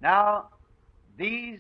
Now, these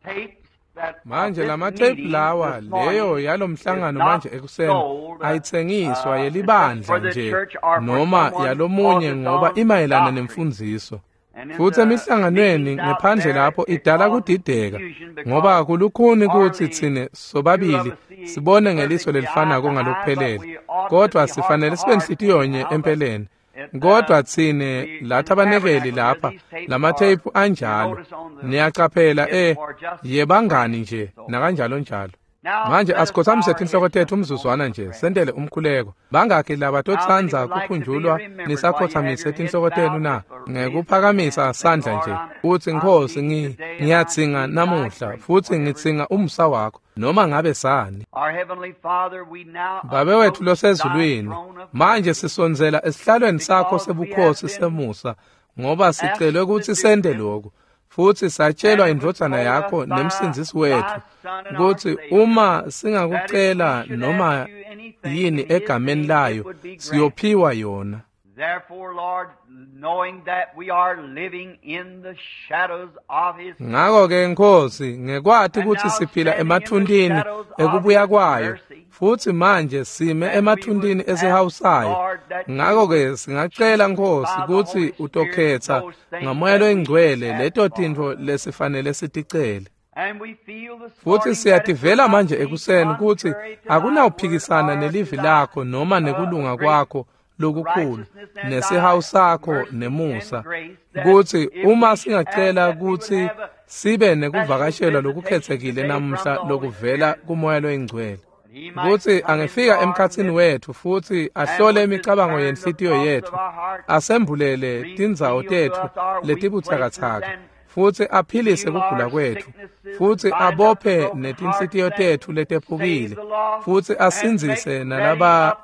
tapes that of Manje this lamatepu meeting lawa this morning leyo is yalomhlangano not manje ekuseni sold ayitsengiswa except for yelibandla the nje church or for noma someone because yalomunye it's ngoba on imayelana doctrine. nemfundziso. And in Futhi the emihlanganweni meetings out ngephandle there, lapho it idala causes kudideka confusion ngoba because kulukhuni kuthi hardly thine two of sobabili us see sibone ngeliso perfectly eye to lelifanako eye, but ngalokuphelele we ought to kodwa be heart to sifanele sibe heart nhliziyo-nye anyhow. But empeleni it, kodwa thine we in the lathabanekeli tabernacle here, lapha these tapes are, lamatheyiphu you anjalo notice on the, niyacaphela it's e for just yebangani friends. nje So nakanjalo njalo. now Manje let us bow asikhothamise our tinhloko heads tethu just a moment umzuzwana for nje prayer. sentele umkhuleko. Bangakhi How many labatotsandza would like to be kukhunjulwa remembered while you have nisakhothamise your heads tinhloko tenu bowed na with a raise of your ngekuphakamisa hands and say, sandla Lord, nje I'm, uthi I'm Nkosi needing today and I ngiyadzinga need thy namuhla grace, futhi whatever. ngidzinga umusa wakho noma ngabe sani. Our Heavenly Father, we now Babe wethu approach thy losezulwini, throne of manje mercy sisondzela esihlalweni sakho because we have sebukhosi been semusa ngoba asked sicelwe to ukuthi do sente this, lokhu futhi satshelwa and it was indvodzana told us yakho by nemsindzisi thy wethu Son and our kutsi Savior uma that if we singakucela should noma ask you anything yini in his egameni name, it layo would be granted. siyophiwa yona. Therefore, Lord, knowing that we are living in the shadows of his coming, Ngako-ke Nkosi ngekwati and kutsi now siphila standing in the emathuntin shadows of ekubuya his kwayo mercy, futhi manje sime that we would emathuntin ask, esihawu sayo. Lord, that you Ngako-ke would singacela choose Nkosi by the kutsi Holy Spirit utokhetsa those things ngamoya that we should loyingcwele ask leto for. tintfo lesifanele siticele. And we feel this Futhi morning that it would siyativela not manje be ekuseni kutsi contrary to thy word akunawuphikisana or to nelivi thy lakho noma nekulunga great kwakho lokukhulu righteousness and thy nesihawu sakho mercy and nemusa grace, that kutsi if uma we should ask singacela that we would kutsi have a sibe special nekuvakashelwa visitation lokukhethekile today from namuhla the Holy lokuvela Spirit, kumoya loyingcwele that he might kutsi come in, angefika Lord, emkhatsini with wethu futhi and ahlole would imicabango discern the yenhlitiyo thoughts of yethu our hearts, asembulele tindzawo reveal to tethu us our weak places, letibutsakatsaka and futhi aphilise heal kugula our kwethu sicknesses, futhi bind up the abophe broken hearts, netinhlitiyo and tethu save letephukile the lost, futhi and make asindzise ready a people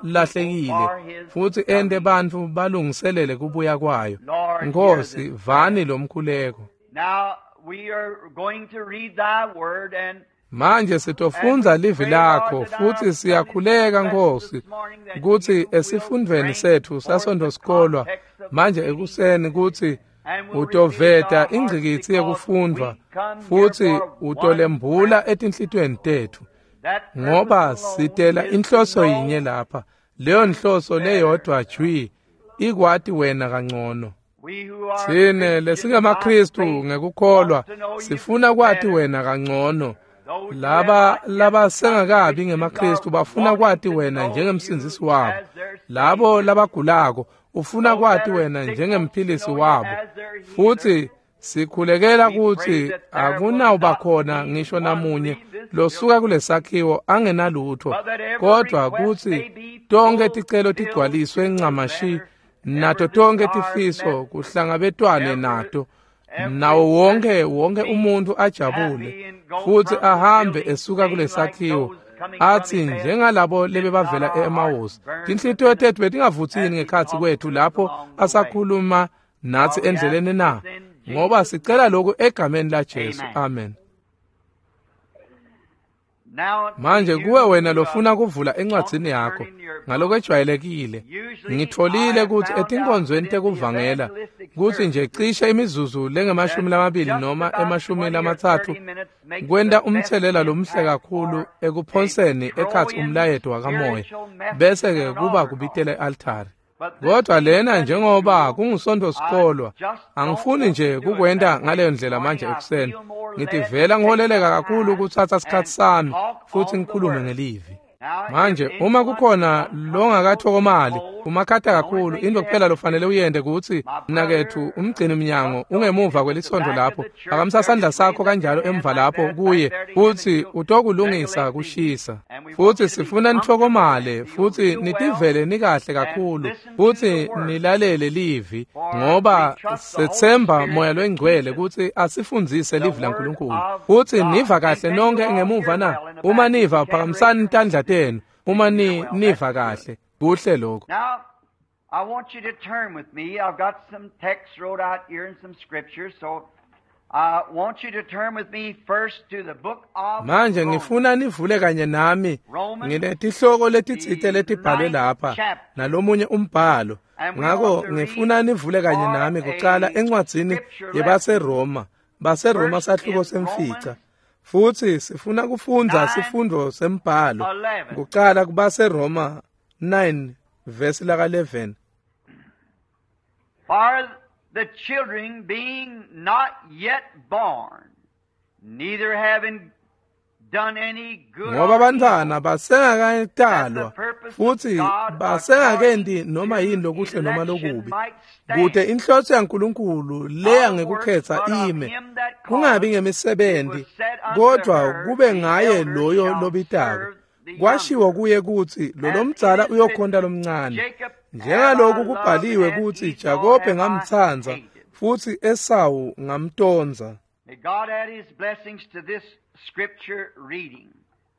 nalabalahlekile for his futhi ente coming. bantfu balungiselele kubuya kwayo. Lord, hear Nkosi this vani prayer. lo mkhuleko. Now we are going to read thy word, and Manje and sitofundza we livi pray, Lord, lakho that our futhi Sunday siyakhuleka school lesson Nkosi this morning that kutsi you will esifundvweni bring sethu forth the sasontfosikolwa context of the manje reading ekuseni kutsi and will reveal to utoveta our hearts ingcikitsi because yekufundvwa we come here futhi for one utolembula purpose. etinhlitiyweni tethu That purpose ngoba alone sitela is to inhloso yinye know lapha leyo you nhloso better. leyodwa jwi ikwati wena kangcono. We who are Tsine Christians by lesingemaKristu faith ngekukholwa want to know you sifuna kwati better. wena kangcono. Those who have Laba not yet become labasengakabi Christians are ngemaKristu bafuna wanting kwati to wena know you njengemsindzisi wabo. as their Labo Savior. labagulako ufuna Those that kwati are wena sick want to njengemphilisi know you wabo. as their healer. Futhi sikhulekela We pray kutsi that there will akunawuba not khona be ngisho one namunye leave this losuka building, kulesakhiwo angenalutho but that every kodwa request kutsi may be tonkhe ticelo fulfilled tigcwaliswe to the ncamashi letter, nato every tonkhe desire tifiso met, kuhlangabetwane every nato every nawo wonke person wonke be umuntu ajabule happy and go futhi from the ahambe building esuka saying like kulesakhiwo those coming from athi Emmaus, njengalabo did not lebebavela our hearts e-Emawusi burn tinhlitiyo within us tethu betingavutsini as he ngekhatsi talked kwethu to us lapho along the way? asakhuluma natsi For we ask endleleni na this in ngoba Jesus' sicela name. lokhu egameni laJesu Amen. amen. Now to Manje you kuwe wena who lofuna kuvula want encwadzini to turn yakho in your book, ngalokwejwayelekile usually I ngitholile have kutsi found out that etinkonzweni in the tekuvangela evangelistic kutsi nje services cishe imizuzu that lengemashumi lamabili just noma about emashumi 20 or lamatsatfu 30 minutes makes the kwenta best umtselela lomuhle impact kakhulu for a ekuphonseni ekhatsi throwing umlayeto wakamoya spiritual message bese than ke an kuba altar call. kubitela e-altari. But this Kodwa being lena Sunday njengoba school, kungusonto I sikolwa just don't angifuni want to nje do it kukwenta that way. ngaleyo This ndlela morning manje I ekuseni feel more led to ngitivela take ngiholeleka my kakhulu time kutsatsa and sikhatsi sami talk futhi on the ngikhulume Word. ngelivi. Now, if Manje uma anyone is kukhona uncomfortable longakathokomali and cold, umakhata the only kakhulu thing into you kuphela have to lofanele do, uyente kutsi my brother mnaketfu umgcini mnyango Russell ungemuva is at the kwelisonto back of lapho the church phakamisa there. sandla Just raise sakho up your kanjalo hand emva like lapho that back kuye there to him, and kutsi he'll utokulungisa regulate the heat. kushisa. And we want Futhi you to be sifuna comfortable and nithokomale feel futhi real well nitivele nikahle and kakhulu listen to the futhi Word. nilalele livi For we ngoba trust the Holy sethemba Spirit moya to teach loyingcwele us kutsi asifundzise the livi Word laNkulunkulu. of Futhi God. niva And kahle can you nonke all ngemuva hear na? well in the Uma back? If you niva can, raise phakamisani your tandla hand. tenu uma If you hear well, that's niva good. kahle kuhle lokho. Now, I want you to turn with me. I've got some text wrote out here and some scriptures, so I want you to turn with me first to the book of Manje Romans. ngifuna nivule kanye nami Romans, nginetihloko letitsite the letibhalwe ninth lapha chapter. nalomunye umbhalo And we ngako want to read ngifuna nivule kanye for nami kucala a encwadzini scripture lesson yebaseRoma baseRoma First sahluko in semfica. Romans Futhi sifuna kufundza 9 sifundvo sembhalo 11. kuqala kubaseRoma 9 verse laka 11. For the children being not yet born, neither having done any good Ngoba or abantwana evil, that the basengakatalwa purpose of futhi God basengakenti according noma yini to lokuhle noma election lokubi, might kute stand. inhloso yaNkulunkulu leya Not of works, ngekukhetha but of ime, him that kungabi calleth, it ngemisebenti, was said unto kodwa her, kube The ngaye elder loyo shall lobitako. serve the Kwashiwo younger. kuye kutsi As it lolomdzala is uyokhonta written, lomncane. Jacob have I Njengaloku loved, kubhaliwe and kutsi Esau Jakobe have I ngamtsandza hated. futsi Esawu ngamtondza. May God add His blessings to this scripture reading.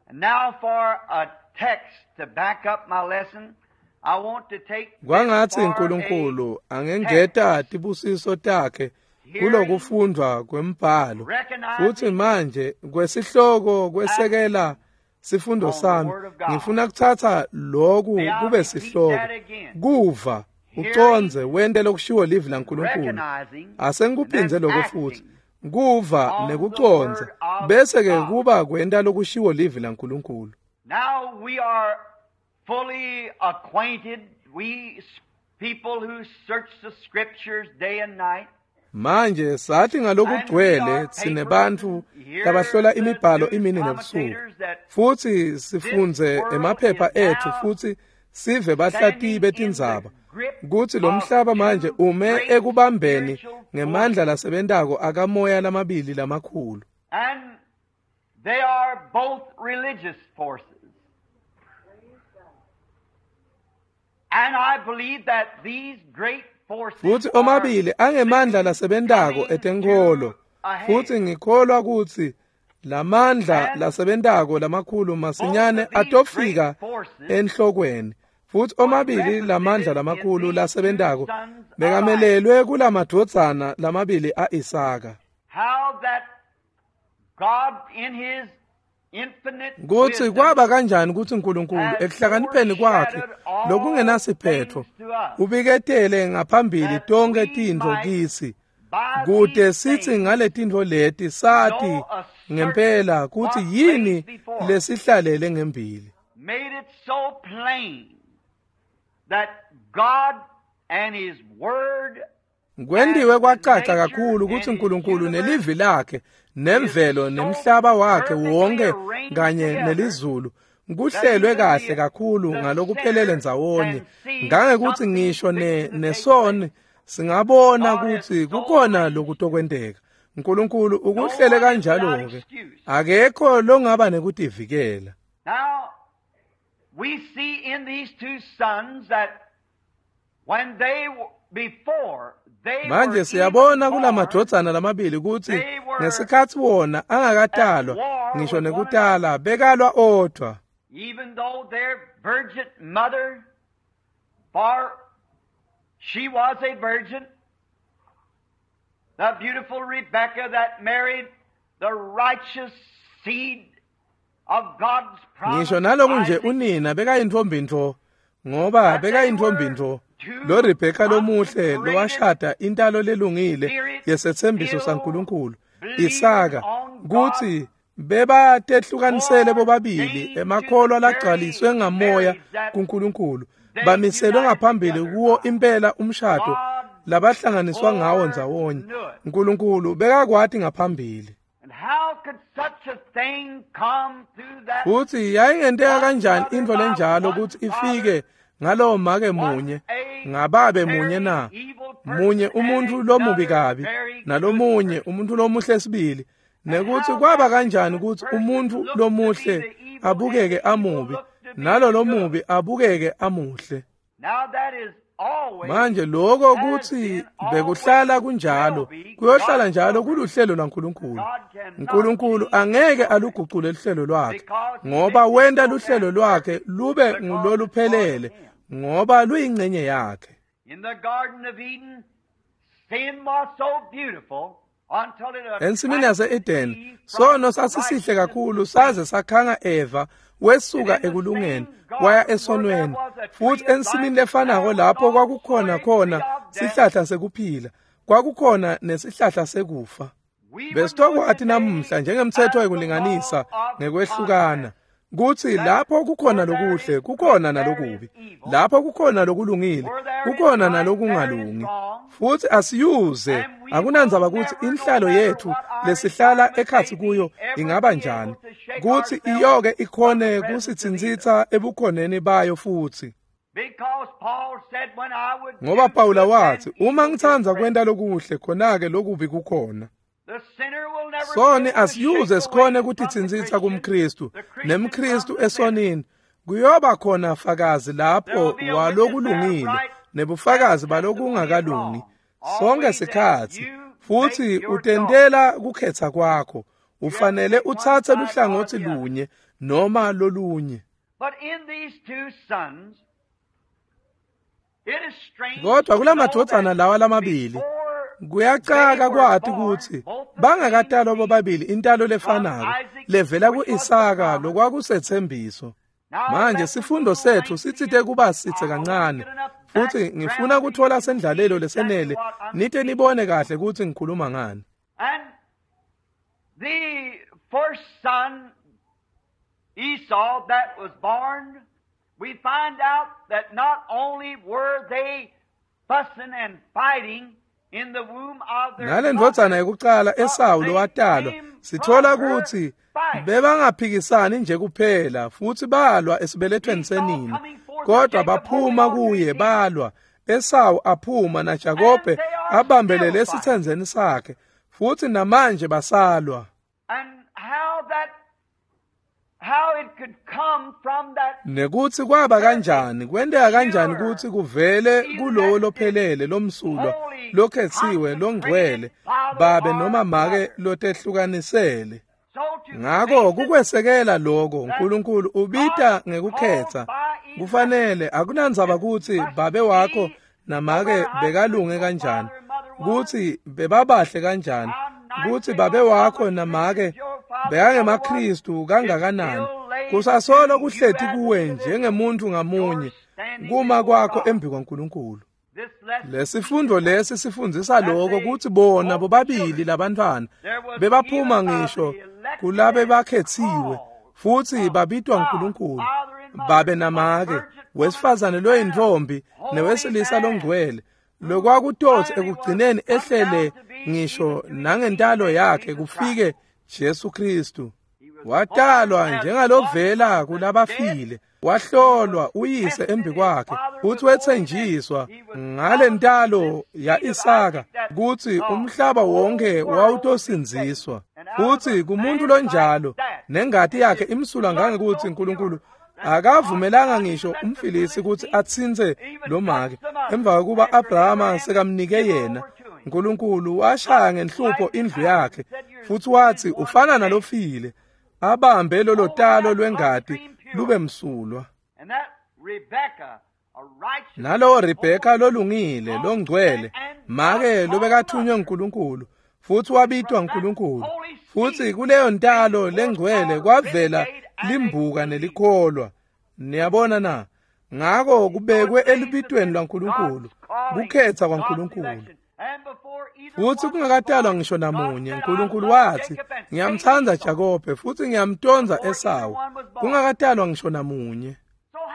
And now for a text to back up my lesson, I want to take this Kwangatsi for a uNkulunkulu angengeta text. tibusiso takhe Hearing, kulokufundvwa kwembhalo. Futhi recognizing, manje kwesihloko kwesekela acting sifundo on the sami, Word of God. ngifuna kuthatha lokhu May I kube repeat sihloko. that again. Kuva, Hearing, ucondze, wente lokushiwo livi laNkulunkulu. recognizing, and Asengikuphindze then lokho futhi. acting Kuva on the nekucondza, Word of bese ke God. kuba kwenta lokushiwo livi laNkulunkulu. Now we are fully acquainted, we people who search the Scriptures day and night, Manje sathi and read ngalokugcwele our tsine papers bantfu and hear labahlola the imibhalo news imini nebusuku, commentators that futhi this sifundze world emaphepha is ethu now futhi sive bahlatiyi standing in the betindzaba grip kutsi lo of mhlaba manje two ume great ekubambeni spiritual ngemandla forces. lasebentako akamoya lamabili lamakhulu. And they are both religious forces. And I believe that these great forces Futhi are omabili angemandla soon lasebentako coming etenkholo, to a futhi head. ngikholwa kutsi lamandla And lasebentako lamakhulu both masinyane of these great atofika forces enhlokweni. Futhi was omabili lamandla represented in lamakhulu these two lasebentako sons of Isaac. bekamelelwe kulamadvodzana lamabili a-Isaka. How that God in His infinite Kutsi wisdom kwaba kanjani kutsi uNkulunkulu has ekuhlakanipheni kwakhe foreshadowed all lokungenasiphetho things to us, ubiketele ngaphambili that tonkhe we tintfo might kitsi, by kute these sitsi things ngaletintfo leti sati know a certain ngempela kutsi what lays yini before us. lesihlalele ngembili. Made it so plain that God and His Word Kwendiwe and kwacaca nature kakhulu kutsi and His uNkulunkulu universe nelivi lakhe is nemvelo so nemhlaba wakhe perfectly wonke arranged kanye together nelizulu that kuhlelwe even kahle the, kakhulu the ngalokuphelele sinner ndzawonye, can see ngangekutsi something ngisho fixing to take nesoni place. singabona God has kutsi so kukhona arranged it. lokutokwenteka. uNkulunkulu No ukuhlele one is without kanjalo-ke, excuse. akekho longaba nekutivikela. Now, we see in these two sons that when they before they Manje were even siyabona born, kulamadvodzana lamabili kutsi they were ngesikhatsi wona at angakatalwa war ngisho with one nekutala another, bekalwa odvwa. even though their virgin mother, for she was a virgin, the beautiful Rebecca that married the righteous seed of God's Ngisho promise, naloku nje Isaac, unina bekayintfombi ntfo, ngoba that they bekayintfombi were ntfo. two Lo Rebheka lomuhle consecrated, lowashada intalo lelungile yesetsembiso spirit-filled, saNkulunkulu, believing Isaka, on God, kutsi bebatehlukanisele bobabili foreordained to the emakholwa very lagcwaliswe ngamoya marriage that kuNkulunkulu, they bamiselwe united ngaphambili together kuwo by. impela umshado God labahlanganiswa ngawo ndzawonye. foreknew it. uNkulunkulu bekakwati ngaphambili. And how could such a thing come through that Futhi yayingenteka one kanjani mother intfo by lenjalo one kutsi father, ifike ngalowo make one munye, a ngababe munye very na? evil Munye person and umuntfu lomubi another kabi very good nalomunye person? umuntfu lomuhle sibili. And Nekutsi how kwaba that the kanjani good kutsi person umuntfu looked to be lomuhle the evil and abukeke the evil amubi, looked to be nalo the good. lomubi abukeke amuhle. Now that is always, Manje lokho has kutsi been, always bekuhlala will kunjalo, be kuyohlala God's njalo program. kuluhlelo lwaNkulunkulu. God cannot uNkulunkulu change his angeke program alugucule luhlelo lwakhe, because he ngoba makes it wenta so luhlelo that lwakhe perfect lube because it's part of nguloluphelele, him. ngoba luyingcenye yakhe. In the Garden of Eden, sin was so beautiful until it Ensimini attracted yase-Eden, Eve from sono sasisihle righteousness kakhulu to saze sin. sakhanga Eva And wesuka in the ekulungeni same waya garden where there esonweni. was a tree Futhi of ensimini life, lefanako there was lapho also kwakukhona a tree khona of death. sihlahla sekuphila, kwakukhona nesihlahla sekufa. Besitokwati namuhla njengemtsetfo wekulinganisa ngekwehlukana kutsi lapho kukhona lokuhle kukhona nalokubi, lapho kukhona lokulungile kukhona nalokungalungi. Futsi asiyuze, akunandzaba kutsi inhlalo yetfu lesihlala ekhatsi kuyo ingaba njani, kutsi iyoke ikhone kusitsintsitsa ebukhoneni bayo futsi. Ngoba Pawula watsi, uma ngitsandza kwenta lokuhle, khona-ke lokubi kukhona. Soni asiyuze sikhone kutitsintsitsa kumKristu, nemKristu esonini. Kuyoba khona fakazi lapho walokulungile nebufakazi balokungakalungi sonke sikhatsi, futsi utentela kukhetsa kwakho. Ufanele utsatse luhlangotsi lunye noma lolunye. Kodwa kulamadvodzana lawa lamabili kuyacaka kwati kutsi bangakatalwa bobabili intalo lefanako levela ku-Isaka lokwakusetsembiso. Manje sifundo setfu sitsite kuba sitse kancane, futsi ngifuna kutfola sendlalelo lesenele nite nibone kahle kutsi ngikhuluma ngani. And the first son, Esau, that was born, we find out that not only were they fussing and fighting in the womb of their Nalendvodzana yekucala Esawu lowatalwa, sithola kutsi bebangaphikisani nje kuphela futsi balwa esibelethweni senina, kodwa baphuma kuye balwa. Esawu aphuma naJakobe abambelele esitsendzeni sakhe, futsi namanje basalwa. And how it could come from that Nekutsi kwaba kanjani, kwenteka kanjani kutsi kuvele kulowo lophelele, lomsulwa, lokhetsiwe, longcwele, babe noma make lotehlukanisele. Ngako kukwesekela lokho, uNkulunkulu ubita ngekukhetsa. Kufanele, akunandzaba kutsi babe wakho namake bekalunge kanjani, kutsi bebabahle kanjani, kutsi babe wakho namake bekangemaKristu kangakanani, kusasolo kuhleti kuwe njengemuntu ngamunye kuma kwakho embi kwaNkulunkulu. Lesifundo lesi sifundzisa lokho kutsi bona bobabili labantwana bebaphuma ngisho kulabe bakhetsiwe futsi babitwa nguNkulunkulu, babe namake, wesifazane loyintfombi newesilisa longcwele, lokwakutotsi ekugcineni ehlele ngisho nangentalo yakhe kufike Jesu Kristu. Watalwa njengalovela kulabafile, wahlolwa uyise embi kwakhe, futsi wetsenjiswa ngalentalo ya-Isaka kutsi umhlaba wonke wawutosindziswa. Futsi kumuntu lonjalo nengati yakhe imsulwa ngangekutsi uNkulunkulu akavumelanga ngisho umfilisi kutsi atsintse lomake emva kokuba Abrahama sekamnike yena. uNkulunkulu washaya ngenhlupho indlu yakhe futsi watsi ufana nalofile, abambe lolo talo lwengati lube msulwa. Nalowo Rebheka lolungile longcwele, make lobekathunywe nguNkulunkulu futsi wabitwa nguNkulunkulu, futsi kuleyo ntalo lengcwele kwavela limbuka nelikholwa. Niyabona na? Ngako kubekwe elibitweni lwaNkulunkulu, kukhetsa kwaNkulunkulu. Futsi kungakatalwa ngisho namunye, uNkulunkulu watsi, ngiyamtsandza Jakobe futsi ngiyamtondza Esawu, kungakatalwa ngisho namunye.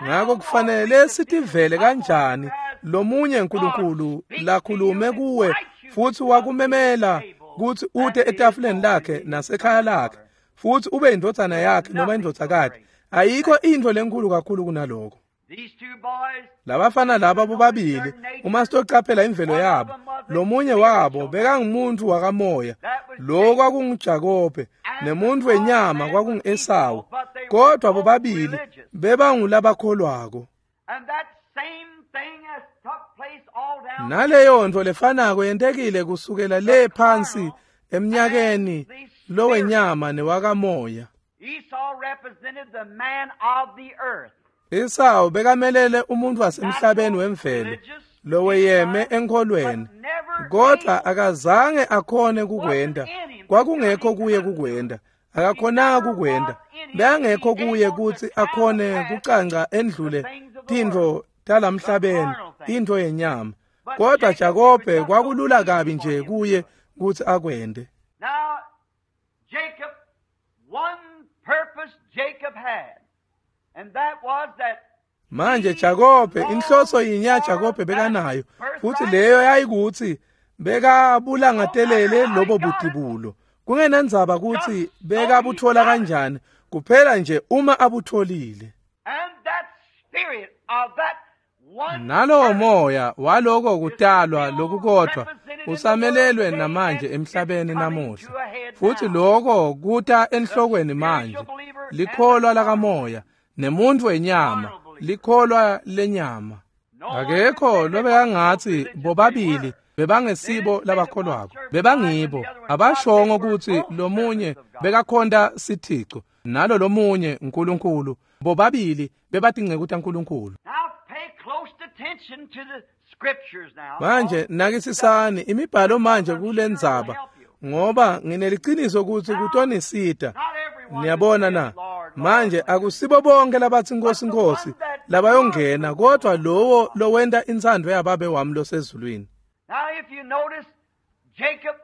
Ngako kufanele sitivele kanjani lomunye uNkulunkulu lakhulume kuwe futsi wakumemela kutsi ute etafuleni lakhe nasekhaya lakhe futsi ube indvodzana yakhe noma indvodzakati. Ayikho intfo lenkulu kakhulu kunaloko. Labafana laba bobabili, uma sitocaphela imvelo yabo, lomunye wabo bekangumuntu wakamoya, lo kwakunguJakobe, nemuntu wenyama kwakungu-Esawu, kodwa bobabili bebangulabakholwako. Naleyo ntfo lefanako yentekile kusukela le phansi emnyakeni lowenyama newakamoya. Esawu bekamelele umuntu wasemhlabeni wemvelo loweyeme enkholweni, kodwa akazange akhone kukwenta. Kwakungekho kuye kukwenta, akakhonanga kukwenta. Bekangekho kuye kutsi akhone kucanca endlule tintfo talamhlabeni, intfo yenyama. Kodwa Jakobe kwakulula kabi nje kuye kutsi akwente. purpose Jacob had, and that was that Manje Jakobe, inhloso yinye yaJakobe bekanayo, futhi leyo yayikuthi bekabulangatelele lobo butibulo. Kungenandzaba kutsi bekabuthola kanjani, kuphela nje uma abutholile. and that spirit of that one Nalowo birth moya waloko kutalwa lokukodwa usamelelwe namanje emhlabeni namuhla. Futhi lokho kuta enhlokweni manje. Likholwa lakamoya nemuntu wenyama, likholwa lenyama. Akekho lobekangathi bobabili bebangesibo labakholwako, bebangibo. Abashongo kutsi lomunye bekakhonta sithico nalo lomunye uNkulunkulu. Bobabili bebatinceku taNkulunkulu. Now pay close attention to the scriptures now. Manje nakisisani imibhalo manje kulendzaba, ngoba ngineliciniso kutsi kutonisita. Not everyone Niyabona that na? says, Lord, Lord, Manje akusibo bonke labathi Nkosi Nkosi labayongena, kodwa lowo lowenta intsandvo yaBabe wami losezulwini. Now if you notice, Jacob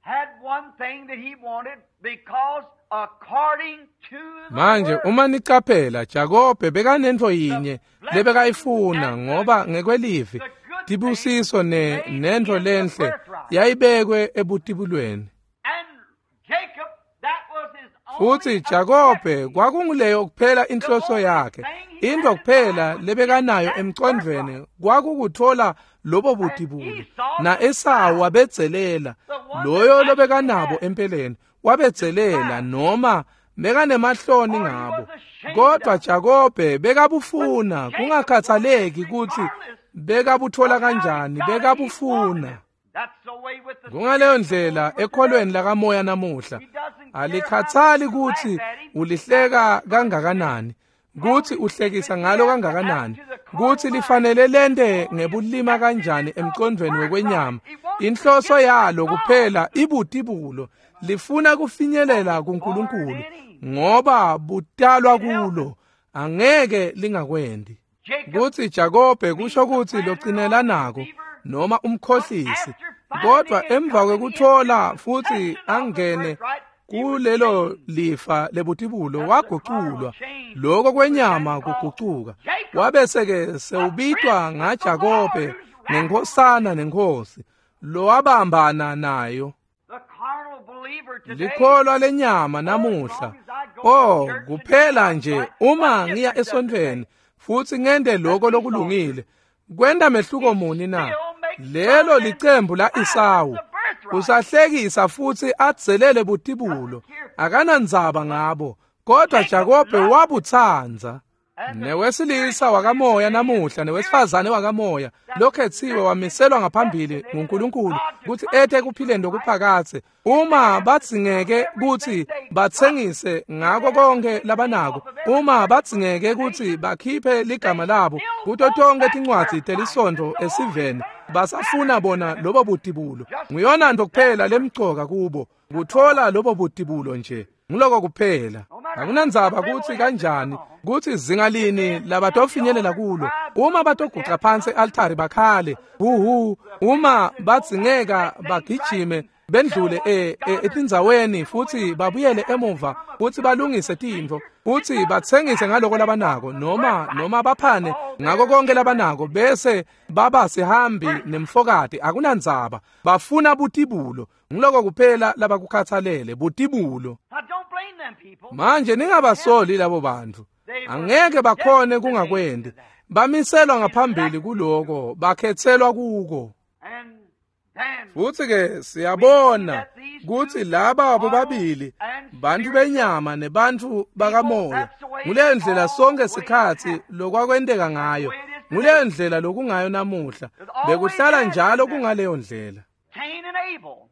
had one thing that he wanted because according to the Manje word, uma nicaphela, Jakobe bekanentfo yinye lebekayifuna, ngoba ngekwelivi tibusiso nentfo lenhle yayibekwe ebutibulweni. and Jacob, that was his only Futhi Jakobe objective. kwakunguleyo kuphela inhloso yakhe. Into kuphela lebekanayo emcondvweni kwakukuthola lobo butibulo. Na Esawu wabedzelela loyo lobekanabo empeleni, wabedzelela noma bekanemahloni ngabo. Kodwa Jakobe bekabufuna, kungakhathaleki kutsi bekabuthola kanjani, bekabufuna. That's the way with the Kungaleyo ndlela ekholweni lakamoya namuhla. Alikhathali kutsi ulihleka kangakanani, kutsi uhlekisa ngalo kangakanani, kutsi lifanele lente ngebulima kanjani emcondvweni wekwenyama. Inhloso yalo kuphela ibutibulo, lifuna kufinyelela kuNkulunkulu ngoba butalwa kulo, angeke lingakwendi. Jacob Kutsi Jakobe kusho kutsi locinela noma umkhohlisi, kodwa emva kwekuthola futhi angene kulelo lifa lebutibulo waguculwa. Lokho kwenyama kugucuka, wabese-ke sewubitwa ngaJakobe ngenkosana nenkosi lowabambana nayo. the carnal believer today, Likholwa lenyama namuhla. Oh, kuphela nje uma ngiya esontfweni futhi ngente lokho lokulungile, kwenta mehluko muni na? Lelo licembu la Esawu. Usahlekisa futhi adzelele butibulo, akanandzaba ngabo, kodwa Jakobe wabutsandza. Newesilisa wakamoya namuhla newesifazane wakamoya lokhetsiwe wamiselwa ngaphambili nguNkulunkulu kutsi ete ekuphileni lokuphakadze. Uma badzingeke kutsi batsengise ngako konke labanako, uma badzingeke kutsi bakhiphe ligama labo kuto tonkhe tincwadzi telisontfo esiveni, basafuna bona lobo butibulo. Nguyona nto kuphela lemcoka kubo, kutfola lobo butibulo nje. Nguloko kuphela. Akunandzaba kutsi kanjani, kutsi zinga lini labatofinyelela kulo. Uma batoguca phansi e-altari bakhale, huhu, uma badzingeka bagijime bendlule etindzaweni futhi babuyele emuva futhi balungise tintfo futhi batsengise ngaloko labanako noma baphane ngako konke labanako, bese baba sihambi nemfokati, akunandzaba. Bafuna butibulo. Nguloko kuphela labakukhathalele, butibulo. Now don't blame them people. Manje ningabasoli labo bantu, angeke bakhone kungakwendi. Bamiselwa ngaphambili kuloko, bakhetselwa kuko. And then Futhi ke siyabona kutsi laba bobabili bantfu benyama nebantfu bakamoya, nguleyo ndlela sonke sikhatsi lokwakwenteka ngayo, nguleyo ndlela lokungayo namuhla, bekuhlala njalo kungaleyo ndlela. Cain and Abel.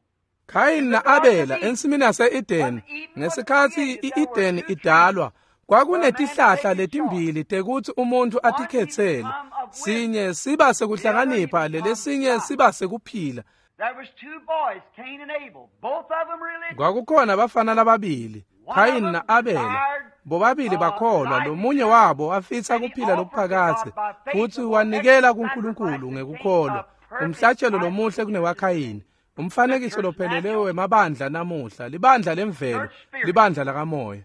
Khayini na-Abela ensimini yase-Edeni, ngesikhatsi i-Edeni idalwa, kwakunetihlahla letimbili tekutsi umuntfu atikhetsele. Sinye siba sekuhlakanipha, lelesinye siba sekuphila. There was two boys, Cain and Abel. Both of them religious. Kwakukhona abafana lababili, Khayini na-Abela. Bobabili bakholwa, lomunye wabo wafisa kuphila lokuphakadze futhi wanikela kuNkulunkulu ngekukholwa. Umhlatshelo lomuhle kunewaKhayini. Umfanekiso lophelele wemabandla namuhla, libandla lemvelo, libandla lakamoya.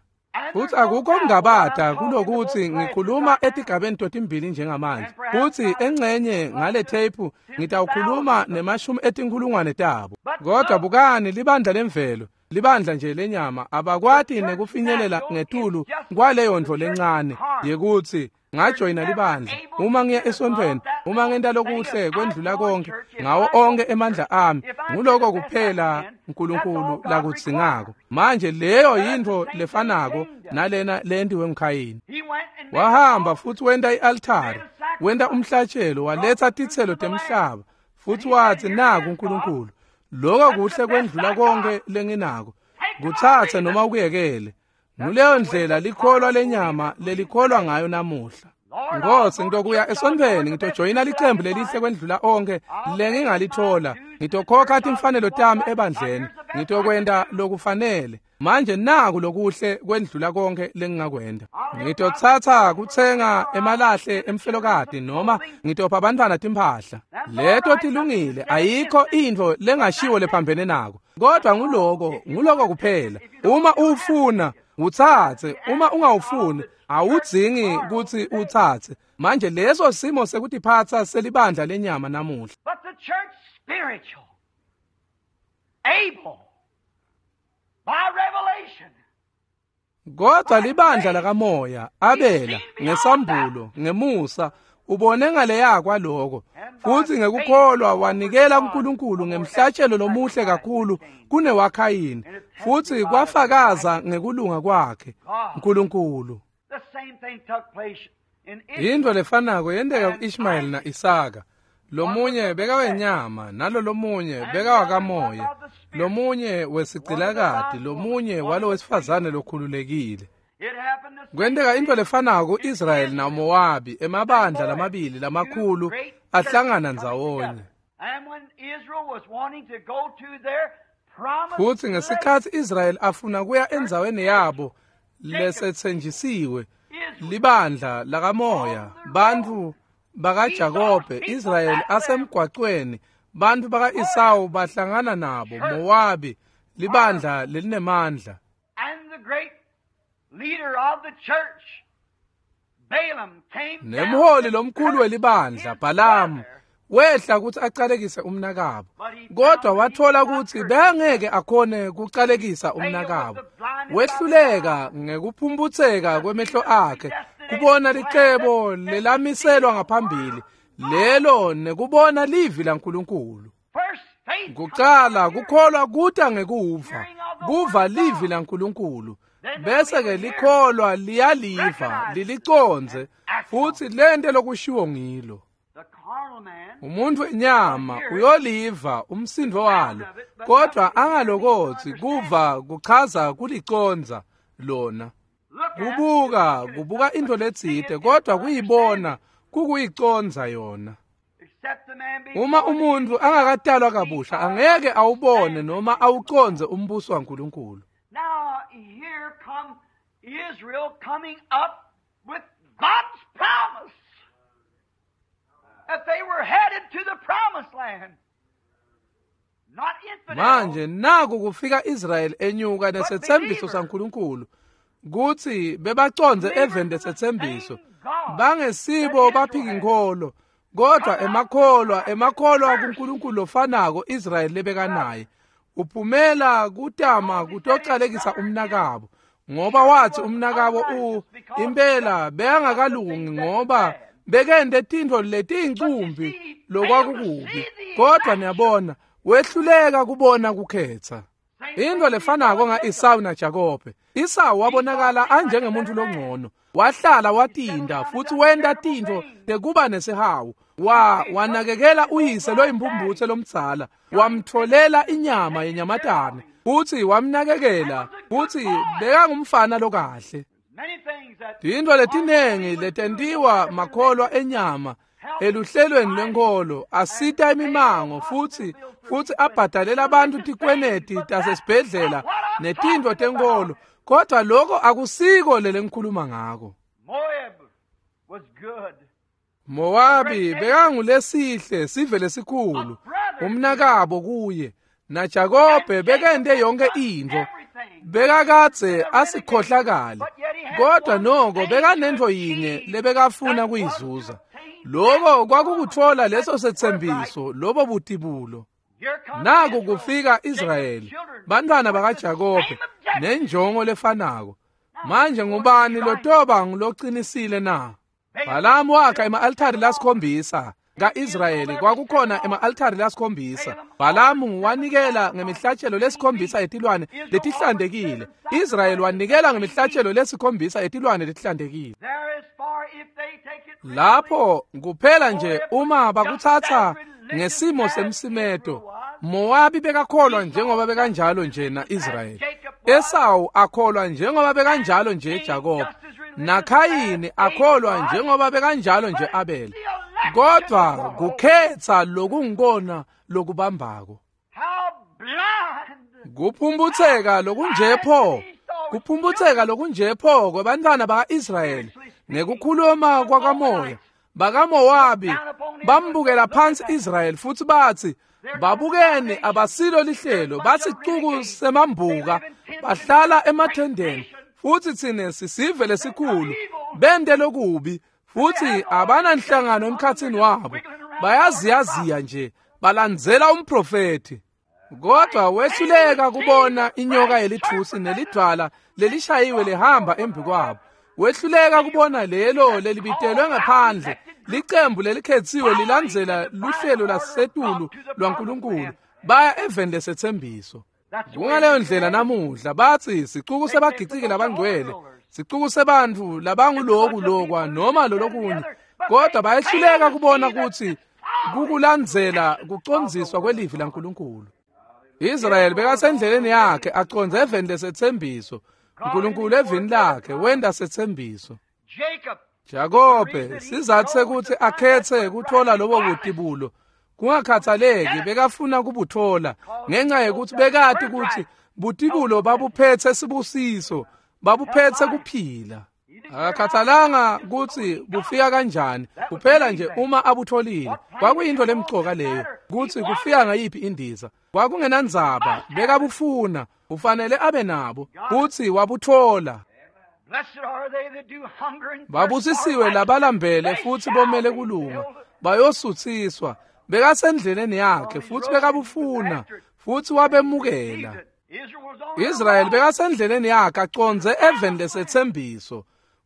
Futsi akukho kungabata kulokuthi ngikhuluma etigabeni totimbili njengamanje. Futsi engcenye ngale tape ngitawukhuluma nemashumi etinkhulungwane tabo. Kodwa bukani libandla lemvelo, libandla nje lenyama abakwati nekufinyelela ngetulu kwaleyo ntfo lencane yekuthi ngajoyina libandla. Uma ngiya esontfweni, uma ngenta lokuhle kwendlula konke ngawo onke emandla ami, nguloko kuphela uNkulunkulu lakudzingako. Manje leyo yintfo lefanako nalena lentiwe nguKhayini. Wahamba futhi wenta i-altari, wenta umhlatshelo, waletsa titselo temhlaba, futhi wathi naku uNkulunkulu, lokho kuhle kwendlula konke lenginako, kutsatse noma ukuyekele. Nguleyo ndlela likholwa lenyama lelikholwa ngayo namuhla. Nkosi, ngitokuya esontfweni, ngitojoyina licembu lelihle kwendlula onke lengingalithola, ngitokhokha timfanelo tami ebandleni, ngitokwenta lokufanele. Manje naku lokuhle kwendlula konke lengingakwenta. Ngitotsatsa kutsenga emalahle emfelokati noma ngitopha abantwana timphahla. Leto tilungile, ayikho intfo lengashiwo lephambene nako. Kodwa nguloko kuphela. Uma ufuna utsatse, uma ungawufuni awudzingi kutsi utsatse. Manje leso simo sekutiphatsa selibandla lenyama namuhla. But the church spiritual, able by revelation. Kodwa libandla lakamoya, Abela ngesambulo, ngemusa, ubone ngaleya kwaloko, futhi ngekukholwa wanikela kuNkulunkulu ngemhlatshelo lomuhle kakhulu kunewaKhayini, futhi kwafakaza ngekulunga kwakhe uNkulunkulu. The same thing took place in Israel. Into lefanako yenteka ku-Ishmael na-Isaka. Lomunye bekawenyama, nalo lomunye bekawakamoya, lomunye wesigcilakati, lomunye walo wesifazane lokhululekile. It happened the same Kwenteka into lefanako ku-Israyeli naMowabi, emabandla lamabili lamakhulu ahlangana ndzawonye. And when Israel was wanting to go to their promised Futhi ngesikhatsi Israyeli afuna kuya endzaweni yabo lesetsenjisiwe, libandla lakamoya, bantfu bakaJakobe, Israyeli asemgwacweni, bantfu baka-Esawu bahlangana nabo, Mowabi, libandla lelinemandla. And the great leader of the church, Balaam, came down Nemholi lomkhulu welibandla, Balamu, wehla kutsi acalekise umnakabo. Kodwa wathola kutsi bekangeke akhone kucalekisa umnakabo. Wehluleka ngekuphumputseka kwemehlo akhe kubona licebo lelamiselwa ngaphambili, lelo nekubona livi laNkulunkulu. First faith Kucala kukholwa kuta ngekuva, kuva livi laNkulunkulu. Bese ke likholwa liyaliva, lilicondze, futhi lente lokushiwo ngilo. The carnal man Umuntu enyama uyoliva umsindo walo, kodwa angalokotsi kuva kuchaza kulicondza lona. look at Kubuka, kubuka into letsite, kodwa kuyibona kukuyicondza yona. except the man be Uma born umuntu angakatalwa kabusha angeke awubone noma awucondze umbuso waNkulunkulu. Now here come Israel coming up with God's promise that they were headed to the promised land. Not infidels, Manje naku kufika Israel enyuka nesethembiso saNkulunkulu kutsi bebacondze eveni lesetsembiso, bangesibo baphikinkholo, kodwa emakholwa kuNkulunkulu lofanako Israel lebekanaye. Uphumela kutama kutocalekisa umnakabo, ngoba wathi umnakabo impela bekangakalungi ngoba bekente tintfo letiyincumbi lokwakukubi. Kodwa niyabona, wehluleka kubona kukhetsa. Into lefanako nga-Esawu naJakobe. Esawu wabonakala anjengemuntu longcono. Wahlala watinda futhi wenta tintfo tekuba nesihawu. Wanakekela uyise loyimphumbutse lomdzala, wamtfolela inyama yenyamatane, futhi wamnakekela, futhi bekangumfana lokahle. many things that Tintfo letinengi letentiwa makholwa enyama eluhlelweni lwenkholo asita imimango futhi abhadalela abantu tikweneti tasesibhedlela netintfo tenkholo, kodwa lokho akusiko lelengikhuluma ngako. Moab was good. Mowabi bekangulesihle sive lesikhulu, umnakabo kuye, naJakobe bekente yonke intfo. Bekakadze asikhohlakali, kodwa noko bekanentfo yinye lebekafuna kuyizuza. Lokho kwakukutfola leso setsembiso, lobo butibulo. Naku kufika Israyeli, bantwana bakaJakobe, nenjongo lefanako. Manje ngubani lotoba ngulocinisile na? Bhalamu wakha ema-altari lasikhombisa. Ka-Israyeli kwakukhona ema-altari lasikhombisa. Bhalamu wanikela ngemihlatshelo lesikhombisa yetilwane letihlantekile. Israyeli wanikela ngemihlatshelo lesikhombisa yetilwane letihlantekile. Lapho kuphela nje uma bakutsatsa ngesimo semsimeto, Mowabi bekakholwa njengoba bekanjalo nje na-Israyeli. Esawu akholwa njengoba bekanjalo nje Jakobe. NaKhayini akholwa njengoba bekanjalo nje Abel. Kodwa kukhetsa lokungikona lokubambako. Kuphumbutseka lokunjepho, kuphumbutseka lokunjepho kwebantwana baka-Israyeli ngekukhuluma kwakamoya. BakaMowabi bambukela phansi Israyeli futhi bathi, babukeni abasilo lihlelo, basicuku semambuka, bahlala emathendeni, futhi thine sisive lesikhulu, bente lokubi, futhi abananhlangano emkhathini wabo, bayaziyaziya nje, balandzela umprofethi. Kodwa wehluleka kubona inyoka yelithusi nelidvwala lelishayiwe lihamba embi kwabo. Wehluleka kubona lelo lelibitelwe ngaphandle, licembu lelikhetsiwe lilandzela luhlelo lasetulu lwaNkulunkulu, baya eveni lesetsembiso. Kungaleyo ndlela namuhla bathi sicuku sebagiciki labangcwele, sicuku sebantfu labanguloku lokwa noma lolokunye, kodwa bayehluleka kubona kutsi kukulandzela kucondziswa kwelivi laNkulunkulu. Israyeli bekasendleleni yakhe acondze eveni lesetsembiso. uNkulunkulu evini lakhe wenta setsembiso. Jakobe sizathu sekuthi akhethe kuthola lobo butibulo, kungakhathaleki bekafuna kubuthola ngenxa yekuthi bekati ukuthi butibulo babuphethe sibusiso, babuphethe kuphila. Akakhathalanga kutsi bufika kanjani, kuphela nje uma abutholile. Kwakuyinto lemcoka leyo, kutsi kufika ngayiphi indiza. Kwakungenandzaba, bekabufuna, ufanele abe nabo, kutsi wabuthola. Babusisiwe labalambele futhi bomele kulunga, bayosuthiswa. Bekasendleleni yakhe futhi bekabufuna, futhi wabemukela. Israyeli bekasendleleni yakhe acondze eveni lesetsembiso.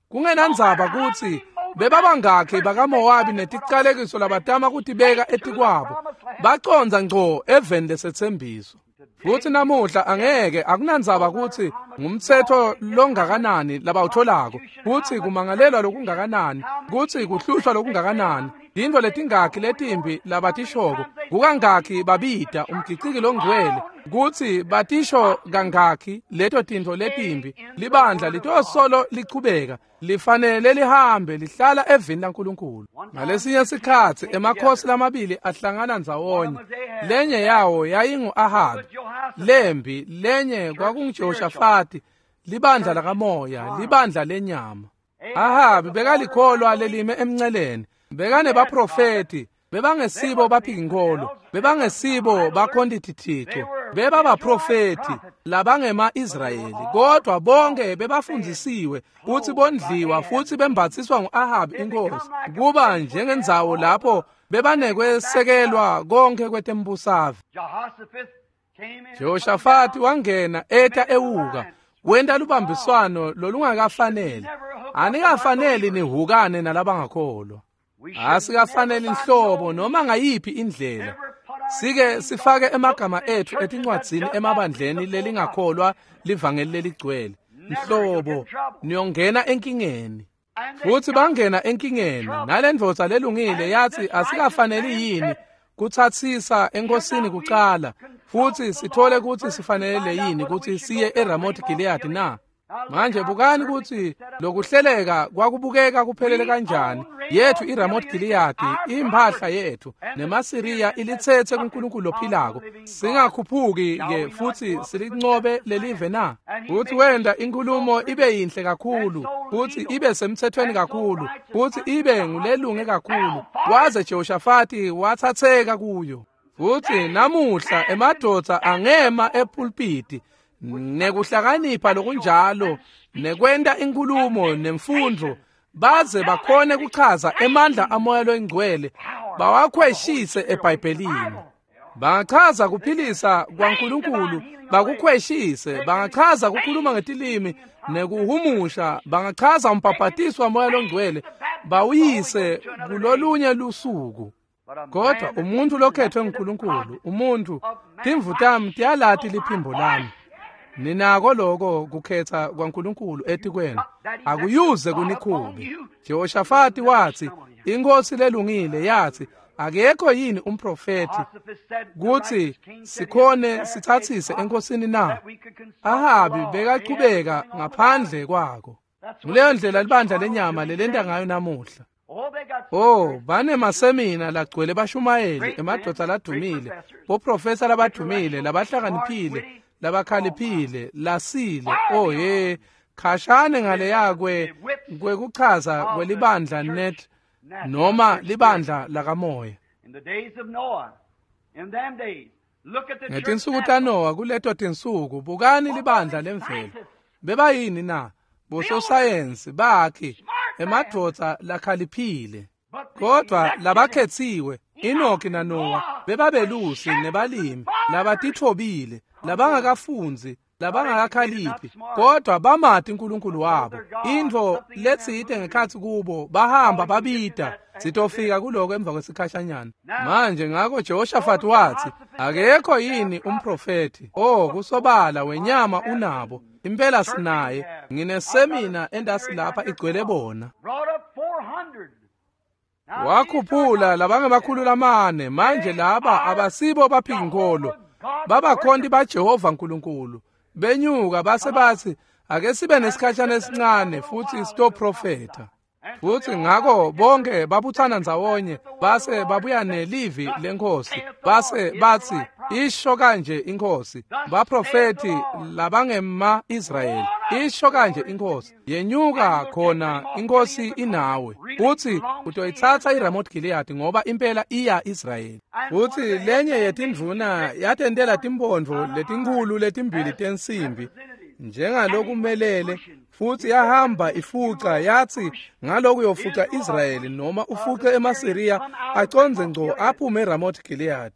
Kungenandzaba kutsi bebabangakhi bakaMowabi neticalekiso labatama kutibeka etikwabo, bacondza ngco eveni lesetsembiso. Futhi namuhla angeke akunandzaba kutsi ngumtsetfo longakanani labawutholako, kutsi kumangalelwa lokungakanani, kutsi kuhlushwa lokungakanani, tintfo letingakhi letimbi labatishoko, kukangakhi babida umgiciki longcwele, kutsi batisho kangakhi leto tintfo letimbi, libandla litosolo lichubeka, lifanele lihambe lihlala evini laNkulunkulu. Ngalesinye sikhatsi emakhosi lamabili ahlangana ndzawonye, lenye yawo yayingu-Ahabi, lembi lenye kwakunguJehoshafati, libandla lakamoya, libandla lenyama. Ahabi bekalikholwa lelime emnceleni, bekanebaprofethi, bebangesibo baphikinkholo, bebangesibo bakhonti-tithixo, bebabaprofethi labangema-Israyeli, kodwa bonke bebafundzisiwe futhi bondliwa futhi bembathiswa ngu-Ahabi inkosi, kuba njengendzawo lapho bebanekwesekelwa konke kwetembusave. Jehoshafati wangena eta ewuka, wenta lubambiswano lolungakafaneli. Anikafaneli nihukane nalabangakholwa. Asikafaneli nhlobo noma ngayiphi indlela. Sike sifake emagama ethu etincwadzini emabandleni lelingakholwa livangeli leligcwele. Nhlobo niyongena enkingeni. Futhi bangena enkingeni. Nalendvodza lelungile yathi asikafaneli yini kutsatsisa enkosini kucala, futhi sithole kutsi sifanele yini kutsi siye eRamoth Gilead na? Manje bukani kutsi lokuhleleka kwakubukeka kuphelele kanjani. Yethu iRamoth Gilead imphahla yethu, nemaSiriya ilitsetse kuNkulunkulu lophilako. Singakhuphuki ke futhi silincobe lelive na? Futhi wenda inkulumo ibe yinhle kakhulu, futhi ibe semthethweni kakhulu, futhi ibe ngulelunge kakhulu, waze Jehoshafati wathatheka kuyo. Futhi namuhla emadvodza angema epulpiti Nekuhlakanipha lokunjalo, nekwenta inkulumo nemfundvo, baze bakhone kuchaza emandla amoya loyingcwele, bawakhweshise eBhayibhelini. Bangachaza kuphilisa kwaNkulunkulu, bakukhweshise. Bangachaza kukhuluma ngetilimi nekuhumusha, bangachaza umbhabhatiso wamoya longcwele, bawuyise kulolunye lusuku. Kodwa umuntu lokhethwe nguNkulunkulu, umuntu, timvu tami tiyalati liphimbo lami. Ninako lokho kukhetha kwaNkulunkulu etikwenu, akuyuze kunikhube. Jehoshafati wathi, inkosi lelungile yathi, akekho yini umprofeti kuthi sikhone sithathise enkosini na? Ahabi bekachubeka ngaphandle kwako. Nguleyo ndlela libandla lenyama lelenta ngayo namuhla. Oh, banemasemina lagcwele bashumayeli, emadvodza ladumile, boprofesa labadumile, labahlakaniphile, labakhaliphile, lasile. Oh he, khashane ngaleya kwekuchaza kwelibandla net noma libandla lakamoya. Ngetinsuku taNowa, kuleto tinsuku, bukani libandla lemvelo. Bebayini na? Bososayensi bakhe, emadvodza lakhaliphile. Kodwa labakhetsiwe, Enoki naNowa, bebabelusi nebalimi, labatithobile, labangakafundzi, labangakakhaliphi, kodwa bamati uNkulunkulu wabo. Intfo letsite ngekhatsi kubo, bahamba babida. Sitofika kuloko emva kwesikhashanyana. Manje ngako Jehoshaphat wathi, akekho yini umprofeti? Oh, kusobala wenyama unabo. Impela sinaye. Nginesemina endasi lapha igcwele bona. Wakhuphula labangemakhulu lamane. Manje laba abasibo baphikinkholo, babakhonti baJehova uNkulunkulu. Benyuka base bathi, ake sibe nesikhashana esincane futhi sitoprofetha. Futhi ngako bonke babuthana ndzawonye, base babuya nelivi lenkosi, base bathi, isho kanje inkosi. Baprofeti labangema Israyeli, isho kanje inkosi, yenyuka khona inkosi inawe, futhi utoyitsatsa iRamoth Gilead ngoba impela iya Israyeli. Futhi lenye yetindvuna yatentela timpondvo letinkhulu letimbili tensimbi njengalokumelele, futhi yahamba ifuca, yathi ngaloku yofuca Israyeli noma ufuce emaSiriya acondze ngco aphume eRamoth Gilead.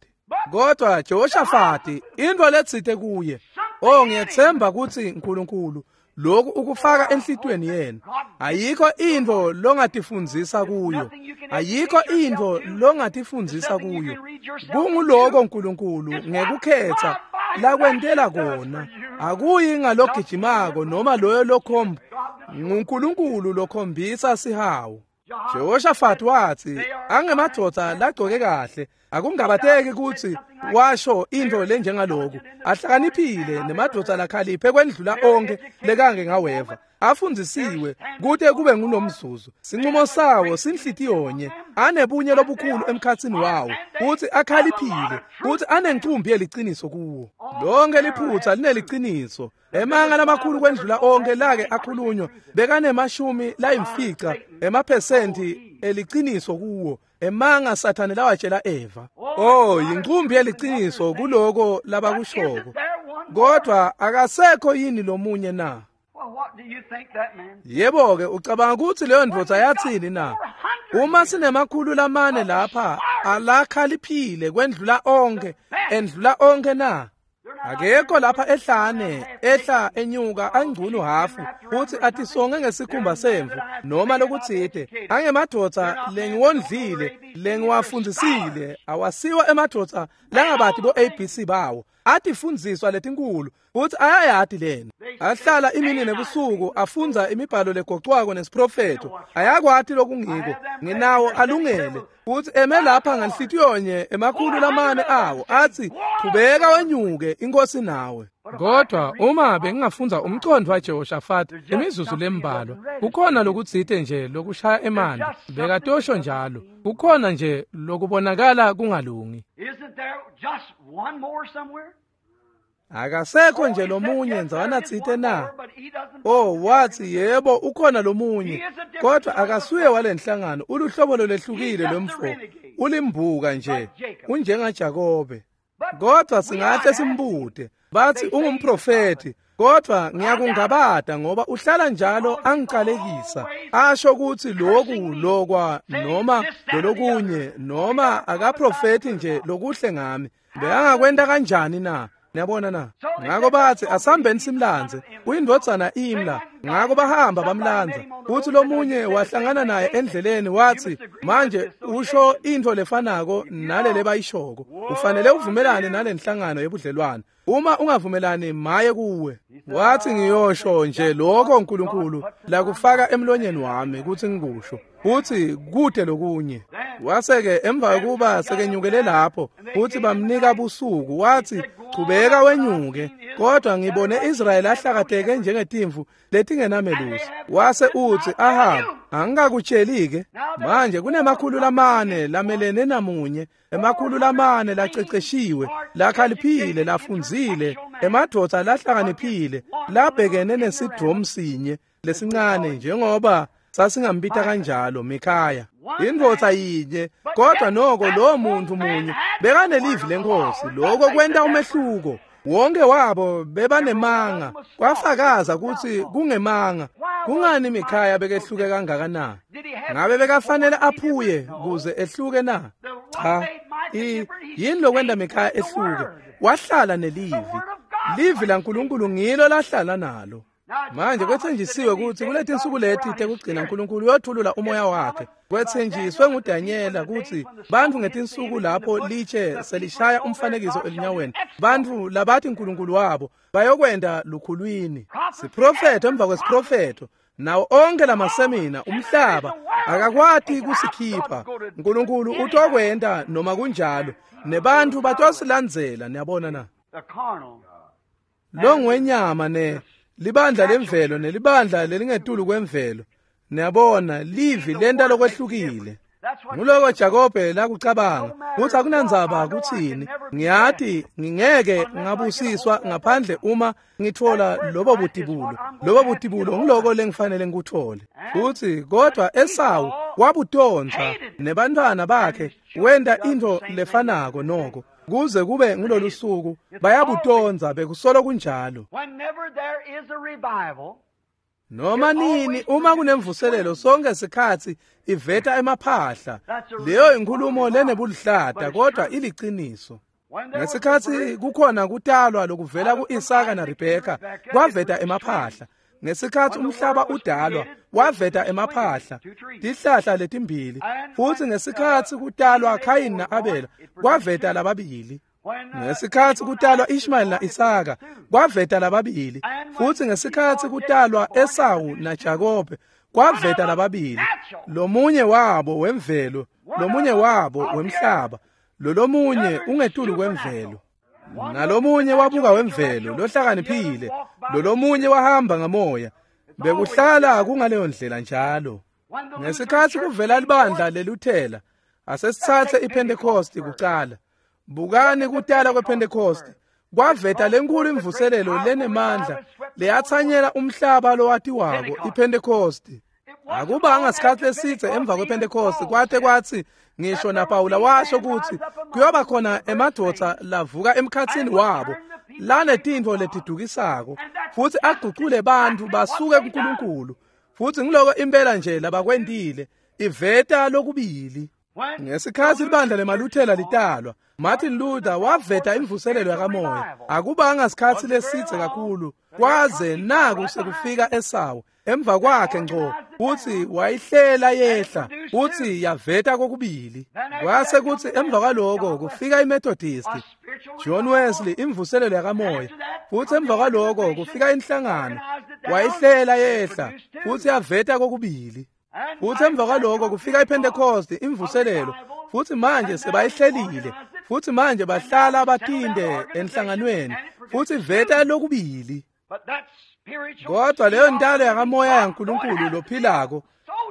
Kodwa Jehoshafati intfo letsite kuye, oh ngiyethemba kutsi uNkulunkulu lokhu ukufaka enhlitiyweni yenu. Ayikho intfo longatifundzisa kuyo, ayikho intfo longatifundzisa kuyo. Kunguloko uNkulunkulu ngekukhetha lakwentela kona. Akuyi ngalogijimako noma loyo lokhomba, nguNkulunkulu lokhombisa sihawu. Jehoshaphat wathi, angemadvodza lagcoke kahle, akungabateki kutsi washo intfo lenjengaloku, ahlakaniphile nemadvodza lakhaliphe kwendlula onke lekange ngaweva, afundzisiwe kute kube ngulomzuzu. Sincumo sawo sinhlitiyonye, anebunye lobukhulu emkhatsini wawo, kutsi akhaliphile, kutsi anencumbi yeliciniso kuwo. Lonke liphutsa lineliciniso. Emanga lamakhulu kwendlula onke lake akhulunywa bekanemashumi layimfica emaphesenti eliciniso kuwo. Emanga Sathane lawatshela Eva. Oh, yincumbi yeliciniso kuloko labakushoko. Kodwa akasekho yini lomunye na? Yebo ke, ucabanga kutsi leyo ndvodza yatsini na? Uma sinemakhulu lamane lapha alakhaliphile kwendlula onke, endlula onke na? Akekho lapha ehlane, ehla enyuka angcunu hafu, futhi atisonge ngesikhumba semvu noma lokutsite. Angemadvodza lengiwondlile, lengiwafundzisile, awasiwa emadvodza langabati bo ABC bawo. Atifundziswa letinkulu, futhi ayayati lena. Ahlala imini nebusuku afundza imibhalo legocwako nesiprofetho. Ayakwati lokungiko, nginawo alungele. Futhi eme lapha nganhlitiyonye emakhulu lamane awo athi, qhubeka wenyuke inkosi nawe. Kodwa uma bengingafundza umcondvo waJehoshafati imizuzu lembalwa, kukhona lokutsite nje lokushaya emanti, bekatosho njalo. Kukhona nje lokubonakala kungalungi. Akasekho nje lomunye ndzawana tsite na? Oh, wathi yebo ukhona lomunye, kodwa akasuye walenhlangano, uluhlobo lolwehlukile lomfo, ulimbuka nje, unjengaJakobe. Kodwa singahle simbute, bathi ungumprofeti, Kodwa ngiyakungabata ngoba uhlala njalo angiqalekisa, asho ukuthi lokhu lokwa noma lolokunye, noma akaprofethi nje lokuhle ngami. Bekangakwenta kanjani na? Niyabona na? Ngako bathi asambeni simlandze, uyindvodzana Imla. Ngako bahamba bamlandza. Kuthi lomunye wahlangana naye endleleni wathi, manje usho into lefanako nalele bayishoko. Ufanele uvumelane nalenhlangano yebudlelwane. Uma ungavumelani maye kuwe. Wathi ngiyosho nje lokho uNkulunkulu lakufaka emlonyeni wami ukuthi ngikusho. Uthi kude lokunye. Wase-ke emva kokuba sekenyukele lapho, uthi bamnika busuku, wathi chubeka wenyuke, kodwa ngibone Israyeli ahlakateke njengetimvu letingenamelusi. Wase uthi Ahab, angikakutsheli-ke? Manje kunemakhulu lamane lamelene namunye, emakhulu lamane laceceshiwe, lakhaliphile, lafundzile, emadvodza lahlakaniphile, labhekene nesidromu sinye lesincane njengoba sasingambita kanjalo Mikhaya. Indvodza yinye, kodwa noko lo muntu munye bekanelivi lenkosi. Lokho kwenta umehluko. Wonke wabo bebanemanga, kwafakaza ukuthi kungemanga. Kungani Mikhaya bekehluke kangaka na? Ngabe bekafanele aphuye kuze ehluke na? Cha. Yini lokwenta Mikhaya ehluke? Wahlala nelivi. Livi laNkulunkulu ngilo lahlala nalo. Manje kwethenjisiwe ukuthi kuletinsuku leti tekugcina uNkulunkulu uyothulula umoya wakhe. Kwethenjiswe nguDanyela ukuthi bantfu ngetinsuku lapho litshe selishaya umfanekiso elinyaweni, bantfu labathi uNkulunkulu wabo bayokwenda lukhulwini. Siprofetho emva kwesiprofetho, nawo onke lamasemina umhlaba akakwati kusikhipha. uNkulunkulu utokwenta noma kunjalo, nebantu batosilandzela. Niyabona na? Lo ngwenyama ne libandla lemvelo nelibandla lelingetulu kwemvelo. Niyabona, livi lenta lokwehlukile. Nguloko Jakobe lakucabanga, kutsi akunandzaba kutsini, ngiyati ngingeke ngabusiswa ngaphandle uma ngitfola lobo butibulo. Lobo butibulo ngiloko lengifanele ngikuthole. Futsi kodwa Esawu wabutonza nebantwana bakhe wenta into lefanako noko. Kuze kube ngulolu suku bayabutonza, bekusolo kunjalo. Noma nini uma kunemvuselelo sonke sikhatsi iveta emaphahla. Leyo inkulumo lenebuluhlata kodwa iliciniso. Ngesikhatsi kukhona kutalwa lokuvela ku-Isaka naRebheka kwaveta emaphahla. Ngesikhatsi umhlaba udalwa waveta emaphahla, tihlahla letimbili. Futsi ngesikhatsi kutalwa Khayini na-Abela kwaveta lababili. Ngesikhatsi kutalwa Ishmael na-Isaka kwaveta lababili. Futsi ngesikhatsi kutalwa Esawu naJakobe kwaveta lababili. Lomunye wabo wemvelo, lomunye wabo wemhlaba, lolomunye ungetulu kwemvelo. Nalomunye wabuka wemvelo lohlakaniphile, lolomunye wahamba ngamoya. Bekuhlala kungaleyo ndlela njalo. Ngesikhatsi kuvela libandla leLuthela, asesitsatse iPentecost kucala. Bukani kutala kwePentecost kwaveta lenkulu imvuselelo lenemandla leyatsanyela umhlaba lowatiwako, iPentecost. Akubanga sikhatsi lesidze emva kwePentecost kwate kwatsi ngisho naPawula washo ukuthi kuyoba khona emadvodza lavuka emkhatsini wabo lanetintfo letidukisako futsi agucule bantfu basuke kuNkulunkulu. Futsi ngiloko impela nje labakwentile, iveta lokubili. Ngesikhatsi libandla lemaLuthela litalwa, Martin Luther waveta imvuselelo yakamoya. Akubanga sikhatsi lesidze kakhulu kwaze naku sekufika Esawu emva kwakhe ngco, futsi wayihlela yehla futsi yaveta kokubili. Kwase kutsi emva kwaloko kufika iMethodist, John Wesley, imvuselelo yakamoya. Futsi emva kwaloko kufika inhlangano, wayihlela yehla futsi yaveta kokubili. Futsi emva kwaloko kufika iPentecost, imvuselelo. Futsi manje sebayihlelile, futsi manje bahlala batinde enhlanganweni, futsi veta lokubili. Kodwa leyo ntalo yakamoya yaNkulunkulu lophilako,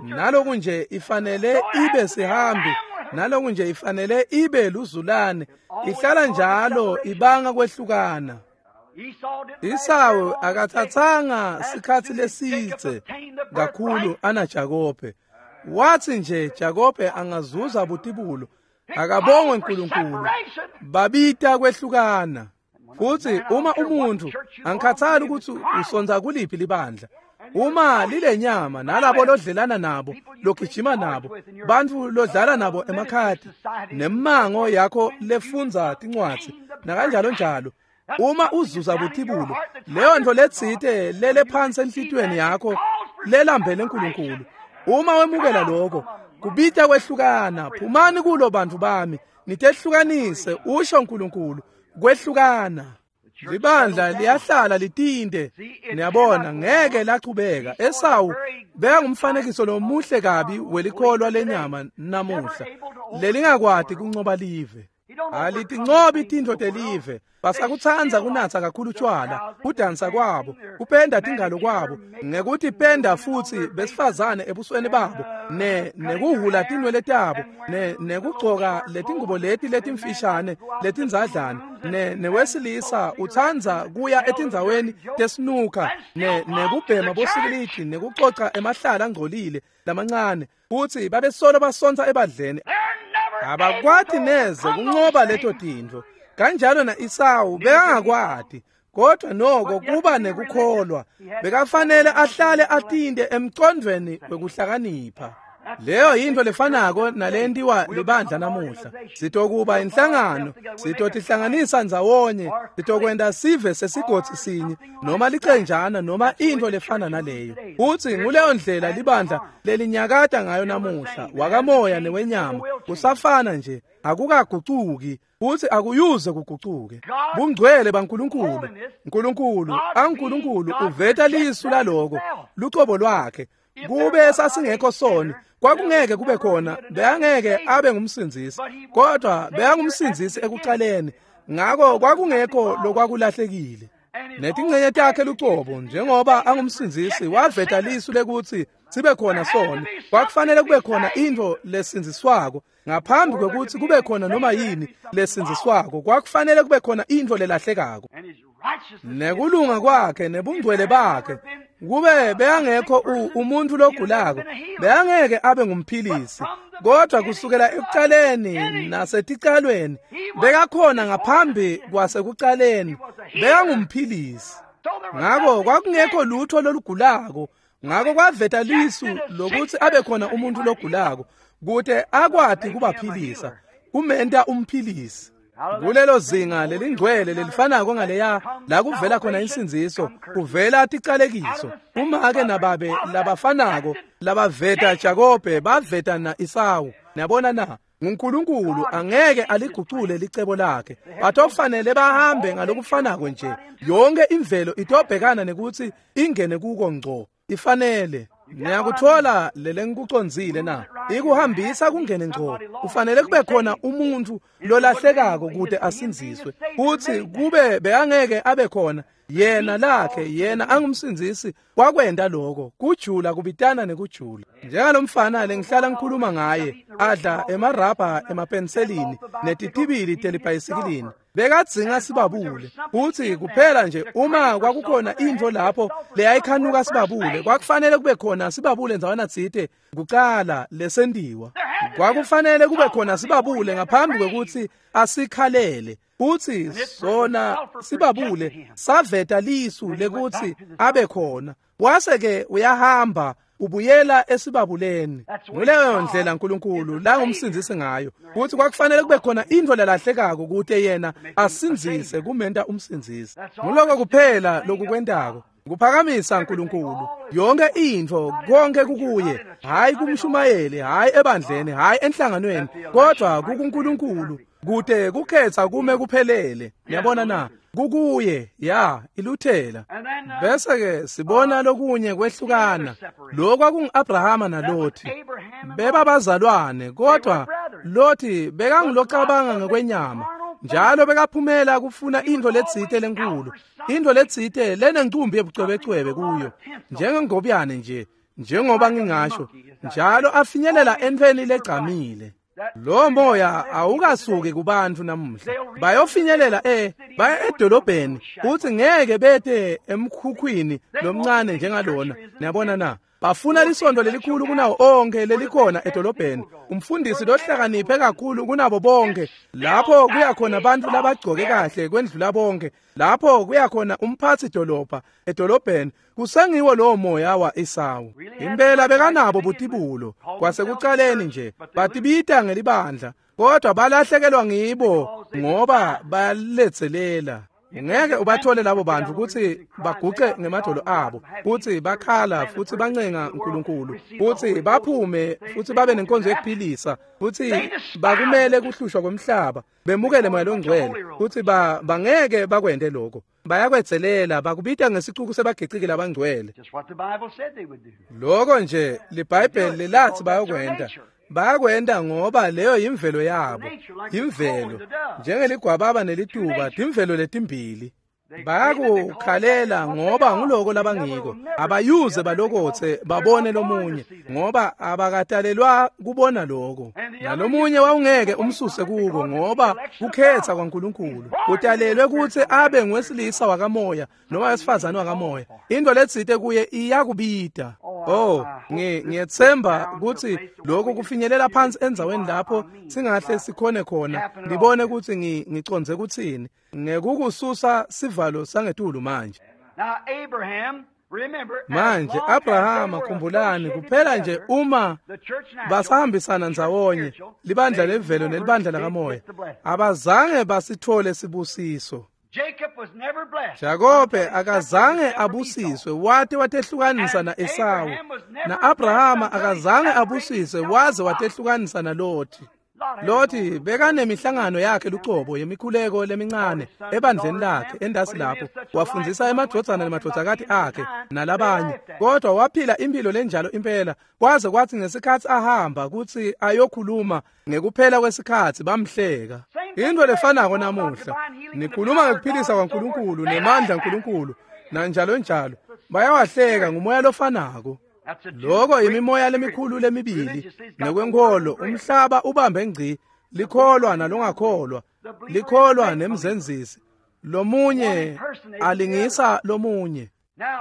naloku nje ifanele ibe sihambi, naloku nje ifanele ibe luzulane, ihlala njalo ibanga kwehlukana. Isawu akathathanga sikhatsi lesidze kakhulu ana Jakobe. Wathi nje Jakobe angazuza butibulo, akabongwe uNkulunkulu. Babita kwehlukana. Futsi uma umuntfu angikhathali ukuthi usonza kuliphi libandla, uma lilenyama nalabo lodlelana nabo, logijima nabo, bantfu lodlala nabo emakhadi, nemango yakho lefundza tincwadzi nakanjalo njalo, uma uzuza butibulo, leyo ntfo letsite lele phansi enhlitiyweni yakho lelambele uNkulunkulu, uma wemukela lokho kubita kwehlukana. Phumani kulo bantfu bami, nitehlukanise, usho uNkulunkulu. Kwehlukana. Libandla liyahlala litinte. Niyabona, ngeke lachubeka. Esawu bekangumfanekiso lomuhle kabi welikholwa lenyama namuhla lelingakwati kuncoba live. Alitincobi tintfo telive. Basakutsandza kunatsa kakhulu tshwala, kudansa kwabo, kupenda tingalo kwabo, ngekuthi penda futsi besifazane ebusweni babo, nekuhhula tinwele tabo, nekugcoka letingubo leti letimfishane letindzadlana, newesilisa utsandza kuya etindzaweni tesinuka, nekubhema bosikilidi, nekucoca emahlala angcolile lamancane, futsi babesolo basontsa ebadleni. Abakwati neze kuncoba leto tintfo. Kanjalo na-Esawu bekangakwati, kodwa noko kuba nekukholwa bekafanele ahlale atinte emcondvweni wekuhlakanipha. Leyo yintfo lefanako nalentiwa libandla namuhla. Sitokuba inhlangano, sitotihlanganisa ndzawonye, sitokwenta sive sesigodzi sinye noma licenjana noma intfo lefana naleyo. Futsi nguleyo ndlela libandla lelinyakata ngayo namuhla, wakamoya newenyama, kusafana nje, akukagucuki futsi akuyuze kugucuke. Bungcwele baNkulunkulu, Nkulunkulu, aNkulunkulu uveta lisu laloko, lucobo lwakhe. Kube sasingekho soni, kwakungeke kube khona, bekangeke abe ngumsindzisi, kodwa bekangumsindzisi ekucaleni. Ngako kwakungekho lokwakulahlekile. Netingcenye takhe lucobo, njengoba angumsindzisi, waveta lisu lekutsi sibe khona soni. Kwakufanele kube khona intfo lesindziswako ngaphambi kwekutsi kube khona noma yini lesindziswako. Kwakufanele kube khona intfo lelahlekako. Nekulunga kwakhe nebungcwele bakhe, kube bekangekho umuntfu logulako, bekangeke abe ngumphilisi. Kodwa kusukela ekucaleni naseticalweni bekakhona ngaphambi kwasekucaleni, bekangumphilisi. Ngako kwakungekho lutho lolugulako. Ngako kwaveta lisu lokuthi abe khona umuntu logulako kute akwati kubaphilisa, kumenta umphilisi. Kulelo zinga lelingcwele lelifanako ngaleya la kuvela khona insindziso, kuvela ticalekiso. Umake nababe labafanako labaveta Jakobe baveta na-Esawu. Niyabona na? NguNkulunkulu angeke aligucule licebo lakhe. Batofanele bahambe ngalokufanako nje. Yonke imvelo itobhekana nekuthi ingene kuko ngco. Ifanele. Niyakuthola lelengikucondzile na? Ikuhambisa kungene ngco. Kufanele kube khona umuntfu lolahlekako kute asindziswe. Futsi kube bekangeke abe khona yena lakhe, yena angumsindzisi, kwakwenta lokho. Kujula kubitana nekujula. Njengalomfana lengihlala ngikhuluma ngaye, adla emarabha emapenselini netitibili telibhayisikilini, bekadzinga sibabule. Futsi kuphela nje uma kwakukhona intfo lapho leyayikhanuka sibabule, kwakufanele kube khona sibabule ndzawana tsite kucala lesentiwa. Kwakufanele kube khona sibabule ngaphambi kwekutsi asikhalele. Futsi sona sibabule saveta lisu lekutsi abe khona. Wase-ke uyahamba ubuyela esibabuleni. Nguleyo ndlela uNkulunkulu langumsindzisi ngayo. Futsi kwakufanele kube khona intfo lelahlekako kute yena asindzise, kumenta umsindzisi. Nguloko kuphela lokukwentako, kuphakamisa uNkulunkulu. Yonke intfo, konke kukuye, hayi kumshumayeli, hayi ebandleni, hayi enhlanganweni, kodwa kukuNkulunkulu. Kute kukhetha kume kuphelele. Niyabona na? Kukuye, ya, iluthela. Bese ke sibona lokunye kwehlukana. Lokho kwakungu-Abrahama naLothi. Bebabazalwane, kodwa Lothi bekangulocabanga ngekwenyama. Njalo bekaphumela kufuna intfo letsite lenkulu, intfo letsite lenencumbi yebucwebecwebe kuyo, njengengobyane nje, njengoba ngingasho, njalo afinyelela entfweni legcamile. Lo moya awukasuki kubantu namuhla. Bayofinyelela baya edolobheni, futhi ngeke bete emkhukhwini lomncane njengalona. Niyabona na? Bafuna lisondo lelikhulu kunawo onke lelikhona edolobheni, umfundisi lohlakaniphe kakhulu kunabo bonke, lapho kuya khona abantu labagcoke kahle kwendlula bonke, lapho kuya khona umphathi dolobha edolobheni. Kusengiwo lowo moya wa Esawu. Impela bekanabo butibulo kwasekucaleni nje, batibita ngelibandla, kodwa balahlekelwa ngibo ngoba bayaletselela. Ngeke ubathole labo bantu kutsi baguce ngemadolo abo, kutsi bakhala futsi bancenga uNkulunkulu, kutsi baphume futsi babe nenkonzo yekuphilisa, futsi bakumele kuhlushwa kwemhlaba, bemukele moya longcwele, kutsi bangeke bakwente lokho. Bayakwetselela, bakubita ngesicuku sebagiciki labangcwele. Lokho nje liBhayibheli lathi bayokwenta. Bayakwenta ngoba leyo yimvelo yabo, imvelo njengeligwababa nelituba, timvelo letimbili. Bayakukhalela ngoba nguloko labangiko. Abayuze balokotse babone lomunye ngoba abakatalelwa kubona lokho. Nalomunye wawungeke umsuse kuko ngoba kukhetha kwaNkulunkulu. Utalelwe kutsi abe ngwesilisa wakamoya noma wesifazane wakamoya. Into letsite kuye iyakubita. Oh, ngiyethemba kutsi lokhu kufinyelela phansi endzaweni lapho singahle sikhone khona ngibone kutsi ngicondze kutsini ngekukususa sivalo sangetulu manje. Manje Abrahama, khumbulani, kuphela nje uma basahambisana ndzawonye libandla levelo nelibandla lakamoya, abazange basithole sibusiso. Jakobe akazange abusiswe wate watehlukanisa na-Esawu, na-Abrahama akazange abusiswe waze watehlukanisa naLothi. Lothi bekanemihlangano yakhe lucobo yemikhuleko lemincane ebandleni lakhe endasi lapho, wafundzisa emadvodzana nemadvodzakati akhe nalabanye, kodwa waphila impilo lenjalo impela kwaze kwathi ngesikhatsi ahamba kutsi ayokhuluma ngekuphela kwesikhatsi bamhleka. Into lefanako namuhla, nikhuluma ngekuphilisa kwaNkulunkulu nemandla aNkulunkulu nanjalo njalo, bayawahleka ngumoya lofanako. Lokho imimoya lemikhulu lemibili ngekwenkholo, umhlaba ubambe ngci, likholwa nalongakholwa, likholwa nemzenzisi, lomunye alingisa lomunye.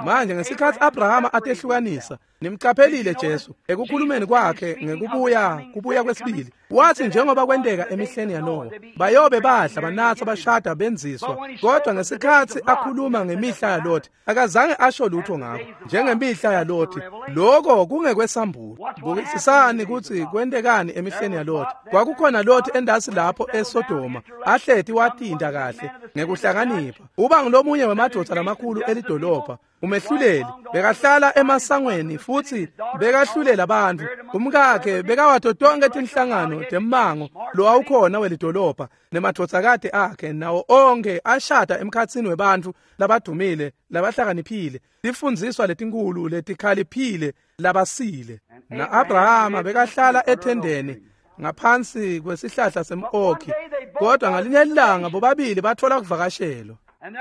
Manje ngesikhatsi Abrahama atehlukanisa, nimcaphelile Jesu ekukhulumeni kwakhe ngekubuya kubuya kwesibili, wathi njengoba kwenteka emihleni yaNowa, bayobe badla banatsa bashada benziswa, kodwa ngesikhatsi akhuluma ngemihla yaLothi akazange asho lutho ngakho njengemihla yaLothi. Lokho kungekwesambulo. Bukisisani kutsi kwentekani emihleni yaLothi. Kwakukhona Lothi endasi lapho eSodoma, ahleti watinta kahle ngekuhlakanipha, uba ngulomunye wemadvodza lamakhulu elidolobha, umehluleli, bekahlala emasangweni futhi bekahlulela abantu. Umkakhe bekawato tonke tinhlangano temmango lowawukhona welidolobha, nemadvodzakati akhe nawo onke ashada emkhatsini webantfu labadumile labahlakaniphile, tifundziswa letinkulu letikhaliphile labasile. Na-Abrahama bekahlala ethendeni ngaphansi kwesihlahla sem-okhi, kodwa ngalinye ilanga bobabili bathola kuvakashelwa.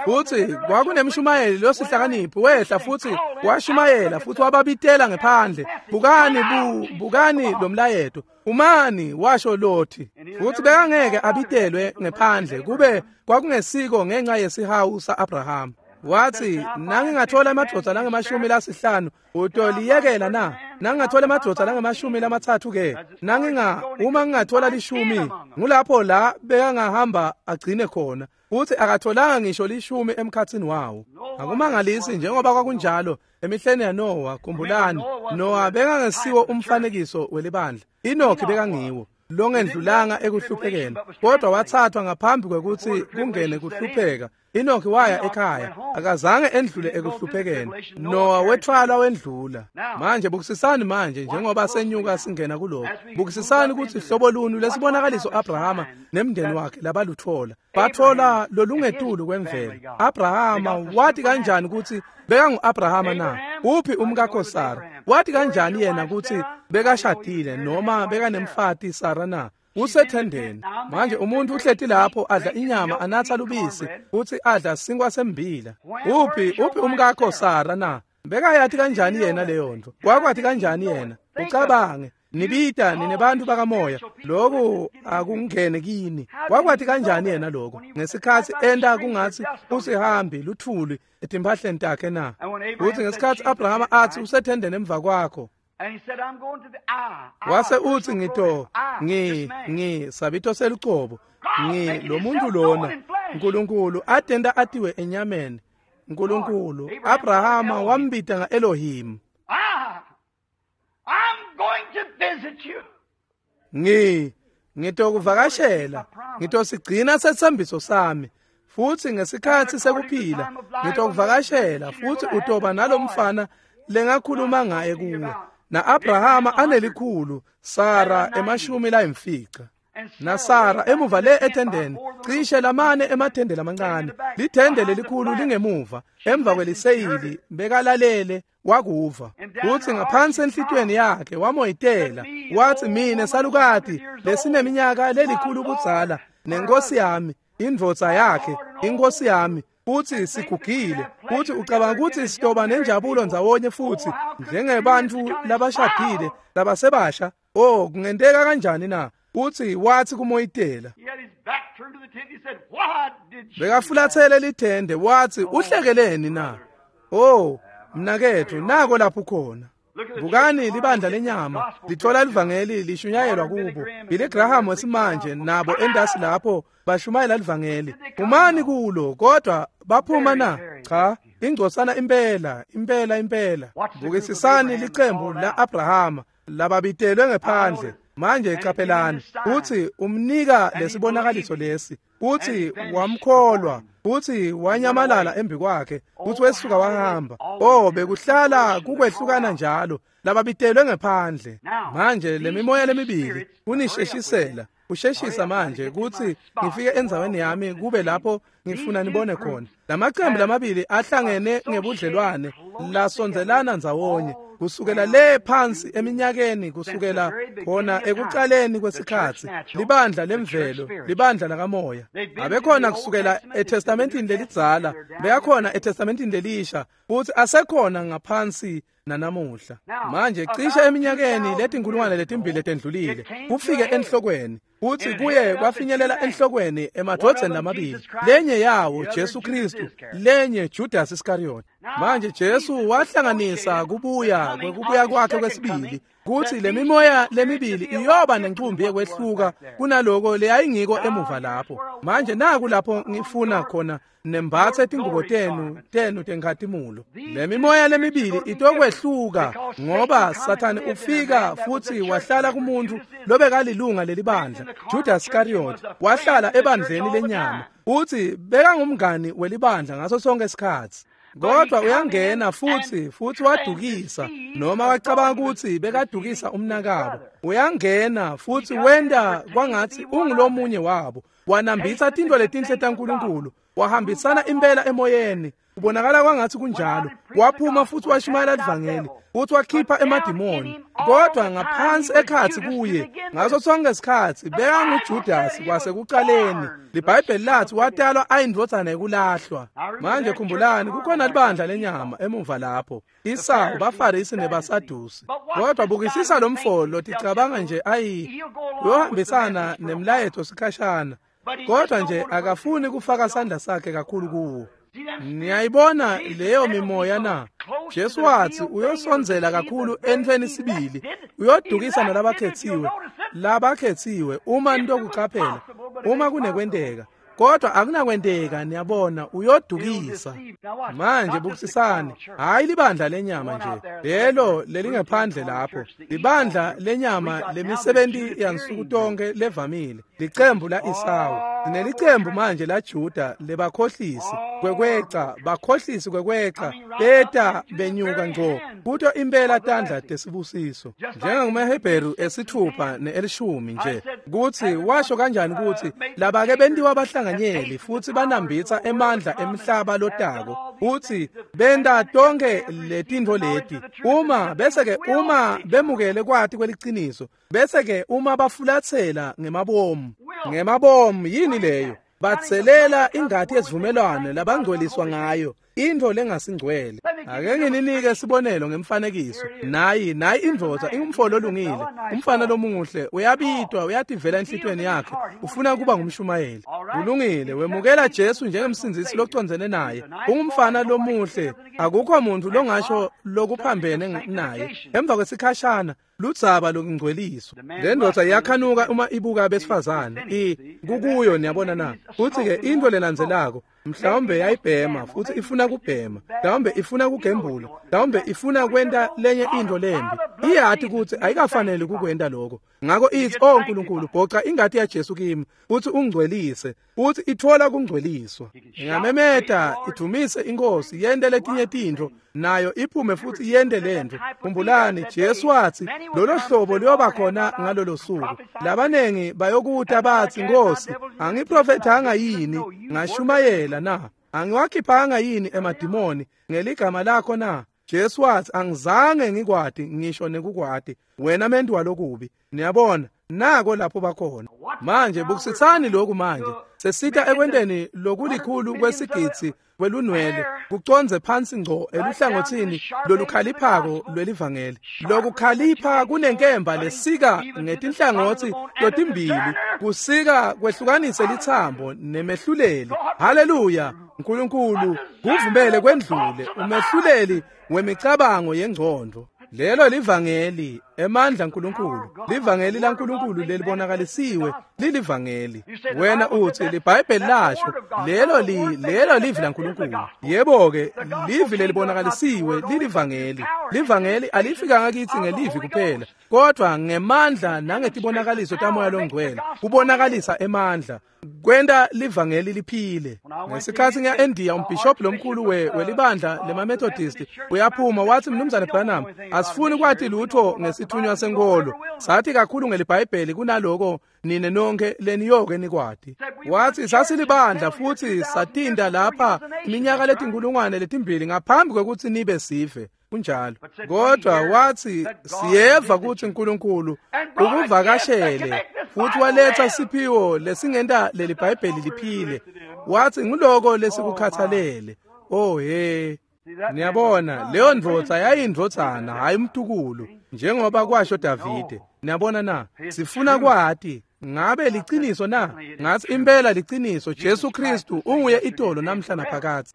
Futhi kwakunemshumayeli losihlakaniphi wehla futhi washumayela futhi wababitela ngephandle, bukani bukani lo mlayeto, umani, washo Lothi. Futhi bekangeke abitelwe ngephandle kube kwakungesiko ngenxa yesihawu sa-Abrahama. Wathi, nangingathola emadvodza langamashumi lasihlanu utoliyekela na? Nangingathola emadvodza langamashumi lamathathu ke? Uma ngingathola 10, ngulapho la bekangahamba agcine khona. Futhi akatholanga ngisho 10 emkhatsini wawo. Akumangalisi njengoba kwakunjalo emihleni yaNowa. Khumbulani, Nowa bekangesiwo umfanekiso welibandla, Enoki bekangiwo longendlulanga ekuhluphekeni, kodwa wathathwa ngaphambi kwekutsi kungene kuhlupheka. Enoki waya ekhaya, akazange endlule ekuhluphekeni. Nowa wethwalwa wendlula. Manje bukisisani manje njengoba senyuka singena kuloko, bukisisani kutsi hlobo luni lesibonakaliso Abrahama nemndeni wakhe labaluthola. Bathola lolungetulu kwemvelo. Abrahama wathi kanjani kutsi bekangu-Abrahama na? Uphi umkakho Sara? Wathi kanjani yena kutsi bekashadile noma bekanemfati Sara na? Usethendeni. Manje umuntu uhleti lapho adla inyama anatha lubisi futhi adla sinkwa sembila. Uphi umkakho Sara na? Bekayathi kanjani yena leyo nto? Wakwathi kanjani yena? Ucabange. Nibita ninebantu bakamoya, lokhu akungene kini. Wakwati kanjani yena lokho ngesikhathi enta kungathi usihambi luthuli etimphahleni takhe na? Uthi ngesikhathi Abrahama athi usethendeni emva kwakho, wase uthi ngito ngi sabito selucobo ngi lo muntu lona uNkulunkulu atenda atiwe enyameni. uNkulunkulu Abrahama wambita ngaElohim. I'm going to visit you. Ngitokuvakashela, ngitosigcina setsembiso sami. Futhi ngesikhathi sekuphila ngitokuvakashela futhi utoba nalomfana lengakhuluma ngaye kuwe. Na Abrahama anelikhulu, Sara 50. Na Sara emuva le etendeni, cishe lamane emathende lamancane, lithende lelikhulu lingemuva, emva kweliseyili bekalalele wakuva. Uthi ngaphansi enhlitweni yakhe wamoyitela, wathi mina salukati lesineminyaka lelikhulu kudzala nenkosi yami, indvodza yakhe, inkosi yami, futhi sigugile, futhi ucabanga ukuthi sitoba nenjabulo ndzawonye futhi njengebantu labashadile labasebasha. Oh, kungenteka kanjani na? Uthi wathi kumoyitela, bekafulathele lithende, wathi uhlekeleni na? Oh mnakethu, nako lapho khona. Bukani libandla lenyama lithola livangeli lishunyayelwa kubo. Billy Graham wesimanje nabo endasi lapho bashumayela livangeli. Phumani kulo, kodwa baphuma na? Cha, ingcosana impela, impela impela. Bukisisani licembu la Abrahama lababitelwe ngephandle. Manje qaphelani, uthi umnika lesibonakaliso lesi, uthi wamkholwa, uthi wanyamalala embi kwakhe, uthi wesuka wahamba. Oh, bekuhlala kukwehlukana njalo lababitelwe ngephandle. Manje lemimoya lemibili kunisheshisela, usheshisa manje ukuthi ngifike endzaweni yami kube lapho ngifuna nibone khona. Lamaqembu lamabili ahlangene ngebudlelwane lasondelana ndzawonye kusukela le phansi eminyakeni, kusukela khona ekuqaleni kwesikhathi, libandla lemvelo, libandla lakamoya. Abekhona kusukela eTestamentini lelidzala, beyakhona eTestamentini lelisha, futhi asekhona ngaphansi nanamuhla. Manje cishe eminyakeni letinkulungwane letimbili letendlulile kufike enhlokweni, futhi kuye kwafinyelela enhlokweni emadvodzeni lamabili, lenye yawo Jesu Kristu, lenye Judas Iscariot. Manje Jesu wahlanganisa kubuya kwekubuya kwakhe kwesibili, kuthi lemimoya lemibili iyoba nencumbi yekwehluka kunaloko leyayingiko emuva lapho. Manje naku lapho ngifuna khona nembathe tingubo tenu tenkhatimulo. Lemimoya lemibili itokwehluka ngoba Sathane ufika futhi wahlala kumuntu lobekalilunga lelibandla. Judas Iscariot wahlala ebandleni lenyama, uthi bekangumngani welibandla ngaso sonke isikhathi. Kodwa uyangena futhi wadukisa, noma wacabanga ukuthi bekadukisa umnakabo. Uyangena futhi wenda kwangathi ungulomunye wabo, wanambitha tintfo letinhle taNkulunkulu, wahambisana impela emoyeni, ubonakala kwangathi kunjalo. Waphuma futhi washumayela livangeli, futhi wakhipha emadimoni, kodwa ngaphansi ekhathi kuye ngaso sonke isikhathi bekanguJudas kwasekuqaleni. LiBhayibheli lathi watalwa ayindvodzana yekulahlwa. Manje khumbulani, kukhona libandla lenyama emuva lapho, Isawu, baFarisi nebaSadusi. Kodwa bukisisa lo mfolo ticabanga nje ayi uyohambisana nemlayeto sikhashana, kodwa nje akafuni kufaka sandla sakhe kakhulu kuwo. Niyayibona leyo mimoya na? Jesu wathi uyosondzela kakhulu entweni sibili, uyodukisa nalabakhethiwe, labakhethiwe uma nitokuqaphela, uma kunekwenteka. Kodwa akunakwenteka, niyabona, uyodukisa. Manje bukisisani, hayi libandla lenyama nje, lelo lelingephandle lapho, libandla lenyama lemisebenti yansuku tonke levamile, licembu la Isawu. Sinelicembu manje la Juda lebakhohlisi kwekweca, bakhohlisi kwekweca, beta benyuka ngco kuto impela tandla tesibusiso. NjengakumaHebheru 6 ne-10 nje, kuthi washo kanjani ukuthi labake bentiwa bahlanganyeli futhi banambitha emandla emhlaba lotako, uthi benta tonke letintfo leti, uma bese-ke uma bemukele kwati kweliciniso, bese-ke uma bafulathela ngemabomu. Ngemabomu yini leyo? Batselela ingati yesivumelwano labangcweliswa ngayo. Intfo lengasingcwele. Ake ngininike sibonelo ngemfanekiso. Nayi indvodza ingumfo lolungile, umfana lomuhle, uyabitwa, uyativela enhlitiyweni yakhe, ufuna kuba ngumshumayeli. Kulungile, wemukela Jesu njengemsindzisi locondzene naye. Ungumfana lomuhle, akukho muntu longasho lokuphambene naye. Emva kwesikhashana ludzaba lokungcweliswa. Le ndvodza iyakhanuka uma ibuka abesifazane. Kukuyo, niyabona na. Futhi-ke into lelandzelako, mhlawumbe yayibhema futhi ifuna kubhema, mhlawumbe ifuna kugembula, mhlawumbe ifuna kwenta lenye into lembi. Iyati ukuthi ayikafanele kukwenta lokho. Ngakho ithi, "Oh Nkulunkulu, bhoca ingati yaJesu kimi futhi ungcwelise." Futhi ithola kungcweliswa. Ingamemeta, idumise inkosi, yente letinye tintfo, nayo iphume futhi yente lento. Khumbulani, Jesu wathi lolo hlobo luyoba khona ngalolo suku. Labanengi bayokuta bathi, "Nkosi, angiprofethanga yini? Ngashumayela na? Angiwakhiphanga yini emadimoni ngeligama lakho na?" Jesu wathi, "Angizange ngikwati ngisho nekukwati, wena mentu walokubi." Niyabona, nako lapho bakhona. Manje bukisitsani lokhu manje. Sesita ekwenteni lokulikhulu kwesigidzi kwelunwele kuconze phansi ngco eluhlangothini lolukhaliphako lwelivangeli. Lokukhalipha kunenkemba lesika ngetinhlangothi totimbili, kusika kwehlukanise lithambo nemehluleli. Haleluya! Nkulunkulu kuvumele kwendlule umehluleli wemicabango yengcondo. Lelo livangeli, emandla nkulunkulu. Livangeli laNkulunkulu lelibonakalisiwe lilivangeli. Wena uthi liBhayibheli lasho, lelo livi laNkulunkulu. Yebo-ke, livi lelibonakalisiwe lilivangeli. Livangeli alifikanga kithi ngelivi kuphela, kodwa ngemandla nangetibonakaliso taMoya loNgcwele. Kubonakalisa emandla, kwenta livangeli liphile. Ngesikhathi ngiya eNdiya, umbhishobhi lomkhulu welibandla lemaMethodist uyaphuma wathi, "Mnumzane Branham, asifuni kwati lutho ngesithunywa senkolo. Sathi kakhulu ngeliBhayibheli kunaloko nine nonke leniyoke nikwati." Wathi, "Sasilibandla futhi satinda lapha iminyaka letinkulungwane letimbili ngaphambi kwekuthi nibe sive." Kunjalo. Kodwa wathi, "Siyeva ukuthi uNkulunkulu ukuvakashele futhi waletha siphiwo lesingenta leli Bhayibheli liphile." Wathi, "Ngiloko lesikukhathalele." Oh he. Niyabona, leyo ndvodza yayindvodzana, hayi umtukulu, njengoba kwasho Davide. Niyabona na? Sifuna kwati, ngabe liciniso na? Ngathi impela liciniso, Jesu Kristu unguye itolo namhla naphakadze.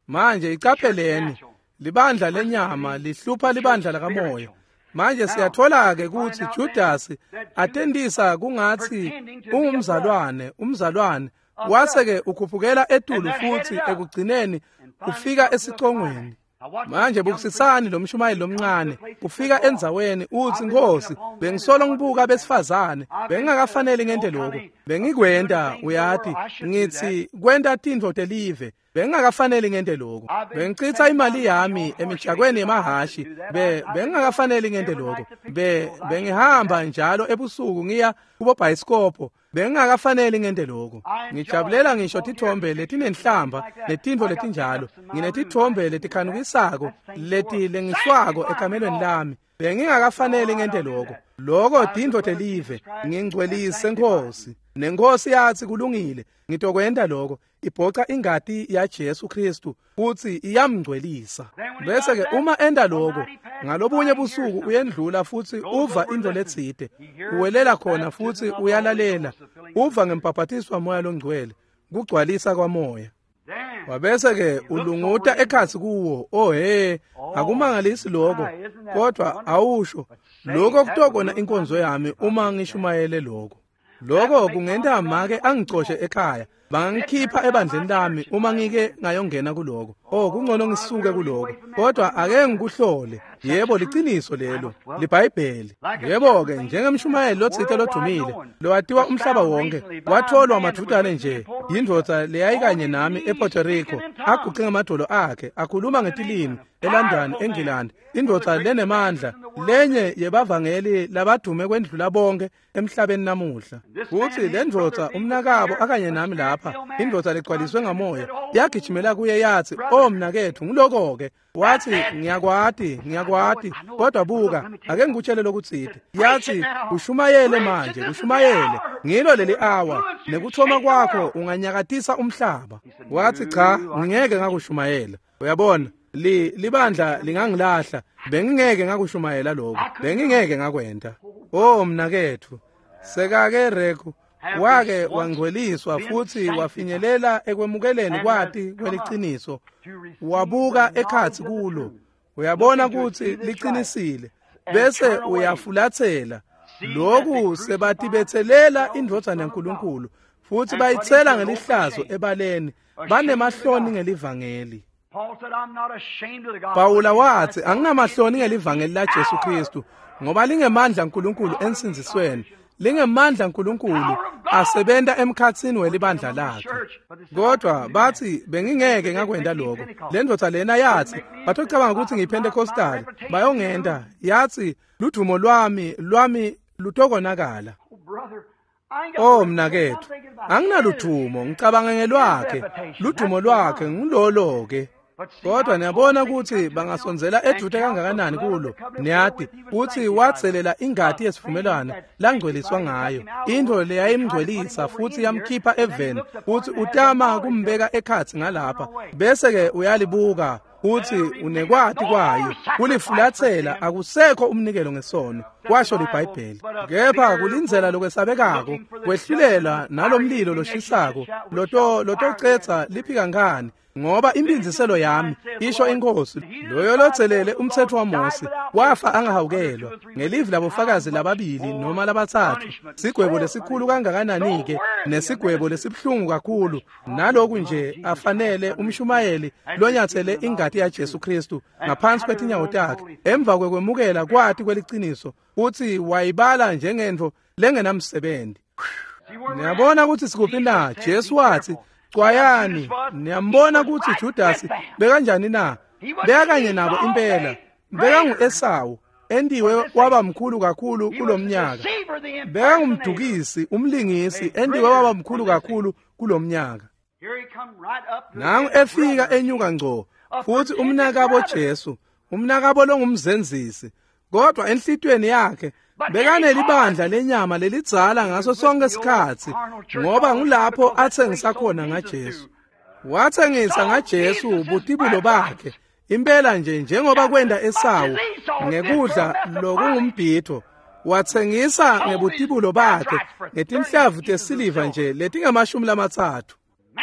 Manje icapheleni, libandla lenyama lihlupha libandla lakamoya. Manje siyathola-ke ukuthi Judas atendisa kungathi ungumzalwane, umzalwane, wase-ke ukhuphukela etulu futhi ekugcineni ufika esicongweni. Manje bukisisani lo mshumayeli lomncane ufika endzaweni uthi, "Nkosi, bengisolo ngibuka besifazane, bengingakafanele ngente lokho, bengikwenta, uyati, ngithi kwenta tintfo telive, bengingakafanele ngente lokho, bengichitha imali yami emijakweni yemahashi, bengingakafanele ngente lokho, bengihamba njalo ebusuku ngiya kubobhayisikopho, bengingakafanele ngente lokho, ngijabulela ngisho tithombe letinenhlamba netintfo letinjalo, nginetithombe letikhanukisako letilengiswako ekamelweni lami, bengingakafanele ngente lokho, lokho tintfo telive, ngingcwelise Nkosi." Nenkosi yathi, "Kulungile, ngitokwenta lokho." Ibhoca ingati yaJesu Kristu futhi iyamngcwelisa. Bese-ke uma enta lokho, ngalobunye busuku uyendlula futhi uva intfo letsite, uwelela khona futhi uyalalela, uva ngembhabhatiso waMoya loNgcwele, kugcwalisa kwamoya. Wabese-ke ulunguta ekhatsi kuwo. Oh he, akumangalisi lokho, kodwa awusho lokho kutokona inkonzo yami uma ngishumayele lokho. Lokho kungenta make angicoshe ekhaya, bangikhipha ebandleni lami uma ngike ngayongena kuloko. Oh, kungcono ngisuke kuloko. Kodwa ake ngikuhlole. Yebo, liciniso lelo, liBhayibheli. Yebo-ke, njengemshumayeli lotsite lodumile, lowatiwa umhlaba wonke, watholwa madvutane nje yindvodza leyayikanye nami ePuerto Rico, aguqe ngamadolo akhe, akhuluma ngetilimi eLondon, eNgilandi. Indvodza lenemandla, lenye yebavangeli labadume kwendlula bonke emhlabeni namuhla. Futhi le ndvodza umnakabo akanye nami lapha lapha, indvodza legcwaliswe ngamoya, yagijimela kuye yathi, "Oh mnaketfu, ngiloko-ke." Wathi, "Ngiyakwati, ngiyakwati, kodwa buka, ake ngikutshele lokutsite." Yathi, "Ushumayele manje, ushumayele. Ngilo leli awa, nekuthoma kwakho unganyakatisa umhlaba." Wathi, "Cha, ngingeke ngakushumayela." Uyabona, libandla lingangilahla, bengingeke ngakushumayela lokho, bengingeke ngakwenta. Oh mnaketfu, sekake Reku wake wangcweliswa futhi wafinyelela ekwemukeleni kwati kweliciniso, wabuka ekhatsi kulo, uyabona ukuthi liqinisile, bese uyafulathela. Lokhu sebatibethelela indvodzana yaNkulunkulu futhi bayitsela ngelihlazo ebaleni, banemahloni ngelivangeli. Pawula wathi, "Anginamahloni ngelivangeli laJesu Kristu, ngoba lingemandla aNkulunkulu ensindzisweni, lingemandla aNkulunkulu asebenta emkhatsini welibandla lakhe." Kodwa bathi, "Bengingeke ngakwenta lokho." Le ndvodza lena yathi, "Batocabanga ukuthi ngiyiPentecostal, bayongenta." Yathi, "Ludumo lwami lutokonakala." Oh mnaketfu, anginaluthumo, ngicabanga ngelwakhe. Ludumo lwakhe ngulolo-ke. Kodwa niyabona ukuthi bangasondzela edude kangakanani kulo. Niyati uthi watselela ingati yesivumelwano langcweliswa ngayo, intfo leyayimngcwelisa futhi yamkhipha eveni, futhi utama kumbeka ekhatsi ngalapha, bese-ke uyalibuka uthi unekwati kwayo, kulifulathela, akusekho umnikelo ngesono, kwasho liBhayibheli. Kepha kulindzela lokwesabekako, kwehlulela nalomlilo loshisako, lotocetsa liphikankani, ngoba impindziselo yami, isho inkosi, loyo lotselele umtsetfo waMose wafa angahawukelwa ngelivi labofakazi lababili noma labatsatfu. Sigwebo lesikhulu kangakanani-ke, nesigwebo lesibuhlungu kakhulu, naloku nje afanele umshumayeli lonyathele ingati yaJesu Kristu ngaphansi kwetinyawo takhe, emva kwekwemukela kwati kweliciniso, uthi wayibala njengentfo lengenamsebenzi. Niyabona ukuthi sikuphi na? Jesu wathi, "Cwayani." Niyambona ukuthi Judasi bekanjani na? Bekanye nabo impela. Bekangu-Esawu, endiwe waba mkhulu kakhulu kulomnyaka. Bekangumdukisi, umlingisi, endiwe waba mkhulu kakhulu kulomnyaka. Nangu efika enyuka ngco, futhi umnakabo Jesu, umnakabo longumzenzisi, kodwa enhlitiyweni yakhe bekanelibandla lenyama lelidzala ngaso sonke isikhatsi, ngoba ngulapho atsengisa khona ngaJesu. Watsengisa ngaJesu butibulo bakhe, impela nje njengoba kwenda Esawu ngekudla lokungumbhidvo. Watsengisa ngebutibulo bakhe ngetinhlavu tesiliva nje letingama-30.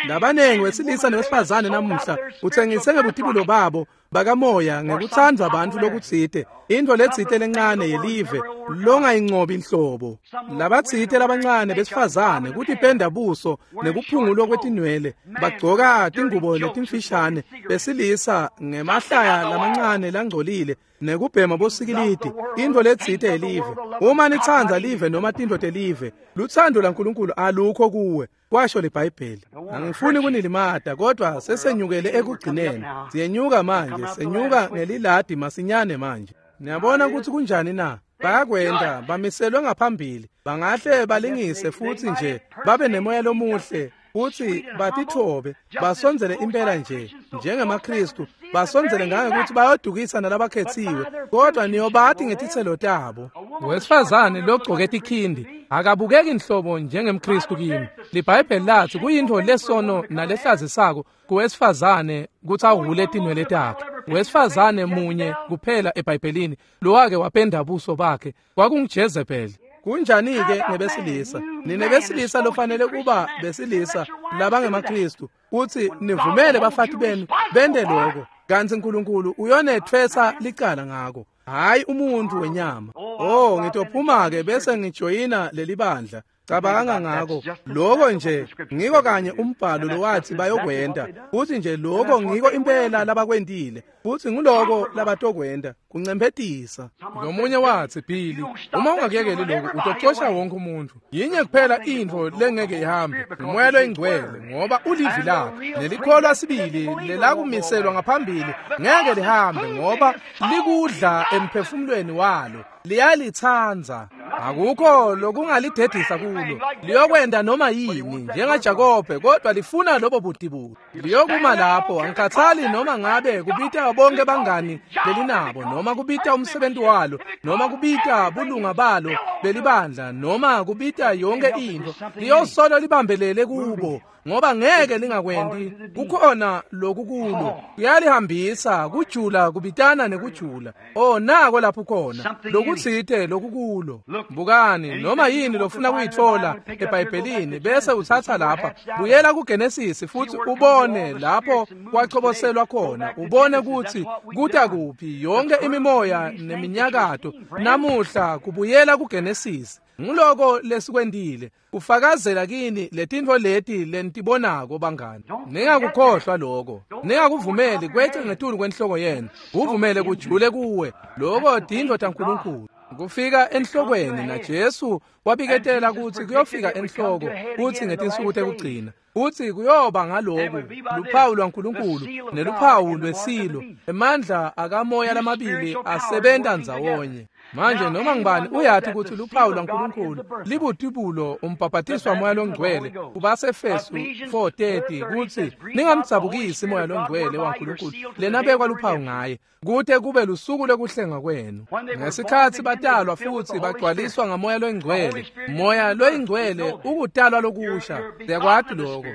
Labanengi wesilisa newesifazane namuhla utsengise ngebutibulo babo bakamoya ngekuthandwa abantu lokutsite, intfo letsite lencane yelive longayincobi inhlobo. Labatsite labancane besifazane kutipenda buso nekuphungulwa kwetinwele, bagcoka tingubo letimfishane, besilisa ngemahlaya lamancane langcolile nekubhema bosikilidi, intfo letsite yelive. Uma nitsandza live noma tintfo telive, lutsandvo laNkulunkulu alukho kuwe, kwasho liBhayibheli. Angifuni kunilimata, kodwa sesenyukele ekugcineni. Siyenyuka manje, senyuka ngeliladi masinyane manje. Niyabona ukuthi kunjani na? Bayakwenta, bamiselwe ngaphambili, bangahle balingise futhi nje babe nemoya lomuhle, futhi batithobe, basondzele impela nje njengemaKristu, basondzele ngangekuthi bayodukisa nalabakhetsiwe, kodwa niyobati ngetitselo tabo. Wesifazane logcoke tikhindi akabukeki inhlobo njengemKristu kimi. LiBhayibheli lathi kuyintfo lesono nalehlazisako kuwesifazane kutsi ahhule tinwele takhe. Wesifazane munye kuphela eBhayibhelini lowake wapenda buso bakhe, kwakunguJezebeli. Kunjani-ke ngebesilisa? Nine besilisa lofanele kuba besilisa labangemaKristu, kutsi nivumele bafati benu bente lokho, kantsi Nkulunkulu uyonetfwesa licala ngako, hhayi umuntfu wenyama. Oh, ngitophuma-ke bese ngijoyina lelibandla. Cabanga ngako lokho nje, ngiko kanye umbhalo lowathi bayokwenta, futhi nje lokho ngiko impela labakwentile, futhi nguloko labatokwenta, kuncemphetisa. Lomunye wathi, "Billy, uma ungakuyekeli lokhu utocosha wonke umuntu. Yinye kuphela intfo lengeke ihambe, umoya loyingcwele, ngoba ulivi lakhe nelikholwa sibili lelakumiselwa ngaphambili ngeke lihambe, ngoba likudla emphefumulweni walo, liyalitsandza. Akukho lokungalidedisa kulo. Liyokwenda noma yini njengaJakobe, kodwa lifuna lobo budibulo. Liyokuma lapho, angikhathali noma ngabe kubita bonke bangani lelinabo, noma kubita umsebenzi walo, noma kubita bulunga balo belibandla, noma kubita yonke into. Liyosolo libambelele kubo, ngoba ngeke lingakwendi. Kukhona lokukulo, kuyalihambisa kujula, kubitana nekujula. Oh, nako lapho khona lokutsite lokukulo. Bukani, noma yini lofuna kuyithola eBhayibhelini bese uthatha lapha, buyela kuGenesis futhi ubone lapho kwachoboselwa khona, ubone ukuthi kuta kuphi yonke imimoya neminyakato namuhla. Kubuyela kuGenesis, ngiloko lesikwendile, kufakazela kini letintfo leti lenitibonako bangani. Ningakukhohlwa lokho, ningakuvumeli kweqe ngetulu kwenhloko yenu, kuvumele kujule kuwe. Lokho tintfo taNkulunkulu. Kufika enhlokweni, na Jesu wabiketela ukuthi kuyofika enhloko kuthi ngetinsuku tekugcina, uthi kuyoba ngaloku luphawu lwaNkulunkulu neluphawu lwesilo, emandla akamoya lamabili asebenta ndzawonye. Manje noma ngibani uyathi ukuthi luphawu lwaNkulunkulu libutibulo umbhabhatiswa moya longcwele kubaseFesu 4:30 kuthi ningamdzabukisi moya longcwele waNkulunkulu lenabekwa luphawu ngaye kute kube lusuku lokuhlenga kwenu. Ngesikhathi batalwa futhi bagcwaliswa ngamoya longcwele, moya loyingcwele ukutalwa lokusha. Siyakwati lokho,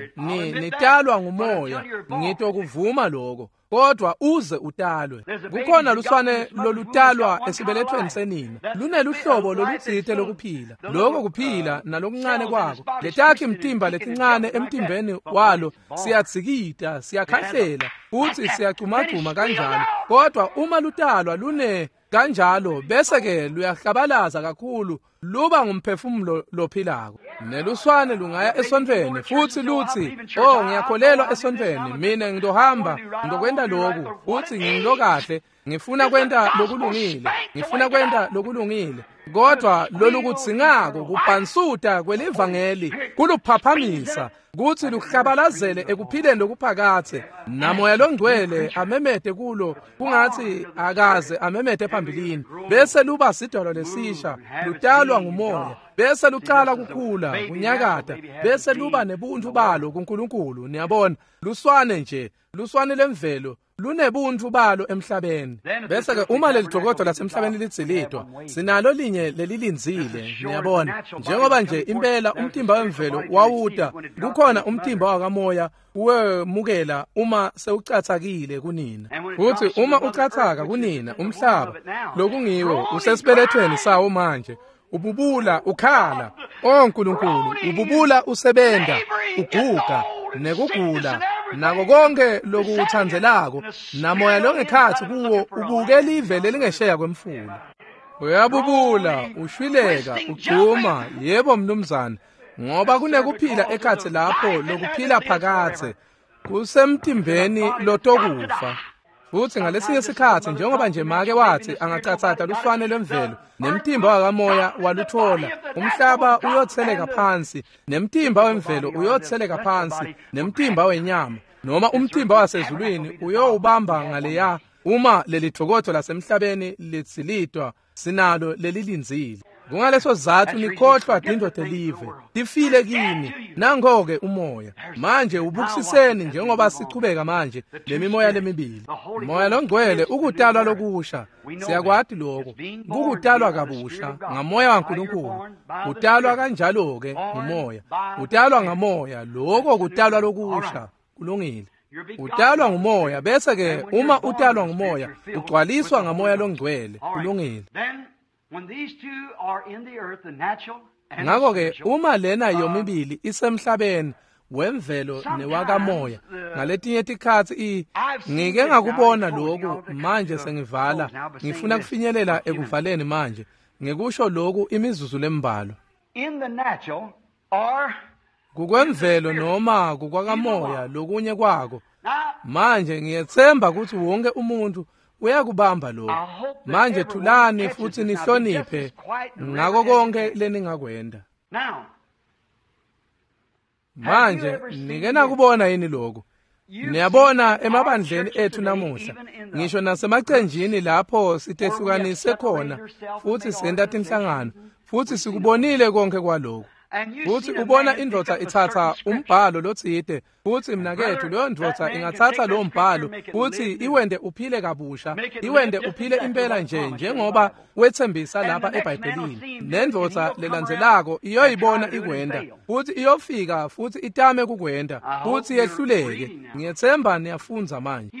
nitalwa ngumoya, ngitokuvuma lokho, kodwa uze utalwe. Kukhona luswane lolutalwa esibelethweni senina, luneluhlobo lolutsite lokuphila. Lokho kuphila nalokuncane kwako, letakhi mtimba letincane emtimbeni walo siyadzikita, siyakhahlela futhi siyacumagcuma kanjalo. Kodwa uma lutalwa lune kanjalo, bese ke luyahlabalaza kakhulu, luba ngumphefumulo lophilako. Neluswane lungaya esontfweni futhi luthi, oh, ngiyakholelwa esontfweni, mina ngitohamba ngizokwenta lokhu, futhi ngingilokahle, ngifuna kwenta lokulungile, ngifuna kwenta lokulungile. Kodwa lolukudzingako kubhansuta kwelivangeli kuluphaphamisa kuthi luhlabalazele ekuphileni lokuphakathe, namoya longcwele amemete kulo kungathi akaze amemete phambilini, bese luba sidalo lesisha, lutalwa ngumoya, bese lucala kukhula kunyakata, bese luba nebuntu balo kuNkulunkulu. Niyabona, luswane nje, luswane lemvelo lunebuntfu balo emhlabeni. Bese ke uma lelijokodvo lasemhlabeni lidzilitwa, sinalo linye lelilindzile. Niyabona, njengoba nje impela umtimba wemvelo wawuta, kukhona umtimba wakamoya wemukela uma sewucatsakile kunina. Futhi uma ucatsaka kunina, umhlaba lokungiwo usesibelethweni sawo manje, ububula ukhala. Oh Nkulunkulu, ububula usebenta, uguga nekugula nako konke lokuwuthandzelako, namoya longekhatsi kuwo ubuke live lelingesheya kwemfula. Uyabubula, ushwileka, ugcuma, yebo mnumzane, ngoba kunekuphila ekhatsi lapho lokuphila phakathe kusemtimbeni lotokufa. Futhi ngalesinye isikhathi, njengoba nje make wathi angacatsata luswane lwemvelo nemtimba wakamoya waluthola, umhlaba uyotheleka phansi, nemtimba wemvelo uyotheleka phansi, nemtimba wenyama noma umtimba wasezulwini uyowubamba ngaleya. Uma lelidvokodvo lasemhlabeni litsilitwa, sinalo lelilindzile. Kungaleso zathu nikhohlwa tintfo telive, tifile kini. Nango-ke umoya manje ubukisiseni njengoba sichubeka manje lemimoya lemibili. Moya longcwele ukutalwa lokusha, siyakwati lokho, kukutalwa kabusha ngamoya waNkulunkulu. Utalwa kanjalo-ke ngumoya, utalwa ngamoya, lokho kutalwa lokusha. Kulungile. Utalwa ngumoya, bese ke uma utalwa ngumoya ugcwaliswa ngamoya longcwele. Kulungile. Ngakho ke uma lena yomibili isemhlabeni wemvelo newakamoya, ngaletinye tikhatsi ngike ngakubona lokhu. Manje sengivala, ngifuna kufinyelela ekuvaleni manje ngikusho lokhu imizuzu lembalwa. Kukwemvelo noma kukwakamoya lokunye kwako. Manje ngiyethemba ukuthi wonke umuntu uyakubamba lokho. Manje thulani futhi nihloniphe ngako konke leningakwenda. Manje nike nakubona yini lokho? Niyabona emabandleni ethu namuhla, ngisho nasemacenjini lapho sitehlukanise khona futhi senta tinhlangano, Futsi sikubonile konke kwaloko. Futsi ubona indvodza itsatsa umbhalo lotsite, futsi mnaketfu leyo ndvodza ingatsatsa lowo mbhalo futsi iwente uphile kabusha, iwente uphile impela nje njengoba wetsembisa lapha eBhayibhelini. Nendvodza lelandzelako iyoyibona ikwenta, futsi iyofika futsi itame kukwenta, futsi yehluleke. Ngiyetsemba niyafundza manje.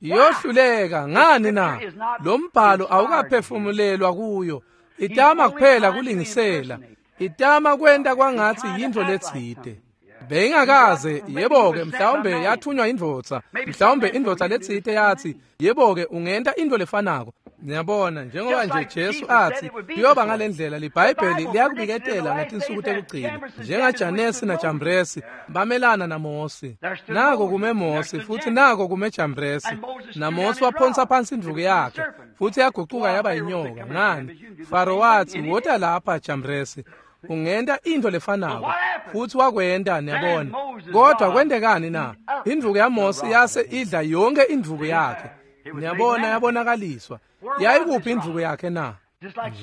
Iyohluleka ngani na? Lo mbhalo awukaphefumulelwa kuyo. Itama kuphela kulingisela. Itama kwenta kwangathi yintfo letsite. Beyingakaze, yebo-ke, mhlawumbe yathunywa indvodza, mhlawumbe indvodza letsite yathi, yebo-ke, ungenta intfo lefanako. Niyabona, njengoba nje Jesu athi, kuyoba ngalendlela liBhayibheli liyakubiketela ngetinsuku tekugcina, njengaJanesi naJambresi bamelana naMosi. Nako kume Mosi futhi nako kume Jambresi. NaMosi waphonsa phansi indvuku yakhe futhi yagucuka yaba inyoka. Ngani? Faro wathi, wota lapha Jambresi, ungenta intfo lefanako. Futhi wakwenta, niyabona. Kodwa kwentekani na? Indvuku yaMosi yase idla yonke indvuku yakhe. Niyabona, yabonakaliswa. Yayikuphi indvuku yakhe na?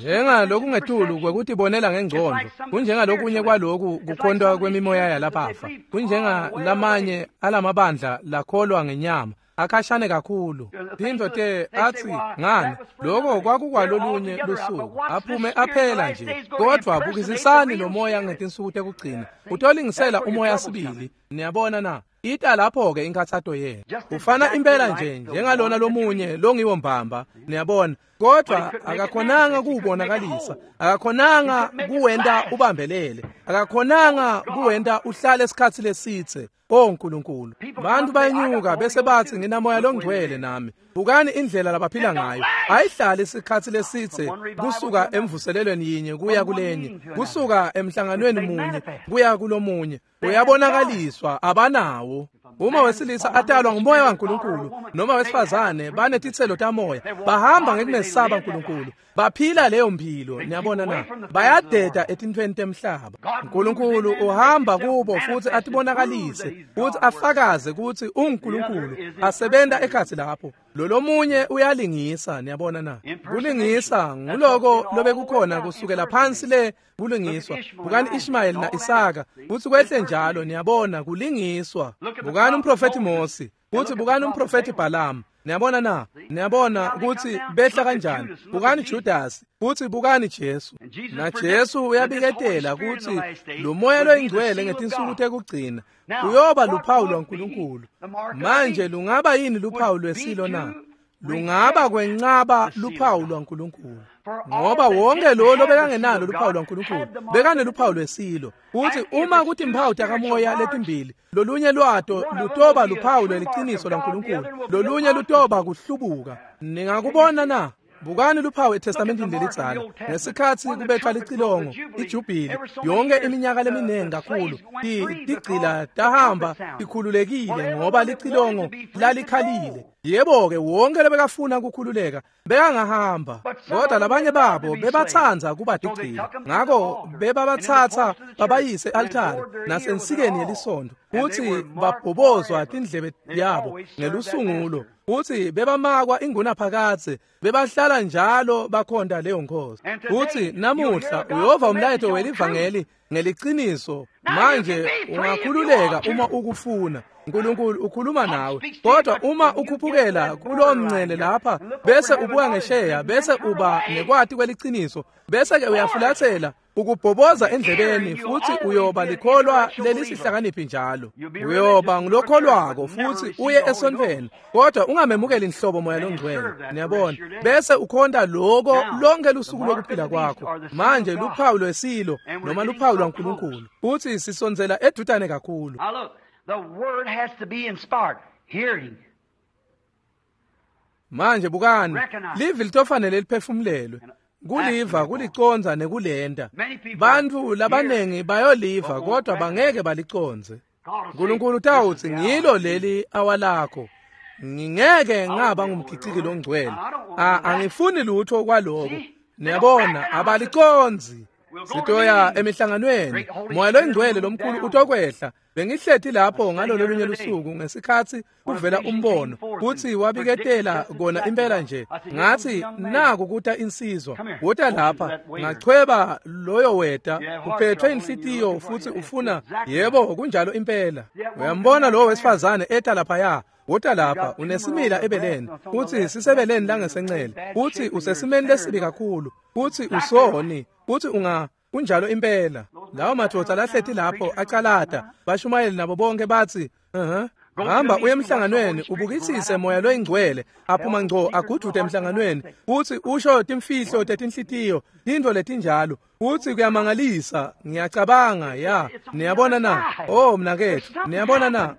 Njengalokungetulu kwekutibonela ngengcondo, kunjengalokunye kwaloku kukhontwa kwemimoya yalaphafa, kunjengalamanye alamabandla lakholwa ngenyama, akhashane kakhulu. Tintfo te athi ngani, loko kwakukwalolunye lusuku, aphume aphela nje. Kodwa bukisisani lo moya ngetinsuku tekugcina, utolingisela umoya sibili. Niyabona na? Ita lapho-ke inkathato yenu. Ufana impela nje njengalona lomunye longiwo mbamba, niyabona. Kodwa akakhonanga kuwubonakalisa, akakhonanga kuwenta ubambelele, akakhonanga kuwenta uhlale isikhatsi lesitse. O Nkulunkulu, bantu bayenyuka bese bathi nginamoya longcwele nami. Bukani indlela labaphila ngayo. Ayihlali isikhatsi lesitse kusuka emvuselelweni yinye kuya kulenye, kusuka emhlanganweni munye kuya kulomunye. Uyabonakaliswa, abanawo. Uma wesilisa atalwa ngumoya waNkulunkulu noma wesifazane banetitselo tamoya, bahamba ngekumesaba uNkulunkulu, baphila leyo mpilo. Niyabona na? Bayadeda etintfweni temhlaba. uNkulunkulu uhamba kubo futhi atibonakalise futhi afakaze kutsi unguNkulunkulu asebenta ekhatsi lapho. Lolomunye uyalingisa, niyabona na? Kulingisa nguloko lobekukhona kusukela phansi le kulingiswa. Bukani Ishmael na Isaka futhi kwehle njalo, niyabona, kulingiswa. Bukani umprofeti Mosi futhi bukani umprofeti Balaam. Niyabona na? Niyabona kutsi behla kanjani. Bukani Judas futhi bukani Jesu. Na Jesu uyabiketela kutsi lo moya loyingcwele ngetinsuku tekugcina uyoba luphawu lwaNkulunkulu. Manje lungaba yini luphawu lwesilo na? Lungaba kwencaba luphawu lwaNkulunkulu. Ngoba wonke lo lobekangenalo luphawu lwaNkulunkulu bekaneluphawu lwesilo. Futhi uma kutimphawu takamoya letimbili, lolunye lwato lutoba luphawu lweliciniso lwaNkulunkulu, lolunye lutoba kuhlubuka. Ningakubona na? Bukani luphawu eTestamentini lelidzala. Ngesikhatsi kubethwa licilongo, ijubhili, yonke iminyaka leminingi kakhulu, tigcila tahamba tikhululekile ngoba licilongo lalikhalile. Yebo-ke, wonke lebekafuna kukhululeka bekangahamba, kodwa labanye babo bebatsandza kuba tigcila. Ngako bebabatsatsa babayise e-altare nasensikeni yelisondo, futsi babhobozwa tindlebe yabo ngelusungulo, futsi bebamakwa ingunaphakadze, bebahlala njalo bakhonta leyo nkhosi. Futsi namuhla uyova umlayeto welivangeli ngeliciniso. Manje ungakhululeka uma ukufuna. uNkulunkulu ukhuluma nawe, kodwa uma ukhuphukela kulowo mncele lapha bese ubuka ngesheya bese uba nekwati kweliciniso, bese ke uyafulathela ukubhoboza endlebeni, futhi uyoba likholwa lelisihlakaniphi njalo. Uyoba ngulokholwako futhi uye esontfweni, kodwa ungamemukeli inhlobo moya longcwele. Niyabona? Bese ukhonta loko lonke lusuku lokuphila kwakho. Manje luphawu lwesilo noma luphawu lwaNkulunkulu, futhi sisondzela edutane kakhulu. The word has to be inspired. Hearing. Manje bukani, livi litofanele liphefumulelwe. Kuliva, kuliconza nekulenta. Bantfu labanengi bayoliva kodwa bangeke baliconze. uNkulunkulu utawutsi ngilo leli awalakho. Ngingeke ngaba ngumgiciki longcwele. Angifuni lutho kwaloko. Niyabona, abaliconzi. Sitoya emihlanganweni, Moya loyingcwele lomkhulu utokwehla. Bengihleti lapho ngalololunye lusuku ngesikhatsi kuvela umbono kutsi wabiketela kona impela nje. Ngathi naku kuta insizwa, wota lapha, ngachweba loyo weta, uphethwe inhlitiyo futsi ufuna, yebo kunjalo impela. Uyambona lo wesifazane eta laphaya, wota lapha, unesimila ebeleni, utsi sisebeleni langesencele, utsi usesimeni lesibi kakhulu, utsi usoni, utsi unga kunjalo impela. Lawo madvodza lahleti lapho acalata, bashumayeli nabo bonke bathi, hamba uye emhlanganweni ubukisise Moya loyingcwele aphuma ngco agudude emhlanganweni, utsi usho timfihlo tetinhlitiyo, tintfo letinjalo, utsi kuyamangalisa. Ngiyacabanga ya, niyabona na? Oh mnaketfu, niyabona na?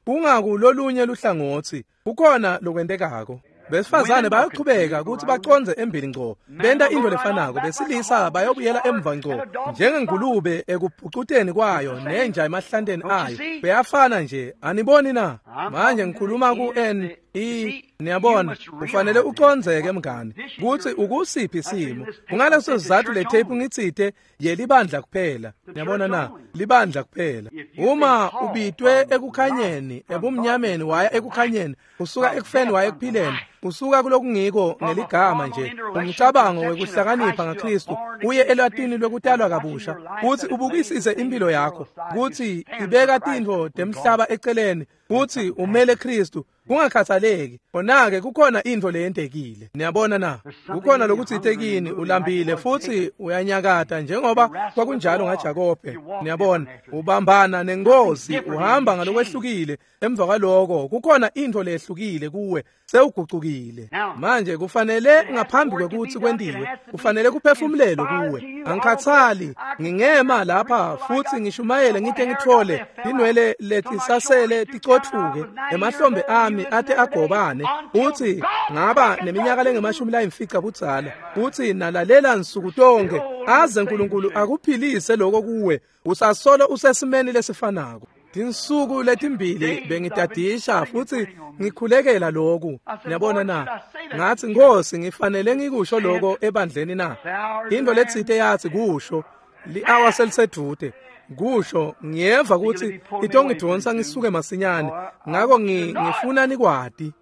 Kungakulolunye luhlangotsi, kukhona lokwentekako. Besifazane bayochubeka ukuthi baconze embili ngco, benta into lefanako. Besilisa bayobuyela emva ngco njengengulube ekubhucuteni kwayo nenja emahlanteni ayo. Beyafana nje, aniboni na? Manje ngikhuluma ku N E, niyabona, ufanele ucondzeke mngani kutsi ukusiphi isimo. Kungaleso sizatfu le tape ngitsite yelibandla kuphela. Niyabona na? Libandla kuphela. Uma ubitwe ekukhanyeni, ebumnyameni waya ekukhanyeni, usuka ekufeni waya ekuphileni, usuka kulokungiko ngeligama nje umcabango wekuhlakanipha ngaKristu uye elwatini lwekutalwa kabusha, kutsi ubukisise impilo yakho, kutsi ibeka tintfo temhlaba eceleni, kutsi umele Kristu kungakhathaleki. Khona-ke kukhona intfo leyentekile. Niyabona na? Kukhona lokutsite kini, ulambile futsi uyanyakata njengoba kwakunjalo ngaJakobe. Niyabona, ubambana nenkosi, uhamba ngalokwehlukile. Emva kwaloko kukhona intfo lehlukile kuwe, sewugucukile. Manje kufanele ngaphambi kwekutsi kwentiwe, kufanele kuphefumulelwe kuwe. Angikhathali, ngingema lapha futsi ngishumayele ngite ngitfole tinwele letisasele ticotfuke emahlombe ami ate agobane, utsi ngaba neminyaka lengemashumi layimfica budzala, utsi nalalela nsuku tonke aze uNkulunkulu akuphilise lokho kuwe, usasolo usesimeni lesifanako. Tinsuku letimbili bengitadisha futsi ngikhulekela lokhu. Niyabona na? Ngathi Nkosi, ngifanele ngikusho lokho ebandleni na? Into letsite yathi kusho, li-hour selisedvute. Kusho, ngiyeva kutsi itongidvonsa ngisuke masinyane, ngako ngifuna nikwati.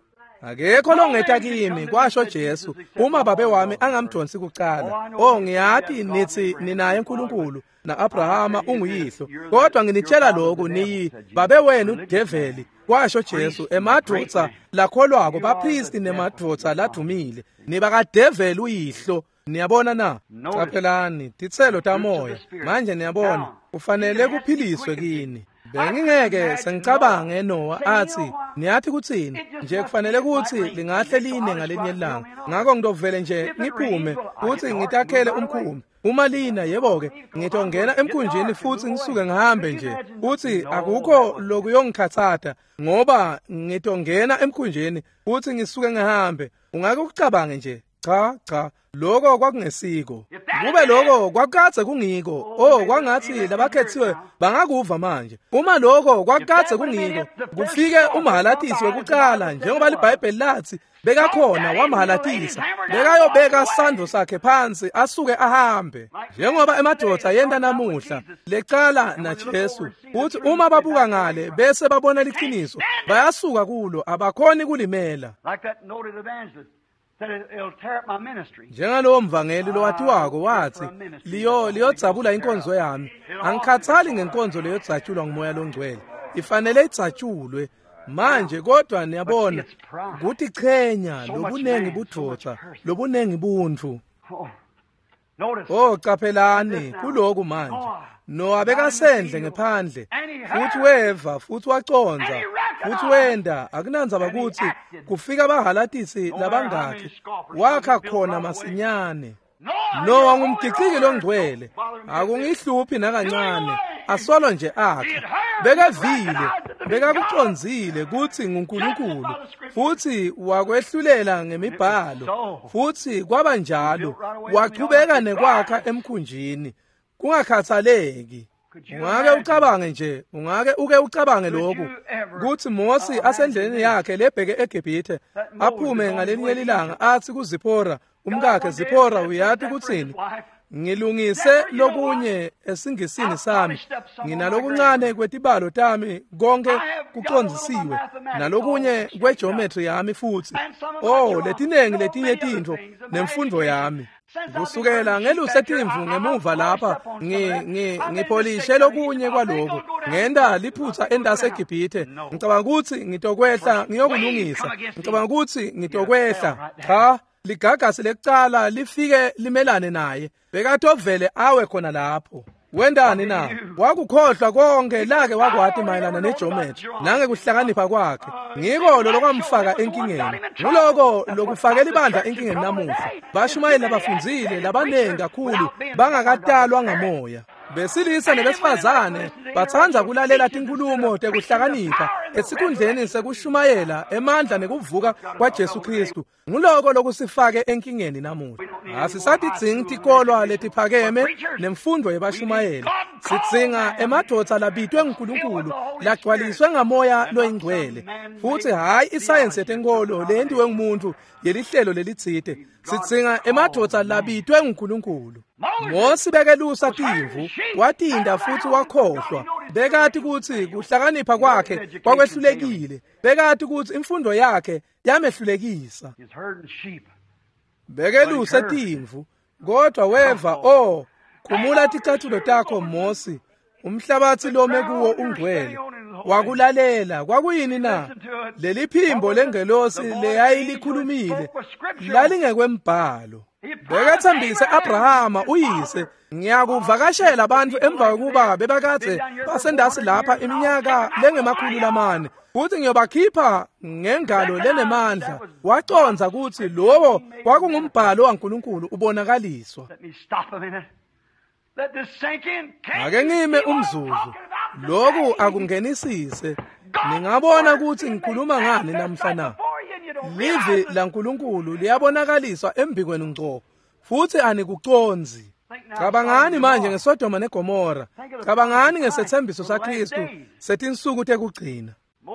Akekho longeta kimi, kwasho Jesu, uma babe wami angamdonsi kucala. Oh, ngiyati nithi ninaye uNkulunkulu na-Abrahama unguyihlo, kodwa nginitshela lokhu, niyi babe wenu udeveli, kwasho Jesu, emadvodza lakholwako, bapristi nemadvodza ladumile, nibakadeveli uyihlo. Niyabona na? Caphelani titselo tamoya. Manje niyabona, ufanele kuphiliswe kini. Bengingeke sengicabange Noah athi, niyathi kutsini nje, kufanele kutsi lingahle line ngalinye ilanga, ngakho ngitovele nje ngiphume kutsi ngitakhele umkhumbi. Uma lina, yebo-ke, ngitongena emkhunjini futsi ngisuke ngihambe nje. Utsi akukho lokuyongikhatsata ngoba ngitongena emkhunjini futsi ngisuke ngihambe. Ungake ukucabange nje? Cha, cha, lokho kwakungesiko. Kube lokho kwakukadze kungiko, oh, kwangathi labakhethiwe bangakuva manje. Uma lokho kwakukadze kungiko, kufike umhalatisi wekucala, njengoba liBhayibheli lathi bekakhona wamhalatisa, bekayobeka sandvo sakhe phansi asuke ahambe, njengoba emadvodza yenta namuhla lecala naJesu. Uthi uma babuka ngale bese babona liqiniso, bayasuka kulo, abakhoni kulimela. Njengalowo mvangeli lowatiwako wathi, liyodzabula inkonzo yami. Angikhathali ngenkonzo leyodzatshulwa ngumoya longcwele, ifanele idzatshulwe manje. Kodwa niyabona, kutichenya lobunengi budvodza, lobunengi buntfu. Oh, caphelani kuloku manje. Noah bekasendle ngephandle, futhi weva, futhi waconza, futhi wenda. Akunandzaba kutsi kufika bahalatisi labangakhi, wakha khona masinyane. Noah ngumgiciki longcwele, akungihluphi nakancane, asolo nje akha. Bekavile, bekakucondzile kutsi nguNkulunkulu, futhi wakwehlulela ngemibhalo, futhi kwaba njalo. Wachubeka nekwakha emkhunjini kungakhathaleki. Ungake ucabange nje, ungake uke ucabange lokhu, kutsi Mosi asendleleni yakhe lebheke eGibhithe, aphume ngalinye lilanga athi kuZiphora umkakhe, Ziphora, uyati kutsini? Ngilungise lokunye esingisini sami, nginalokuncane kwetibalo tami konke kucondzisiwe, nalokunye kwegeometry yami futhi. Oh, letinengi letinye tintfo nemfundo yami. Kusukela ngeluse timvu ngemuva lapha, ngipholishe lokunye kwaloko. Ngenta liphutha entasi eGibhithe. Ngicabanga ukuthi ngitokwehla ngiyokulungisa. Ngicabanga ukuthi ngitokwehla. Cha, ligagasi lekucala lifike limelane naye. Bekatovele awe khona lapho. Wendani na? Wakukhohlwa konke lake wakwati mayelana negeometry nangekuhlakanipha kwakhe. Ngiko lo lokwamfaka enkingeni. Nguloko lokufakela ibandla enkingeni namuhla. Bashumayeli labafundzile labanengi kakhulu bangakatalwa ngamoya. Besilisa nebesifazane batsandza kulalela tinkhulumo tekuhlakanipha esikhundleni sekushumayela emandla nekuvuka kwaJesu Kristu. Nguloko lokusifake enkingeni namuhla. Asisatidzingi tikolwa letiphakeme nemfundo yebashumayeli. Sidzinga emadvodza labitwe nguNkulunkulu lagcwaliswe ngamoya loyingcwele, futhi hhayi isayensi yetenkolo leyentiwe ngumuntu yelihlelo lelitsite. Sidzinga emadvodza labitwe nguNkulunkulu. Mosi bekelusa timvu, watinda futhi wakhohlwa. Bekati kutsi kuhlakanipha kwakhe kwakwehlulekile. Bekati kutsi imfundo yakhe yamehlulekisa. Bekeluse timvu, kodwa weva, oh, khumula ticathulo takho Mosi, umhlabathi lome kuwo ungcwele. Wakulalela. Kwakuyini na? Leli phimbo lengelosi leyayilikhulumile lalingekwembhalo. Bekathembise Abrahama uyise, ngiyakuvakashela abantu emva kokuba bebakade basendasi lapha iminyaka lengema-400, futhi ngiyobakhipha ngengalo lenemandla. Waconza kutsi lowo kwakungumbhalo waNkulunkulu ubonakaliswa. Ake ngime umzuzu, lokhu akungenisise. Ningabona ukuthi ngikhuluma ngani namhla na? Livi laNkulunkulu liyabonakaliswa embikweni ngco, futhi anikuconzi. Cabangani manje ngeSodoma neGomora. Cabangani ngesethembiso saKristu setinsuku tekugcina.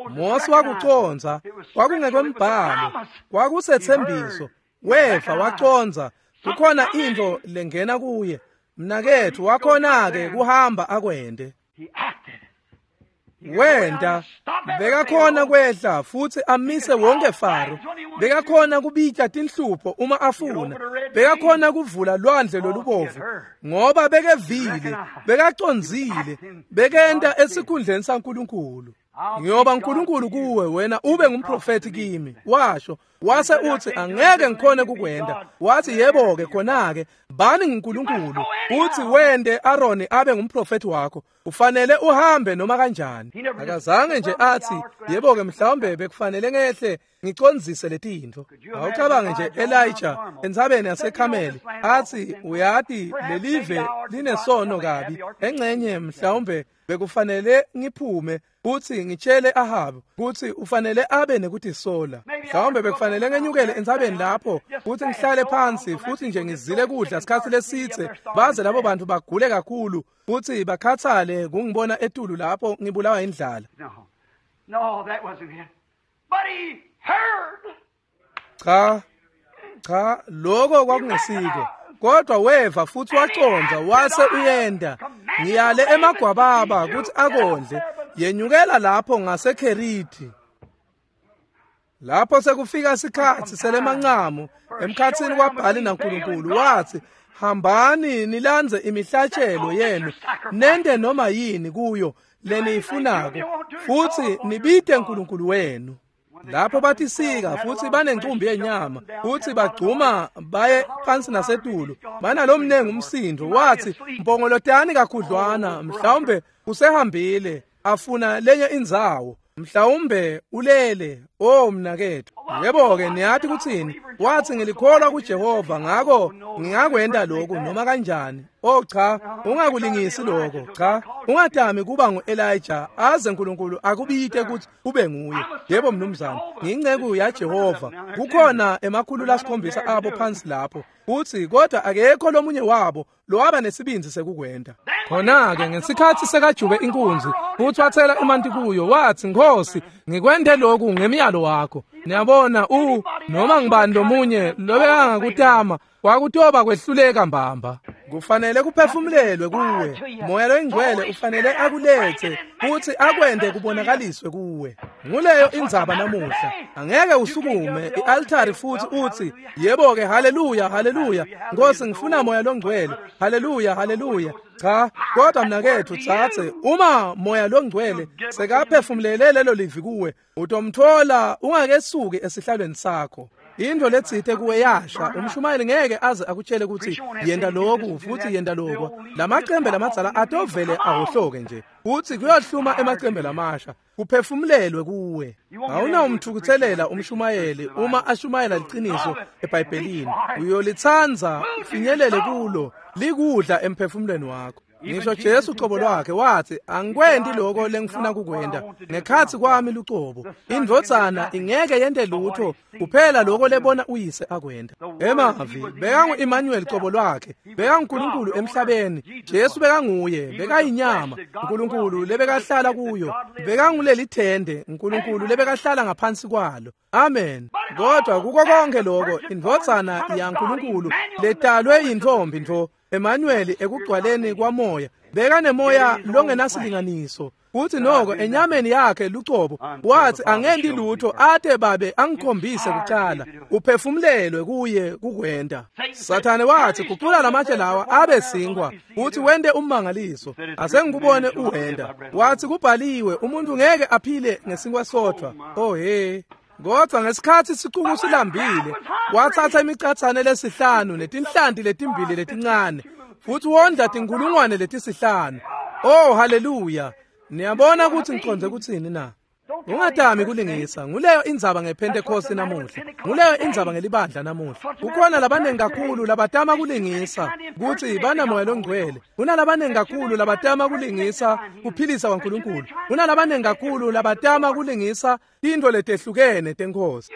Mosi wakuconza, kwakungekwembhalo, kwakusethembiso. Weva waconza, kukhona intfo lengena kuye. Mnaketfu wakhona-ke kuhamba akwente. Wenta, bekakhona kwehla futhi amise wonke Faro. Bekakhona kubita tinhlupho uma afuna. Bekakhona kuvula lwandle lolubovu ngoba bekevile, bekacondzile, bekenta esikhundleni saNkulunkulu. Ngiyoba uNkulunkulu kuwe, wena ube ngumprofeti kimi, washo. Wase uthi angeke ngikhone kukwenda. Wathi yebo-ke khona-ke bani nguNkulunkulu, uthi wende Aroni abe ngumprofeti wakho, ufanele uhambe noma kanjani. Akazange nje athi yebo-ke mhlawumbe bekufanele ngehle ngicondzise letintfo. Awucabange nje Elijah entsabeni yaseKhameli athi uyati lelive linesono kabi, engcenye mhlawumbe bekufanele ngiphume uthi ngitshele Ahabu kuthi ufanele abe nekutisola. Mhlawumbe bekufanele ngenyukele entsabeni lapho kuthi ngihlale phansi futhi nje ngizile kudla sikhathi lesithe, baze labo bantu bagule kakhulu futhi bakhathale kungibona etulu lapho ngibulawa indlala. No, that wasn't it. But he heard. Cha, cha, lokho kwakungesiko. Kodwa weva futhi waconza wase uyenda. Ngiyale emagwababa ukuthi akondle. Yenyukela lapho ngaseKheriti. Lapho sekufika isikhathi selemancamu emkhathini kwaBhali naNkulunkulu, wathi hambani nilandze imihlatshelo yenu nende noma yini kuyo leniyifunako, futhi nibite uNkulunkulu wenu. Lapho batisika futhi banencumbi yenyama futhi bagcuma baye phansi nasetulu, banalomnengi umsindo. Wathi mpongolotani kakhudlwana, mhlawumbe usehambile afuna lenye indzawo, mhlawumbe ulele. Oh mnakethu, yebo-ke niyathi kuthini? Wathi ngilikholwa kuJehova, ngakho ngingakwenta lokhu noma kanjani. Oh cha, ungakulingisi lokho. Cha, ungadami kuba ngu-Elijah aze uNkulunkulu akubite ukuthi ube nguye. Yebo mnumzane, ngiyinceku yaJehova. Kukhona 700 abo phansi lapho, uthi kodwa akekho lomunye wabo lowaba nesibindzi sekukwenta. Khona-ke ngesikhathi sekajube inkunzi futhi wathela emanti kuyo, wathi Nkosi, ngikwente lokhu ngemiyalo wakho. Niyabona, noma ngibani lomunye lobekangakutama kwakutoba kwehluleka mbamba. Kufanele kuphefumulelwe kuwe. Moya loyingcwele ufanele akulethe futhi akwente kubonakaliswe kuwe. Nguleyo indzaba namuhla. Angeke usukume i-altari futhi uthi, yebo-ke, haleluya, haleluya, Nkosi ngifuna moya longcwele, haleluya, haleluya. Cha, kodwa mnaketfu tsatse, uma moya longcwele sekaphefumulele lelo livi kuwe, utomthola ungakesuki esihlalweni sakho. Into letsite kuwe yasha, umshumayeli ngeke aze akutshele ukuthi yenda lokhu futhi yenda lokho. Lamacembe lamadzala atovele ahohloke nje. Uthi kuyohluma emacembe lamasha, kuphefumulelwe kuwe. Awunawumthukuthelela umshumayeli uma ashumayela liqiniso eBhayibhelini. Uyolitsanza ufinyelele kulo, likudla emphefumulweni wakho. Ngisho Jesu ucobo lwakhe wathi, angikwenti lokho lengifuna kukwenta ngekhatsi kwami lucobo. Indvodzana ingeke yente lutho kuphela lokho lebona uyise akwenta. Emavi bekangu-Emmanuel cobo lwakhe, bekanguNkulunkulu emhlabeni. Jesu bekanguye, bekayinyama uNkulunkulu lebekahlala kuyo, bekangulelithende uNkulunkulu lebekahlala ngaphansi kwalo. Amen. Kodwa kuko konke lokho, indvodzana yaNkulunkulu letalwe yintombi ntfo, Emmanuel ekugcwaleni kwamoya, bekanemoya longenasilinganiso. Uthi noko enyameni yakhe lucobo wathi angenti lutho ate babe angikhombise kucala. Uphefumulelwe kuye kukwenta. Sathane wathi gucula lamatshe lawa abe sinkwa, uthi wente ummangaliso, asengikubone uwenta. Wathi kubhaliwe umuntu ngeke aphile ngesinkwa sodwa. Oh he. Kodwa ngesikhathi sicuku silambile, wathatha imicathane lesihlanu netinhlanti letimbili letincane futhi wondla tinkulungwane letisihlanu. Oh haleluya. Niyabona ukuthi ngiconze kutsini na? Ungatami kulingisa. Nguleyo indzaba ngePentecost namuhla. Nguleyo indzaba ngelibandla namuhla. Kukhona labanengi kakhulu labatama kulingisa kutsi banamoya longcwele. Kunalabanengi kakhulu labatama kulingisa kuphilisa kwaNkulunkulu. Kunalabanengi kakhulu labatama kulingisa tintfo letehlukene teNkhosi.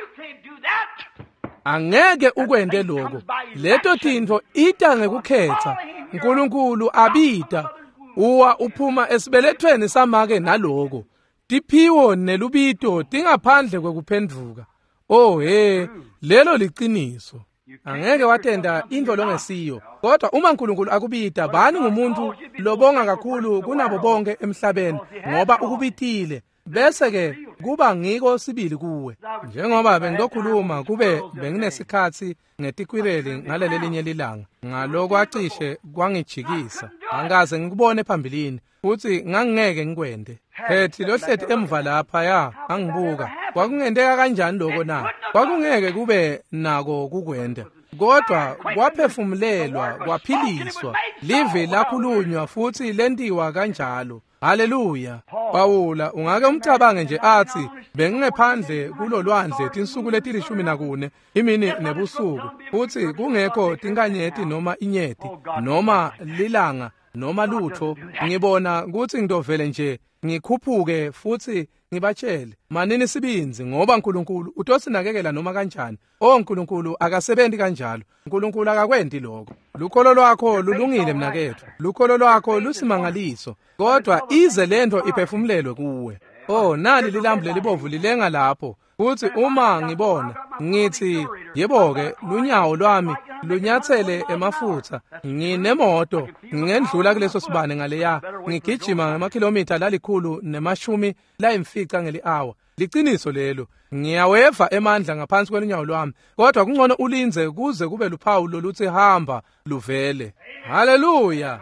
Angeke ukwente lokho. Leto tintfo ita ngekukhetha. uNkulunkulu abita uwa uphuma esibelethweni samake naloko. Tiphiwo nelubito tingaphandle kwekuphendvuka. Oh he, lelo liciniso. Angeke watenda into longesiyo. Kodwa uma uNkulunkulu akubita, bani ngumuntu lobonga kakhulu kunabo bonke emhlabeni ngoba ukubitile. Bese ke kuba ngiko sibili kuwe. Njengoba bengilokhuluma kube benginesikhatsi ngetikwireli ngalelelinye lilanga, ngalokwacishe kwangijikisa. Angikaze ngikubone phambilini futhi ngangingeke ngikwente. Hethi lohleti emva lapha ya angibuka. Kwakungenteka kanjani lokho na? Kwakungeke kube nako kukwenta. Kodwa kwaphefumulelwa, kwaphiliswa. Livi lakhulunywa futhi lentiwa kanjalo. Haleluya. Pawula ungake umcabange nje athi bengingephandle kulolwandle tinsuku leti-14 imini nebusuku, futhi kungekho tinkanyeti noma inyeti noma lilanga noma lutho. Ngibona kutsi ngitovele nje ngikhuphuke futhi ngibatshele manini sibinzi, ngoba uNkulunkulu utosinakekela noma kanjani. Oh, uNkulunkulu akasebenzi kanjalo. uNkulunkulu akakwenti lokho. Lukholo lwakho lulungile mnaketfu, lukholo lwakho lusimangaliso, kodwa ize lento iphefumulelwe kuwe. Oh, nali lilambu lelibovu lilenga lapho. Futhi uma ngibona ngithi yebo-ke, lunyawo lwami lunyathele emafutha, nginemoto ngingendlula kuleso sibane ngaleya, ngigijima ngamakhilomitha 150 ngeli-hour. Liciniso lelo. Ngiyaweva emandla ngaphansi kwelunyawo lwami, kodwa kungcono ulinze kuze kube luphawu loluthi hamba luvele. Haleluya.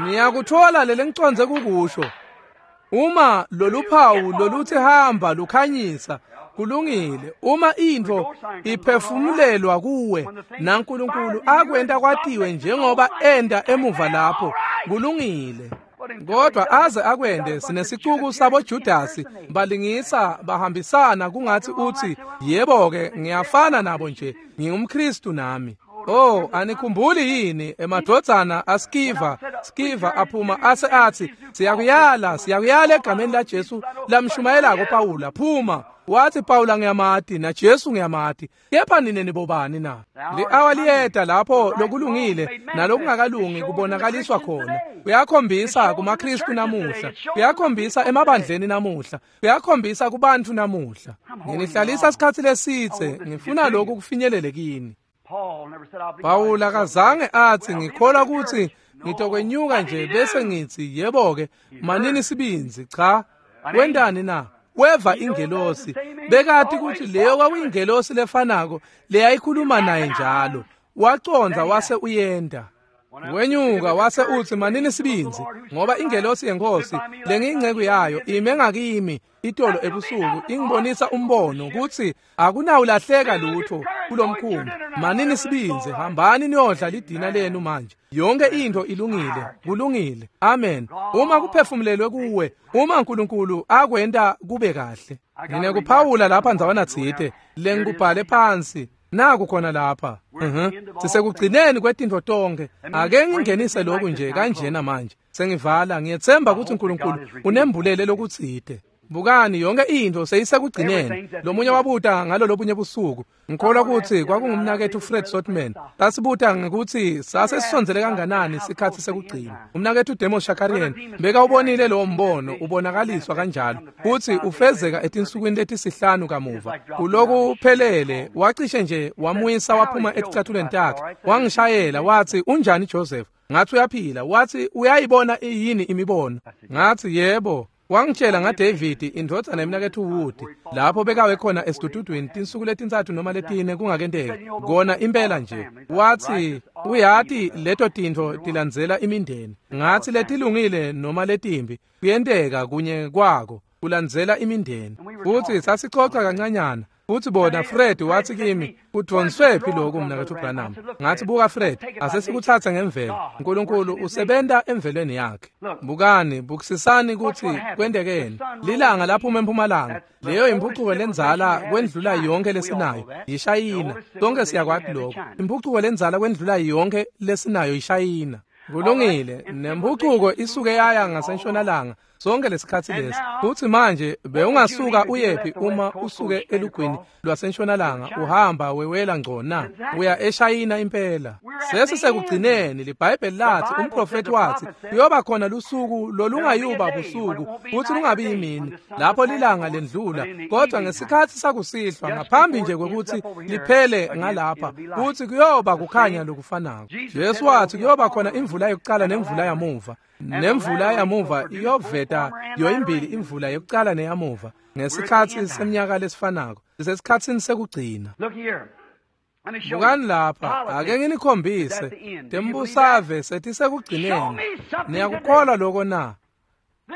Niyakuthola lele ngiconze kukusho. Uma loluphawu loluthi hamba lukhanyisa, kulungile. Uma intfo iphefumulelwa kuwe naNkulunkulu akwenta kwatiwe njengoba enda emuva lapho, kulungile. Kodwa aze akwende, sinesicuku sabo Judasi balingisa bahambisana kungathi uthi yebo-ke ngiyafana nabo nje, ngingumKristu nami. Oh, anikhumbuli yini emadvodzana aSkiva? Skiva aphuma ase athi siyakuyala, siyakuyala egameni laJesu lamshumayelako Pawula, phuma. Wathi Pawula ngiyamati na Jesu ngiyamati, kepha nine nibobani na? Li-awa liyeta lapho lokulungile nalokungakalungi kubonakaliswa khona. Kuyakhombisa kumaKristu namuhla, kuyakhombisa emabandleni namuhla, kuyakhombisa kubantu namuhla. Nginihlalisa isikhatsi lesitse, ngifuna lokhu kufinyelele kini. Pawula akazange atsi ngikholwa kutsi ngitokwenyuka nje bese ngitsi yebo-ke manini sibindzi. Cha, wentani na? Weva ingelosi. Bekati kutsi leyo kwakuyingelosi lefanako leyayikhuluma naye njalo. Wacondza wase uyenda. Wenyuka wase utsi manini sibindzi, ngoba ingelosi yeNkhosi lengiyinceku yayo ime ngakimi itolo ebusuku ingibonisa umbono kutsi akunawulahleka lutho kulomkhumbi. Manini sibindzi, hambani niyodla lidina lenu manje. Yonke into ilungile, kulungile. Amen. Uma kuphefumulelwe kuwe, uma uNkulunkulu akwenta kube kahle. Nginekuphawula lapha ndzawana tsite lengikubhale phansi. Naku khona lapha. Sisekugcineni kwetintfo tonkhe. Ake ngingenise lokhu nje kanjena manje. Sengivala, ngiyetsemba kutsi uNkulunkulu unembulele lokutsite. Bukani, yonke intfo seyisekugcineni. Lomunye wabuta ngalo lobunye busuku. Ngikholwa kutsi kwakungumnaketfu Fred Sotman. Sasibuta ngekutsi sase sisondzele kanganani sikhatsi sekugcina. Umnaketfu Demos Shakarian bekawubonile lowo mbono ubonakaliswa kanjalo kutsi ufezeka etinsukwini letisihlanu kamuva. Kulokuphelele wacishe nje wamuyisa waphuma eticathulweni takhe. Wangishayela watsi unjani Joseph? Ngathi uyaphila. Watsi uyayibona yini imibono? Ngathi yebo. Wangitshela ngaDavid indvodzana yemnaketfu Wood lapho bekawe khona esidududwini tinsuku letintsatfu noma letine kungakenteki kona impela nje. Watsi uyati leto tintfo tilandzela imindeni. Ngathi letilungile noma letimbi kuyenteka kunye kwako kulandzela imindeni. Futsi sasicoca kancanyana. Futsi bona Fred watsi kimi kudvonswephi lokhu mnaketfu Branham? Ngathi buka Fred, asesikuthathe ngemvelo. uNkulunkulu usebenta emvelweni yakhe. Bukani, bukisisani kutsi kwentekeni. Lilanga laphuma empumalanga. Leyo imphucuko lendzala kwendlula yonke lesinayo yishayina. Sonke siyakwati lokho. Imphucuko lendzala kwendlula yonke lesinayo yishayina. Kulungile, nemphucuko isuke yaya ngasentshonalanga sonke lesikhatsi lesi. Futsi manje bewungasuka uyephi uma usuke elugwini lwasentshonalanga uhamba wewela ngco na? Uya eShayina impela. Sesisekugcineni. LiBhayibheli lathi, umprofethi wathi kuyoba khona lusuku lolungayuba busuku futsi lungabi yimini lapho lilanga lendlula, kodwa ngesikhatsi sakusihlwa ngaphambi nje kwekutsi liphele ngalapha futsi kuyoba kukhanya lokufanako. Jesu wathi kuyoba khona imvula yokuqala nemvula yamuva. Nemvula yamuva iyoveta yoyimbili imvula yokuqala neyamuva ngesikhatsi seminyaka lesifanako. Sisesikhatsini sekugcina. Bukani lapha, ake nginikhombise tembusave setisekugcineni. Niyakukholwa lokho na?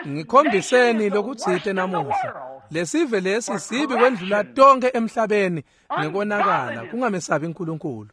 Ngikhombiseni lokutsite namuhla. Lesive lesi sibi kwendlula tonke emhlabeni ngekonakala kungamesabi uNkulunkulu.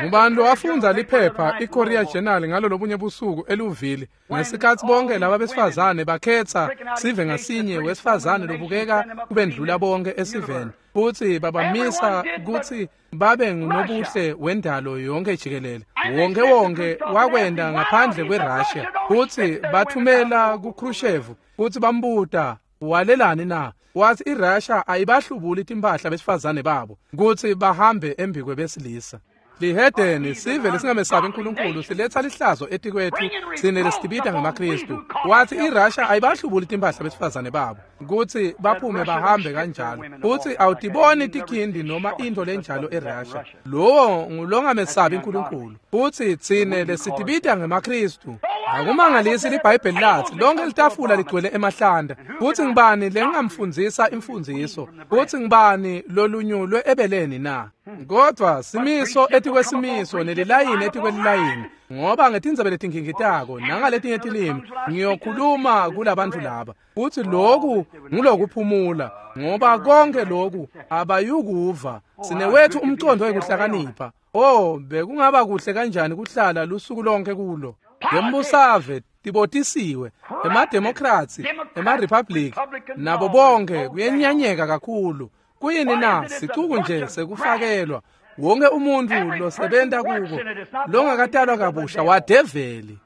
Ngubani lowafundza liphepha iKorea Journal ngalo lobunye busuku eluvile ngesikhatsi bonke laba besifazane bakhetsa sive ngasinye wesifazane lobukeka kubendlula bonke esiveni futsi babamisa kutsi babe ngunobuhle wendalo yonke jikelele. Wonke wonke wakwenda ngaphandle kweRussia futsi bathumela kuKhrushchev futsi bambuta walelani na? Wathi iRussia ayibahlubuli timphahla besifazane babo kutsi bahambe embikwe besilisa. Lihedeni sive lesingamesabi uNkulunkulu siletha lihlazo etikwethu sine lesitibita ngemaKristu. Wathi iRussia ayibahlubuli timphahla besifazane babo kutsi baphume bahambe kanjalo. Futsi awutiboni tikhindi noma into lenjalo eRussia. Lowo ngulongamesabi uNkulunkulu. Futsi tsine lesitibita ngemaKristu. Akumangalisi liBhayibheli lathi lonke litafula ligcwele emahlanda. Futsi ngibani lengingamfundzisa imfundziso? Futsi ngibani lolunyulwe ebeleni na? Kodwa simiso etikwesimiso nelilayini etikwelilayini, ngoba ngetindzebe letinkingitako nangaletinye tilimi ngiyokhuluma kulabantu laba. Futsi loku ngulokuphumula, ngoba konke loku abayukuva. Sinewethu umcondo wekuhlakanipha. Oh, bekungaba kuhle kanjani kuhlala lusuku lonke kulo. Ngembusave tibotisiwe, emaDemocrats, emaRepublic, nabo bonke kuyenyanyeka kakhulu. Kuyini na? Sicuku nje sekufakelwa. Wonke umuntu losebenta kuko longakatalwa kabusha wadeveli.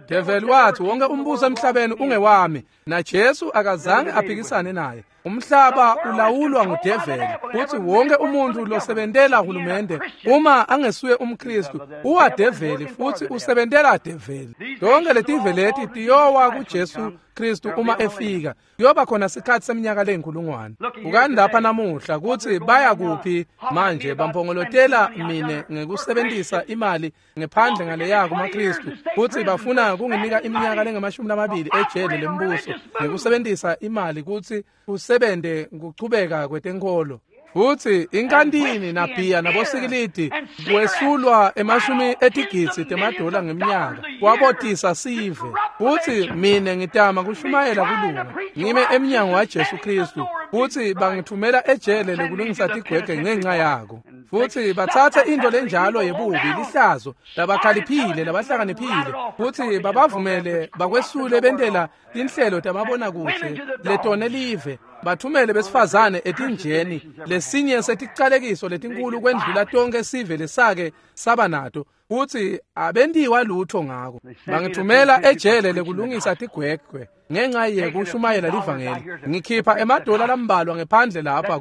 Develi wathi wonke umbuso emhlabeni ungewami, na Jesu akazange aphikisane naye. Umhlaba ulawulwa ngudeveli, futhi wonke umuntu losebentela hulumende uma angesuye umKristu uwadeveli futhi usebentela develi. Tonke letive leti tiyowa kuJesu Kristu uma efika. Kuyoba khona sikhathi seminyaka leyinkulungwane. Bukani lapha namuhla kutsi baya kuphi manje. Bampongolotela mine ngekusebentisa imali ngephandle ngaleya kumaKristu, kutsi bafuna kunginika iminyaka lengamashumi ejele lembuso ngekusebentisa imali kutsi kusebente kuchubeka kwetenkholo. Futsi inkantini nabhiya nabosikilidi kwesulwa emashumi etigidzi temadola ngeminyaka kwabotisa sive. Futsi mine ngitama kushumayela kulunga ngime emnyango waJesu Kristu, futsi bangithumela ejele lekulungisa tigwegwe ngenxa yako. Futsi batsatse into lenjalo yebubi, lihlazo, labakhaliphile, labahlakaniphile, futsi babavumele bakwesule bentela tinhlelo tamabonakuhle letone live, bathumele besifazane etinjeni, lesinye seticalekiso letinkulu kwendlula tonke sive lesake saba nato, futsi abentiwa lutho ngako. Bangithumela ejele lekulungisa tigwegwe ngenxa yekushumayela livangeli. Ngikhipha emadola lambalwa ngephandle lapha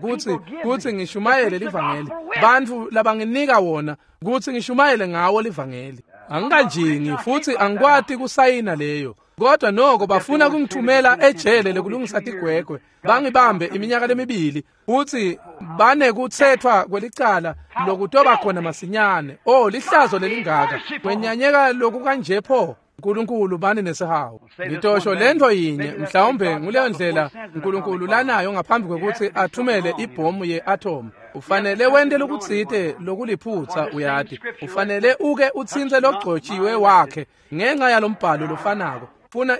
kutsi ngishumayele livangeli. Bantfu labanginika wona kutsi ngishumayele ngawo livangeli. Angikanjingi futhi angikwati kusayina leyo. Kodwa noko bafuna kungithumela ejele lekulungisa tigwegwe, bangibambe iminyaka lemibili, futhi banekuthethwa kwelicala lokutoba khona masinyane. Oh, lihlazo lelingaka, kwenyanyeka lokukanje pho. uNkulunkulu bani nesihawu. Ngitosho lento yinye, mhlawumbe nguleyo ndlela uNkulunkulu lanayo ngaphambi kwekutsi athumele ibhomu ye-atom. Ufanele wente lokutsite lokuliphutsa, uyati. Ufanele uke utsintse logcotshiwe wakhe ngenxa yalombhalo lofanako. Funa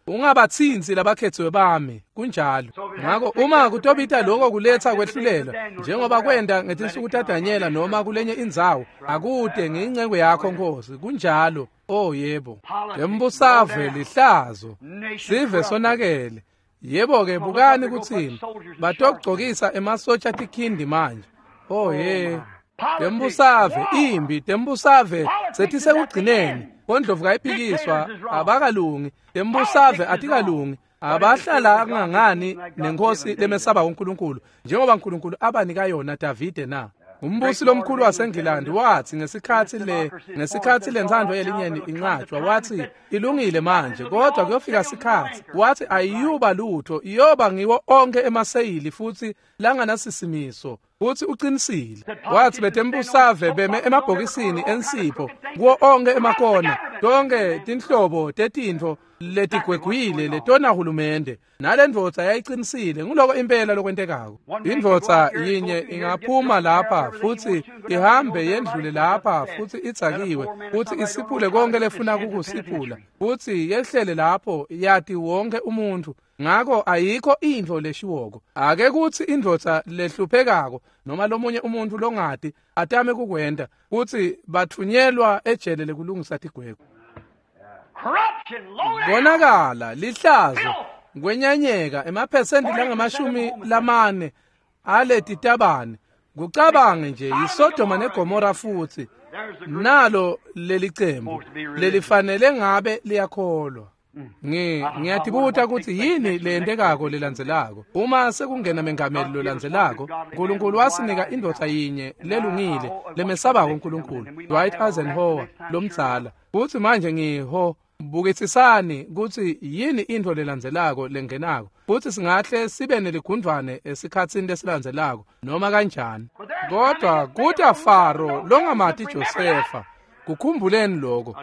ungabatsintsi labakhethiwe bami, kunjalo. Ngako uma kutobita lokho kuletha kwehlulela, njengoba kwenta ngetinsuku taDanyela noma kulenye indzawo, akude ngiyinceku yakho Nkosi, kunjalo. Oh yebo, lembusave lihlazo, sive sonakele. Yebo ke, bukani kutsini, batogcokisa emasotsha tikhindi manje. Oh ye, tembusave imbi, tembusave setisekugcineni. Bondlovu kayiphikiswa, abakalungi, tembusave atikalungi, abahlala ngangani nenkosi lemesaba uNkulunkulu, njengoba uNkulunkulu abanika yona Davide na. Umbusi lomkhulu waseNgilandi wathi ngesikhathi lentsandvo yelinyeni inqatshwa, wathi ilungile manje, kodwa kuyofika sikhathi, wathi ayiyuba lutho, iyoba ngiwo onke emaseyili futhi langanasisimiso. Futhi uqinisile. Wathi betembusave beme emabhokisini ensipho kuwo onke emakona, tonke tinhlobo tetintfo letigwegwile letona hulumende. Nalendvodza yayiqinisile, nguloko impela lokwentekako. Indvodza yinye ingaphuma lapha futhi ihambe yendlule lapha futhi idzakiwe futhi isiphule konke lefuna kukusiphula, futhi yehlele lapho yati wonke umuntu. Ngako ayikho intfo leshiwoko. Ake kuthi indvodza lehluphekako noma lomunye umuntu longati atame kukwenta, kuthi bathunyelwa ejele lekulungisa tigwegwe. Konakala, lihlazo, kwenyanyeka emaphesenti langamashumi lamane aletitabane. Kucabange nje yiSodoma neGomora futhi nalo lelicembu lelifanele ngabe liyakholwa. Ngiyatibuta kutsi yini leyentekako lelandzelako. Uma sekungena mengameli lolandzelako, uNkulunkulu wasinika indvodza yinye lelungile lemesabako uNkulunkulu, Dwight Eisenhower lomdzala. Futsi manje ngiho bukisisani kutsi yini intfo lelandzelako lengenako, futsi singahle sibe neligundvwane esikhatsini lesilandzelako noma kanjani. Kodwa kuta Faro longamati Josefa. Kukhumbuleni lokho.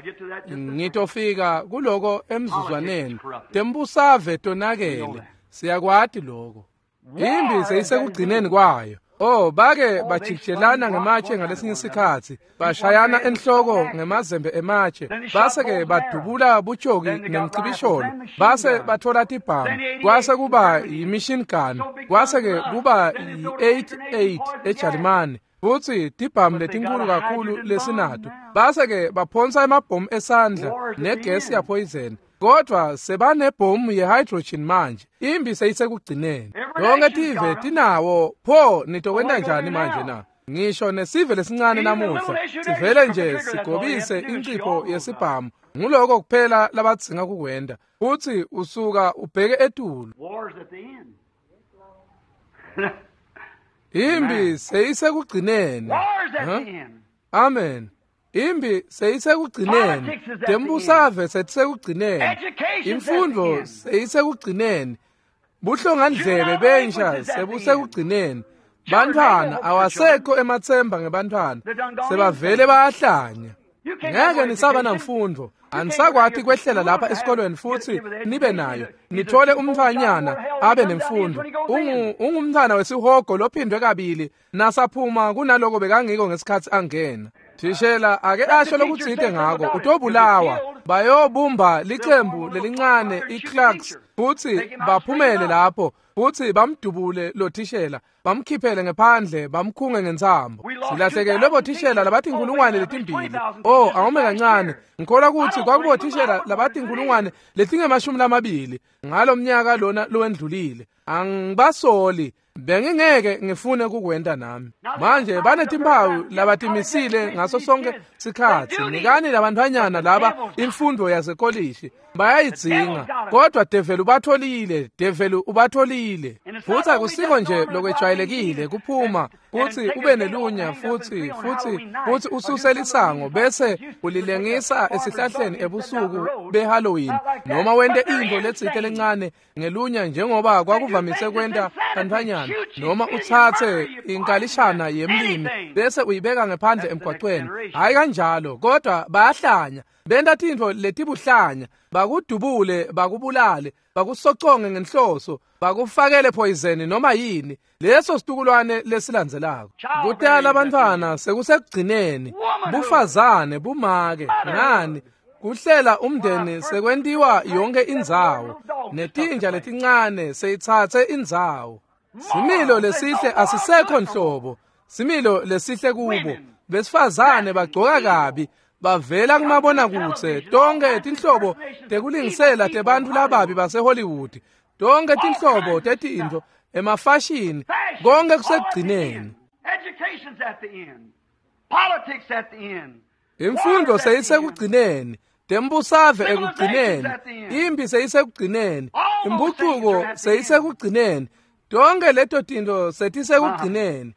Ngitofika kuloko emzuzwaneni. Tembusave tonakele, siyakwati lokho. Imbi seyisekugcineni kwayo. Oh, bake bajikijelana ngematshe ngalesinye isikhathi, bashayana enhloko ngemazembe ematshe, base ke badubula butshoki nemcibisholo, base bathola tibhamu, kwase kuba yi-machine gun, kwase ke kuba yi-88 eJalimane, futsi tibhamu letinkulu kakhulu lesinato, base ke baphonsa emabhomu esandla negesi yapoison. Kodwa sebanebhomu ye-hydrogen manje. Imbi seyisekugcineni. Yonke tive tinawo. Pho nitokwenta njani manje na? Ngisho nesive lesincane namuhla sivele nje sigobise incipho yesibhamu. Nguloko kuphela labadzinga kukwenta. Futsi usuka ubheke etulu. Imbi seyisekugcineni. Amen. Imbi seyisekugcineni. Tembusave setisekugcineni. Imfundo seyisekugcineni. Buhlongandlebe bensha sebusekugcineni. Bantwana awasekho ematsemba ngebantwana. Sebavele bayahlanya. Ngeke nisaba namfundo. Anisakwati kwehlela lapha esikolweni futhi nibe nayo. Nithole umntfanyana abe nemfundo. Ungumntfana wesihogo lophindwe kabili nasaphuma kunaloko bekangiko ngesikhatsi angena. Thishela ake asho lokutsite ngako utobulawa. Bayobumba licembu lelincane iClarks futhi baphumele lapho futhi bamdubule lo thishela bamkhiphele ngephandle bamkhunge ngentsambo. Silahlekelwe bothishela labatinkhulungwane letimbili. Oh, awume kancane. Ngikholwa ukuthi kwakubothishela labatinkhulungwane letingemashumi ngalo mnyaka lona lowendlulile. Angibasoli. Bengingeke ngifune kukwenta nami. Manje banetimpawu labatimisile ngaso sonke sikhatsi. Nikani labantfwanyana laba imfundo yasekolishi. Bayayidzinga. Kodwa develu ubatholile, develu ubatholile. Futhi akusiko nje lokwejwayelekile kuphuma futhi ube nelunya futhi ususe lisango bese ulilengisa esihlahleni ebusuku beHalloween noma wente into letsite lencane ngelunya njengoba kwakuvamise kwenta bantfwanyana noma utsatse inkalishana yemlimi bese uyibeka ngephandle emgwaqweni. Hayi kanjalo, kodwa bayahlanya. Benta tintfo letibuhlanya, bakudubule, bakubulale, bakusoconge ngenhloso, bakufakele poison noma yini. Leso situkulwane lesilandzelako. Kutala abantwana sekusekugcineni, bufazane, bumake, ngani kuhlela umndeni sekwentiwa yonke indzawo, netinja letincane seyitsatse indzawo. Similo lesihle asisekho nhlobo, similo lesihle kubo. Besifazane bagcoka kabi, bavela kumabonakudze, tonke tinhlobo tekulingisela tebantfu lababi baseHollywood, tonke tinhlobo tetintfo, emafashini, konke kusekugcineni. Imfundo seyisekugcineni, tembusave ekugcineni, impi seyisekugcineni, impucuko seyisekugcineni, tonke leto tintfo setisekugcineni.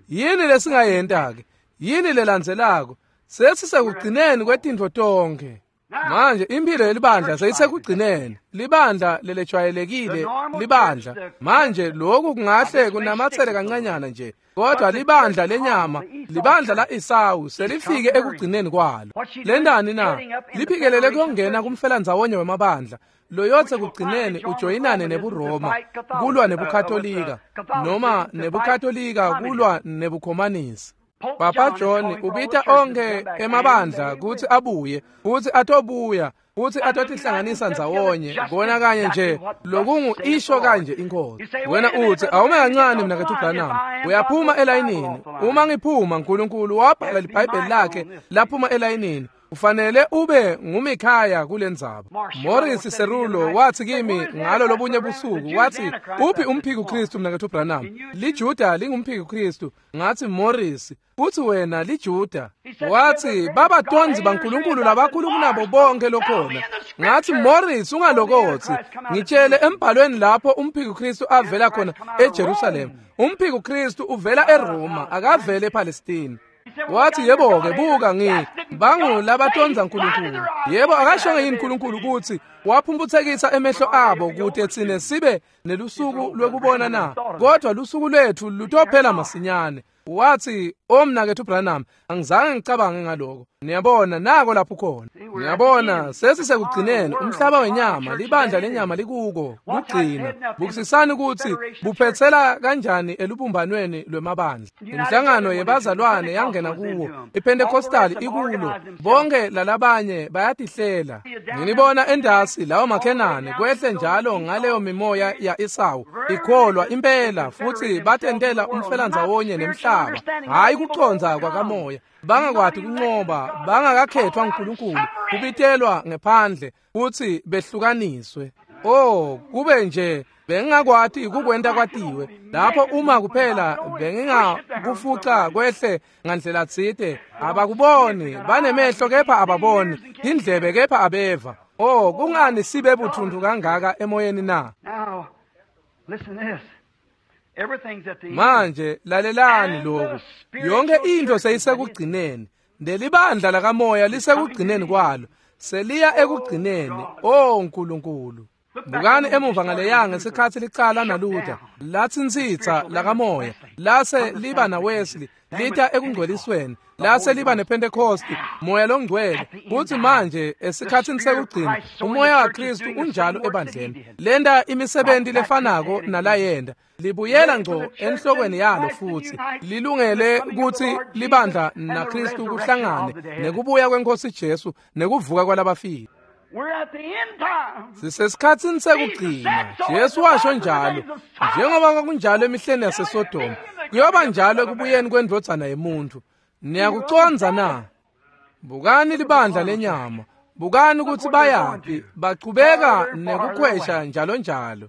Yini lesingayenta ke? Yini lelandzelako? Sesisekugcineni kwetintfo tonke. Manje impilo yelibandla seyisekugcineni. Libandla lelejwayelekile libandla. Manje lokhu kungahle kunamatsele kancanyana nje, kodwa libandla lenyama, libandla la Esawu selifike ekugcineni kwalo. Lendani na? Liphikelele kuyongena kumfelandzawonye wemabandla. Loyotse kugcineni ujoyinane nebuRoma kulwa nebuKatolika noma nebuKatolika kulwa nebukhomanisi. Papa John ubita onke emabandla kutsi abuye, kutsi atobuya, kutsi atotihlanganisa ndzawonye, kona kanye nje lokungu isho kanje inkosi. Wena utsi awume kancane mnaketfu Branham, uyaphuma elayinini. Uma ngiphuma uNkulunkulu wabhala iBhayibheli lakhe laphuma elayinini. Ufanele ube nguMikhaya kulendzaba. Morris Cerulo wathi kimi ngalo lobunye busuku, wathi uphi umphiki Kristu mnaketfu Branham? LiJuda lingumphiki Kristu. Ngathi Morris, futhi wena liJuda. Wathi baba tonzi baNkulunkulu labakhulu kunabo bonke lokhona. Ngathi Morris ungalokothi, ngitshele embhalweni lapho umphiki Kristu avela khona eJerusalem. Umphiki Kristu uvela eRoma, akavele ePalestine. Wathi yebo ke buka bangu labatonza uNkulunkulu. Yebo akashonge yini uNkulunkulu ukuthi waphumputhekisa emehlo abo kute tsine sibe nelusuku lwekubona na? Kodwa lusuku lwethu lutophela masinyane. Wathi omnaketfu Branham, angizange ngicabange ngaloko. Niyabona nako lapho khona. Niyabona sesisekugcineni umhlaba wenyama, libandla lenyama likuko kugcina. Bukisisani ukuthi buphetsela kanjani elubumbanweni lwemabandla. Inhlangano yebazalwane yangena kuwo, iPentecostal ikulo, bonke lalabanye bayatihlela. Nginibona endasi lawo makhenane kwehle njalo ngaleyo mimoya ya Esawu ikholwa impela futhi batentela umfelandzawonye nemhlaba. Hayi kuconza kwakamoya, bangakwati kunqoba, bangakakhethwa uNkulunkulu, kubitelwa ngephandle futhi behlukaniswe. Oh, kube nje bengingakwati kukwenta kwatiwe lapho uma kuphela bengingakufuca kwehle ngandlela tsite. Abakuboni, banemehlo kepha ababoni, indlebe kepha abeva. Oh, kungani sibe buthuntu kangaka emoyeni na? Now, listen to this. Manje lalelani lokhu. Yonke into seyisekugcineni. Lelibandla lakamoya lisekugcineni kwalo. Seliya ekugcineni. Oh Nkulunkulu. Bukani emuva ngaleya ngesikhathi licala naLuther, latsintsitsa lakamoya, lase liba naWesley, lita ekungcwelisweni, lase liba nePentecost, moya longcwele. Kuthi manje esikhatsini sekugcina umoya waKristu unjalo ebandleni, lenta imisebenti lefanako nalayenda, libuyela ngco enhlokweni yalo futhi lilungele kutsi libandla naKristu kuhlangane nekubuya kweNkosi Jesu nekuvuka kwalabafile. Sisesikhatsini sekugcina. Jesu washo njalo, njengoba kwakunjalo emihleni yaseSodoma, kuyoba njalo ekubuyeni kwendvodzana yemuntfu. Niyakucondza na? Bukani libandla lenyama, bukani kutsi bayaphi, bachubeka nekukhwesha njalo njalo.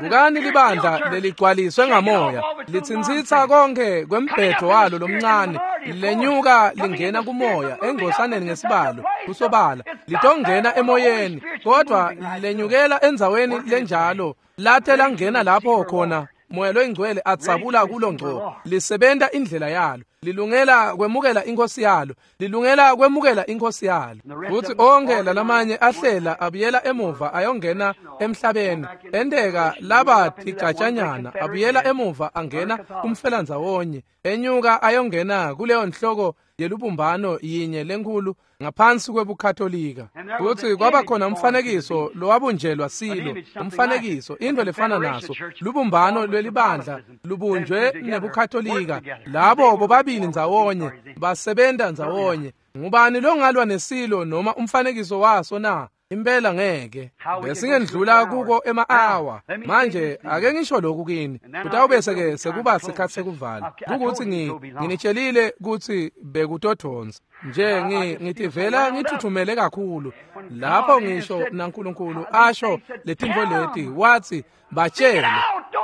Bukani libandla leligcwaliswe ngamoya, litsintsitsa konke kwembhedo walo lomncane, lenyuka lingena kumoya engosaneni ngesibalo kusobala, litongena emoyeni, kodwa lenyukela endzaweni lenjalo, late langena lapho khona moya loyingcwele atsabula kulo ngco, lisebenta indlela yalo, lilungela kwemukela inkosi yalo, lilungela kwemukela inkosi yalo. Futhi onke lalamanye ahlela abuyela emuva ayongena emhlabeni, enteka laba tigatshanyana abuyela emuva angena kumfelanzawonye, enyuka ayongena kuleyo nhloko yelubumbano yinye lenkulu ngaphansi kwebukatolika. Futhi kwaba khona umfanekiso lowabunjelwa silo, umfanekiso into lefana naso, lubumbano lwelibandla lubunjwe nebukatolika. Labo bobabili ndzawonye basebenta ndzawonye. Ngubani longalwa nesilo noma umfanekiso waso na? Impela ngeke. Besingendlula kuko ema-awa. Manje ake ngisho lokhu kini, kutawubese ke sekuba sikhathi sekuvala. Kukuthi nginitshelile kutsi bekutodonsa nje, ngitivela ngithuthumele kakhulu lapho ngisho naNkulunkulu asho letintfo leti, wathi batshele,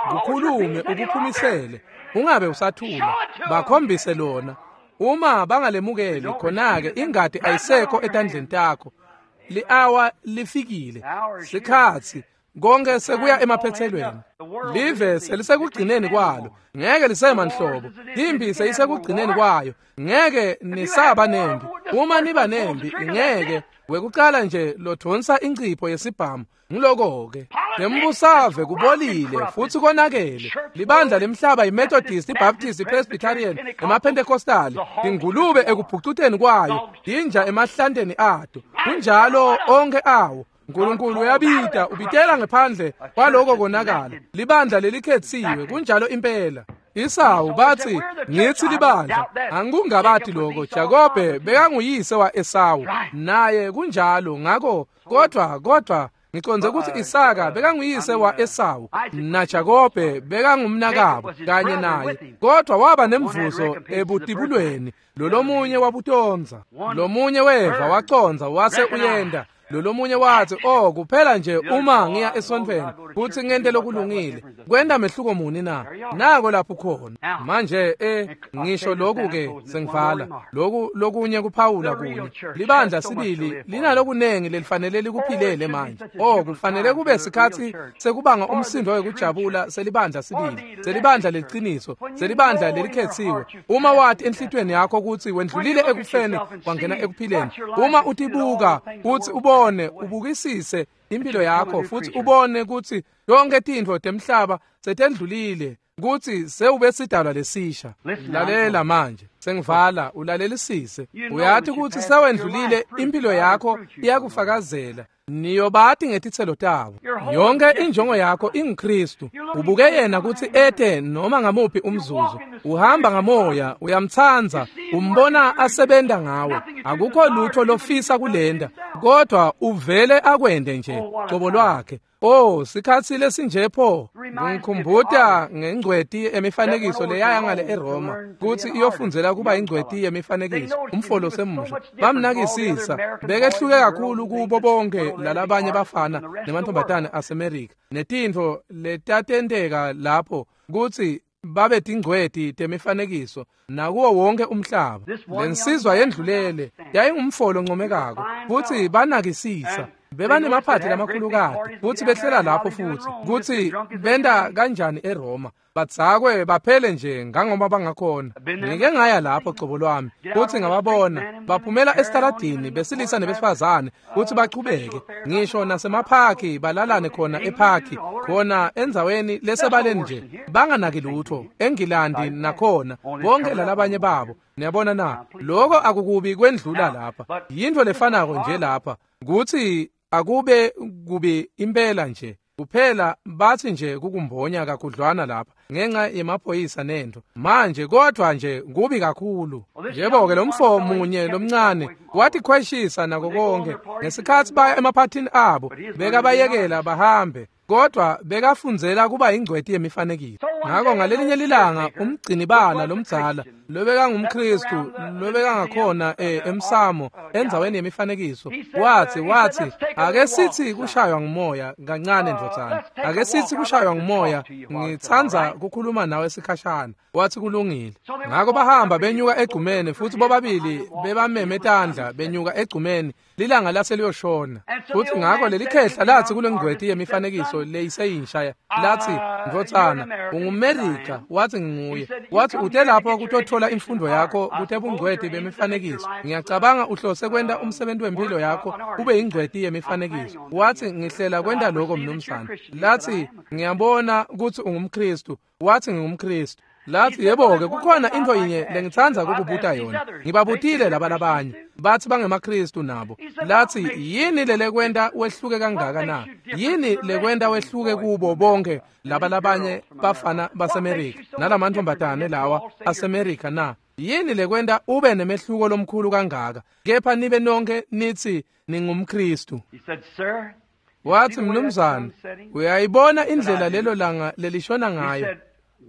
kukhulume ukuphumisele, ungabe usathula, bakhombise lona. Uma bangalemukeli khona-ke ingadi ayisekho etandleni takho. Li-awa lifikile, sikhatsi konke sekuya emaphethelweni. Live selisekugcineni kwalo, ngeke lisema nhlobo. Impi seyisekugcineni kwayo, ngeke nisaba nempi. Uma niba nempi, ngeke wekuqala nje lodonsa incipho yesibhamu. Ngiloko-ke nembusave kubolile futhi konakele. Libandla lemhlaba iMethodist, iBaptist, iPresbyterian, emaPentecostal, ingulube ekubhucuteni kwayo, inja emahlanteni ato. Kunjalo onke awo. Nkulunkulu uyabita, ubitela ngephandle kwaloko konakala. Libandla lelikhetsiwe, kunjalo impela. Isawu bathi ngithi libandla, angikungabati lokho. Jakobe bekanguyise wa-Esawu naye kunjalo. Ngakho kodwa ngiconze ukuthi Isaka bekanguyise wa-Esawu naJakobe bekangumnakabo kanye naye, kodwa waba nemvuzo ebutibulweni. Lolomunye wabutonza, lomunye weva waconza wase uyenda. Lolomunye wathi, oh kuphela nje uma ngiya esontfweni kuthi ngente lokulungile, kwenta mehluko muni na? Nako lapho khona manje. Ngisho lokhu ke sengivala lokhu lokunye kuphawula kunye. Libandla sibili linalokunengi lelifanele likuphilele manje. Oh kufanele kube sikhathi sekubanga umsindo wekujabula selibandla sibili, selibandla leliciniso, selibandla lelikhetsiwe. Uma wathi enhlitweni yakho ukuthi wendlulile ekufeni wangena ekuphileni, uma utibuka uthi ubone, ubukisise impilo yakho futhi ubone ukuthi yonke tintfo temhlaba setendlulile, ukuthi sewube sidalwa lesisha. Lalela manje, sengivala, ulalelisise. Uyathi ukuthi sewendlulile, impilo yakho iyakufakazela. Niyobati ngetitselo tabo. Yonke injongo yakho inguKristu. Ubuke yena kutsi ete noma ngamuphi umzuzu. Uhamba ngamoya, uyamtsandza, umbona asebenta ngawe. Akukho lutho lofisa kulenda, kodwa uvele akwende nje cobo lwakhe. Oh, sikhatsi lesinje pho. Ngikhumbuta ngengcweti emifanekiso leyaya ngale eRoma kutsi iyofundzela kuba ingcweti yemifanekiso, umfolo semusha. Bamnakisisa, bekehluke kakhulu kubo bonke lalabanye bafana nemantombazane aseMerika netintfo letatenteka lapho kutsi babe tingcweti temifanekiso nakuwo wonke umhlaba. Lensizwa yendlulele yayingumfolo oncomekako futhi banakisisa. Bebanemaphathi lamakhulukati futsi behlela lapho futhi kutsi benta kanjani eRoma. Badzakwe baphele nje ngangoba bangakhona. Ngike ngaya lapho cobo lwami futhi ngababona baphumela esitaladini besilisa nebesifazane futhi bachubeke ngisho nasemaphaki balalane khona ephaki khona endzaweni lesebaleni nje banganaki lutho eNgilandi nakhona bonke lalabanye babo. Niyabona na, lokho akukubi kwendlula lapha. Yinto lefanako nje lapha kutsi akube kubi impela nje. Kuphela bathi nje kukumbonya kakhudlwana lapha ngenxa yemaphoyisa nento manje, kodwa nje kubi kakhulu. Yebo-ke lo mfo munye lomncane watikhweshisa nako konke ngesikhathi baya emaphathini abo, bekabayekela bahambe, kodwa bekafundzela kuba ingcweti yemifanekiso. Ngakho ngalelinye lilanga umgcinibala lomdzala lobekangumKristu lobekangakhona emsamo endzaweni yemifanekiso wathi ake sithi kushaywa ngumoya kancane ndvodzana, ake sithi kushaywa ngumoya, ngitsandza kukhuluma nawe sikhashana. Wathi kulungile. Ngakho bahamba benyuka egcumeni futhi bobabili bebameme tandla benyuka egcumeni, lilanga lase liyoshona. Futhi ngakho lelikhehla lathi kule ngcweti yemifanekiso leyiseyintsha lathi, ndvodzana, unguMerika? Wathi nginguye. Wathi ute lapho kutothola imfundo yakho kutebungcweti bemifanekiso, ngiyacabanga uhlose kwenta umsebenzi wempilo yakho ube yingcweti yemifanekiso. Wathi ngihlela kwenta lokho mnumzane. Lathi ngiyabona ukuthi ungumKristu. Wathi ngingumKristu. Lathi yebo-ke kukhona into yinye lengitsandza kukubuta yona, ngibabutile laba labanye bathi bangemaKristu nabo. Lathi yini lelekwenta wehluke kangaka na? Yini lekwenta wehluke kubo bonke laba labanye bafana baseMerika nalamantombazane lawa aseMerika na? Yini lekwenta ube nemehluko lomkhulu kangaka kepha nibe nonke nithi ningumKristu? Wathi mnumzane, uyayibona indlela lelo langa lelishona ngayo?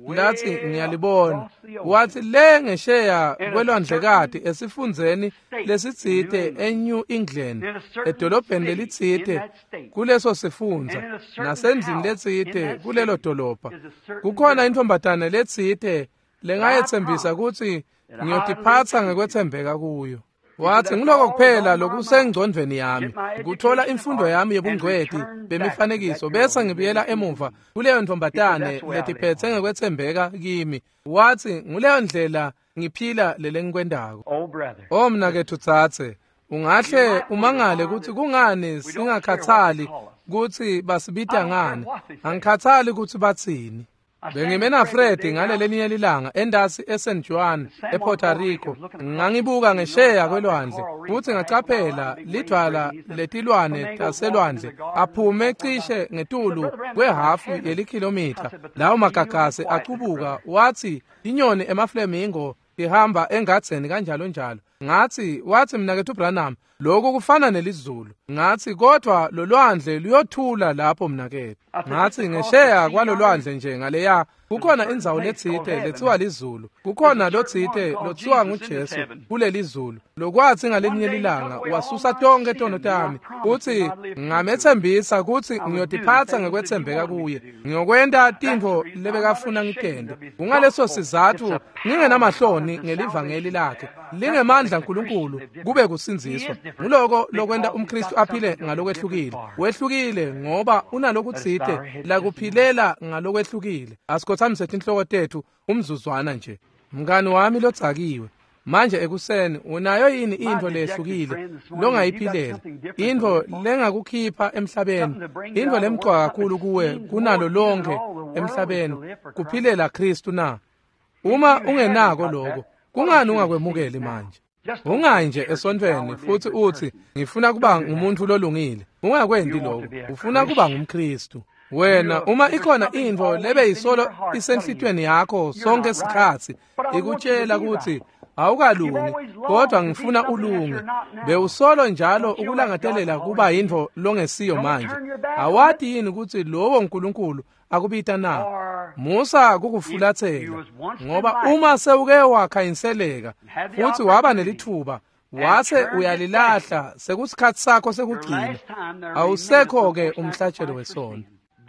Lathi ngiyalibona. Wathi le ngesheya kwelwandlekati esifundzeni lesitsite eNew England, edolobheni lelitsite kuleso sifundza nasendlini letsite kulelo dolobha, kukhona intombatane letsite lengayethembisa kutsi ngiyotiphatsa ngekwethembeka kuyo. Wathi ngiloko kuphela lokusengcondvweni yami, kuthola imfundo yami yebungcweti bemifanekiso bese ngibuyela emuva kuleyo ntombatane letiphethe ngekwethembeka kimi. Wathi nguleyo ndlela ngiphila lelengikwendako. O mnaketfu tsatse, ungahle umangale kutsi kungani singakhathali kutsi basibita ngani. Angikhathali kutsi batsini. Bengime naFred ngalelelinye lilanga endasi eSan Juan ePuerto Rico. Ngangibuka ngesheya kwelwandle futhi ngacaphela lidvwala letilwane taselwandle aphume cishe ngetulu kwehafu yelikhilomitha. Lawo magagasi acubuka. Wathi inyoni emaflamingo ihamba engadzeni kanjalo njalo. Ngathi wathi mnaketfu Branham, lokhu kufana nelizulu. Ngathi kodwa lolwandle luyothula lapho mnaketfu. Ngathi ngesheya kwalolwandle nje ngaleya kukhona indzawo letsite lethiwa lizulu, kukhona lotsite lothiwa nguJesu kulelizulu, lokwathi ngalinye lilanga wasusa tonke tono tami. Uthi ngamethembisa kutsi ngiyotiphatsa ngekwethembeka kuye, ngiyokwenta tintfo lebekafuna ngitente. Kungaleso sizatfu ngingenamahloni ngelivangeli lakhe, lingemandla nkulunkulu kube kusindziswa. Nguloko lokwenta umKristu aphile ngalokwehlukile. Wehlukile ngoba unalokutsite lakuphilela ngalokwehlukile. Asikhothamise tinhloko tetfu umzuzwana nje. Mngani wami lodzakiwe, manje ekuseni unayo yini intfo lehlukile longayiphilela, intfo lengakukhipha emhlabeni, intfo lemcoka kakhulu kuwe kunalo lonke emhlabeni, kuphilela Kristu na? Uma ungenako lokho, kungani ungakwemukeli manje? Ungayi nje esontfweni futhi uthi ngifuna kuba ngumuntu lolungile. Ungakwenti lokho. Ufuna kuba ngumKristu. Wena uma ikhona intfo lebe yisolo isenhlitweni yakho sonke sikhatsi ikutshela ukuthi awukalungi, kodwa ngifuna ulunge, bewusolo njalo ukulangatelela kuba yintfo longesiyo manje. Awati yini ukuthi lowo uNkulunkulu akubita na? Musa kukufulathela, ngoba uma sewuke wakhanyiseleka futhi waba nelithuba wase uyalilahla, sekusikhatsi sakho sekugcina, awusekho-ke umhlatshelo wesono.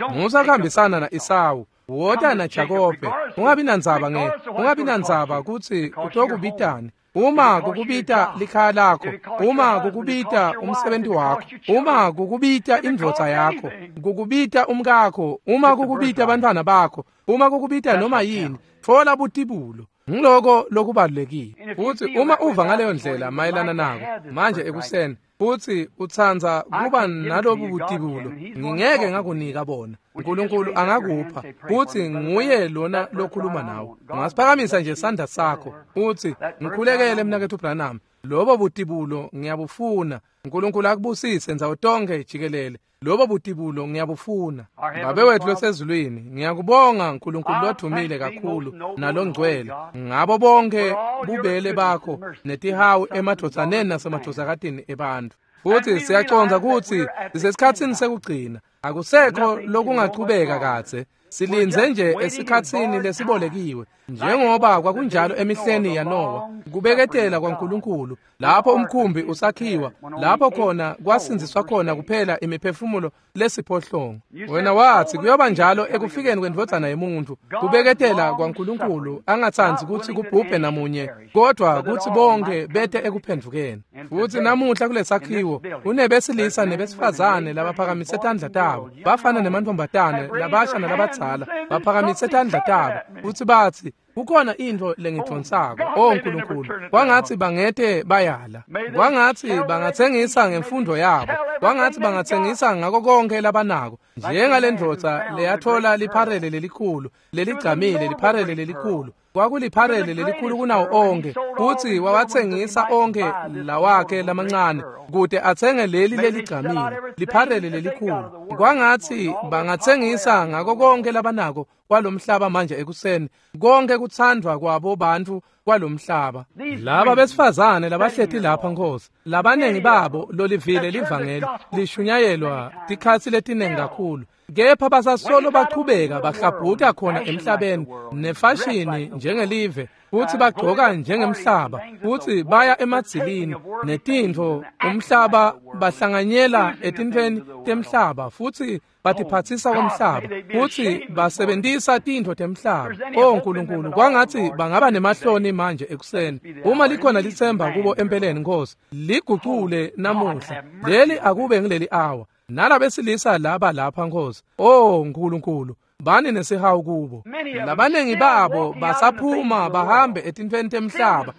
Musa kuhambisana na-Esawu, wota naJakobe. Ungabi nandzaba kutsi utokubitani. Uma kukubita likhaya lakho, uma kukubita umsebenzi wakho, uma kukubita indvodza yakho, kukubita umkakho, uma kukubita abantwana bakho, uma kukubita noma yini, thola butibulo. Ngiloko lokubalulekile. Futhi uma uva ngaleyo ndlela mayelana nako manje ekuseni, futhi utsandza kuba nalobu butibulo, ngingeke ngakunika bona. uNkulunkulu angakupha, futhi nguye lona lokhuluma nawe. Ungasiphakamisa nje isandla sakho uthi, ngikhulekele mnakethu Branham, lobo butibulo ngiyabufuna. uNkulunkulu akubusise ndzawo tonke jikelele. Lobo butibulo ngiyabufuna. Babe wethu losezulwini, ngiyakubonga uNkulunkulu lodumile kakhulu nalongcwele ngabo bonke bubele bakho netihawu emadvodzaneni nasemadvodzakatini ebantfu. Futhi siyacondza ukuthi sisesikhatsini sekugcina, akusekho lokungachubeka kadze. Silinze nje esikhatsini lesibolekiwe, njengoba kwakunjalo emihleni yaNowa, kubeketela kwaNkulunkulu lapho umkhumbi usakhiwa, lapho khona kwasindziswa khona kuphela imiphefumulo lesiphohlongo. Wena wathi kuyoba njalo ekufikeni kwendvodzana yemuntu, kubeketela kwaNkulunkulu angatsandzi kutsi kubhubhe namunye, kodwa kutsi bonke bete ekuphendvukeni. Futhi namuhla kulesakhiwo kunebesilisa nebesifazane labaphakamise tandla tabo, bafana nemantfombatane labasha nalabadzala baphakamise tandla tabo futsi batsi, kukhona intfo lengidvonsako. O Nkulunkulu, kwangatsi bangete bayala, kwangatsi bangatsengisa ngemfundo yabo, kwangatsi bangatsengisa ngako konke labanako, njengale ndvodza leyathola lipharele lelikhulu leligcamile, lipharele lelikhulu kwakulipharele lelikhulu kunawo onke, futsi wawatsengisa onke lawakhe lamancane kute atsenge leli leligcamile, lipharele lelikhulu. Kwangatsi bangatsengisa ngako konke labanako kwalomhlaba manje ekuseni, konke kutsandvwa kwabo bantfu kwalomhlaba. Laba besifazane labahleti lapha Nkosi, labanengi babo lolivile livangeli lishunyayelwa tikhatsi letinengi kakhulu, kepha basasolo bachubeka bahlabhuta khona emhlabeni nefashini njengelive, futhi bagcoka njengemhlaba, futhi baya emadzilini netintfo umhlaba, bahlanganyela etintfweni temhlaba, futhi batiphatsisa komhlaba, futhi basebentisa tintfo temhlaba. O Nkulunkulu, kwangatsi bangaba nemahloni manje ekuseni. Uma likhona litsemba kubo empeleni Nkosi, ligucule namuhla. Leli akube ngileli awa. Nalabesilisa laba lapha Nkosi, o Nkulunkulu, bani nesihawu kubo. Labanengi babo basaphuma bahambe etintfweni temhlaba,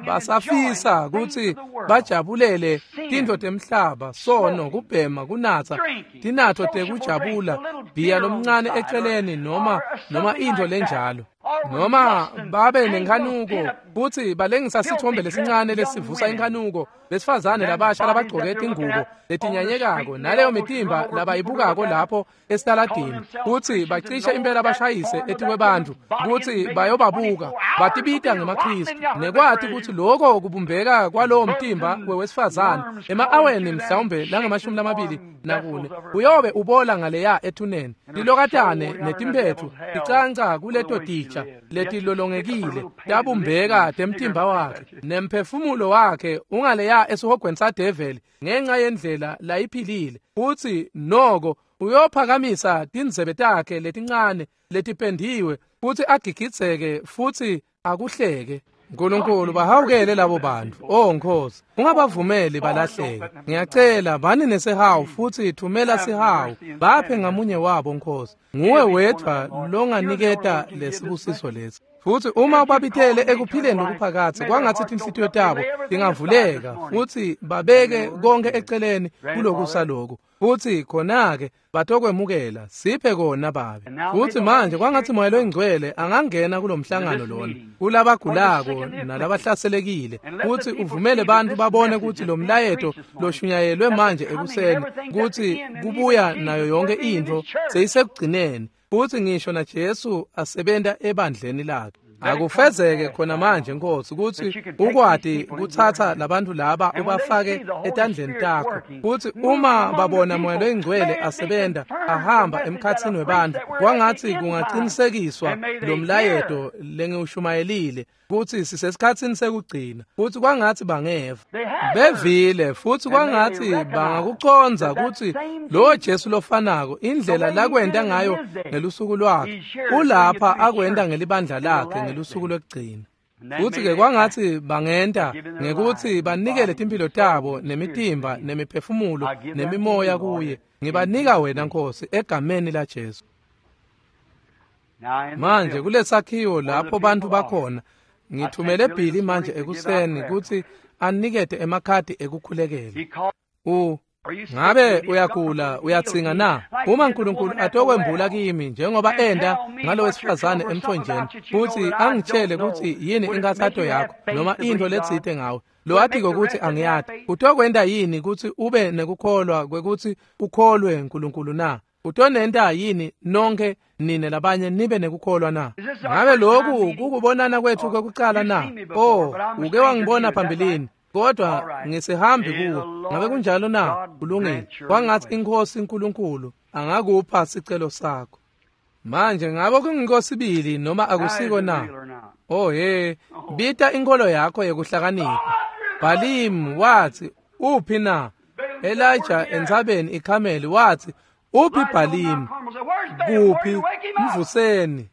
basafisa kutsi bajabulele tintfo temhlaba, sono, kubhema, kunatsa tinatfo tekujabula, bhiya lomncane eceleni noma intfo lenjalo, noma babe nenkhanuko kutsi balengisa sithombe lesincane lesivusa inkhanuko, besifazane labasha labagcoke tingubo letinyanyekako naleyo mitimba labayibukako lapho esitaladini, kutsi bacishe impela bashayise etikwebantfu kutsi bayobabuka, batibita ngemaKhristu, nekwati kutsi loko kubumbeka kwalowo mtimba wewesifazane ema-aweni mhlawumbe lange-24 uyobe ubola ngaleya ethuneni, tilokatane netimphetfu ticanca kuleto titsha letilolongekile tabumbeka temtimba wakhe, nemphefumulo wakhe ungaleya esihogweni sadeveli ngenxa yendlela layiphilile. Futsi noko uyophakamisa tindzebe takhe letincane letipendiwe futsi agigidzeke futsi akuhleke. Nkulunkulu, bahawukele labo bantfu. O Nkosi, ungabavumeli balahleke. Ngiyacela bani nesihawu futhi thumela sihawu baphe ngamunye wabo Nkosi. Nguwe wedvwa longaniketa lesibusiso lesi. Futhi uma ubabithele ekuphileni lokuphakatsi, kwangatsi tinhlitiyo tabo tingavuleka futhi babeke konke eceleni kulokusa loku, futhi khona-ke batokwemukela. Siphe kona Babe. Futhi manje kwangatsi Moya loyiNgcwele angangena kulomhlangano lona, kulabagulako nalabahlaselekile, futhi uvumele bantfu babone kutsi lo mlayeto loshunyayelwe manje ekuseni, kutsi kubuya nayo yonke intfo seyisekugcineni, futhi ngisho na Jesu asebenta ebandleni lakhe. Akufezeke khona manje Nkosi kutsi ukwati kutsatsa labantu laba ubafake etandleni takho, kutsi uma babona Moya loyiNgcwele asebenta ahamba emkhatsini webantfu, kwangatsi kungacinisekiswa lo mlayeto lengiwushumayelile kutsi sisesikhatsini sekugcina, futsi kwangatsi bangeva bevile, futsi kwangatsi bangakucondza kutsi lo Jesu lofanako indlela lakwenta ngayo ngelusuku lwakhe ulapha akwenta ngelibandla lakhe ngelusuku lwekugcina. Futsi-ke kwangatsi bangenta ngekutsi banikele timphilo tabo nemitimba nemiphefumulo nemimoya kuye. Ngibanika wena Nkosi egameni laJesu. Manje kulesakhiwo lapho bantfu bakhona, ngithumele Billy manje ekuseni kutsi anikete emakhadi ekukhulekela. Ngabe uyagula, uyatsinga na? Uma uNkulunkulu atokwembula kimi njengoba enda ngalowesifazane emthonjeni, futsi angitshele kutsi yini inkathato yakho noma into letsite ngawe, lowatiko kutsi angiyati, utokwenta yini kutsi ube nekukholwa kwekutsi ukholwe uNkulunkulu na? Utonenta yini nonke nine labanye nibe nekukholwa na? Ngabe lokhu kukubonana kwethu kwekucala na? Oh, uke wangibona phambilini, kodwa ngisihambi kuwe. Ngabe kunjalo na? Kulungile. Kwangathi iNkosi uNkulunkulu angakupha sicelo sakho. Manje ngabe kungikosibili noma akusiko na? Oh he, bita inkolo yakho yekuhlakanipha. Balimu wathi, uphi na? Elijah entsabeni iKhameli wathi, uphi Balimu? Kuphi? Mvuseni.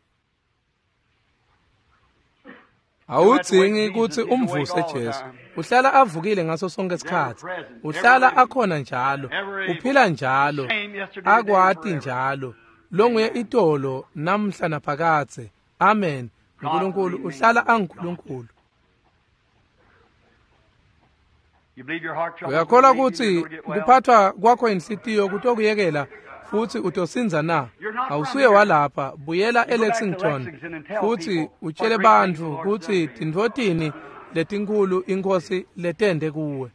Awudzingi kutsi umvuse Jesu. Uhlala avukile ngaso sonke isikhatsi. Uhlala akhona njalo, uphila njalo, akwati njalo. Longuye itolo namhla naphakadze. Amen. uNkulunkulu uhlala anguNkulunkulu. Uyakholwa kutsi kuphathwa kwakho inhlitiyo kutokuyekela futsi utosinza na? Awusuye walapha, buyela eLexington futsi utshele bantfu kutsi tintfotini letinkulu iNkosi letende kuwe.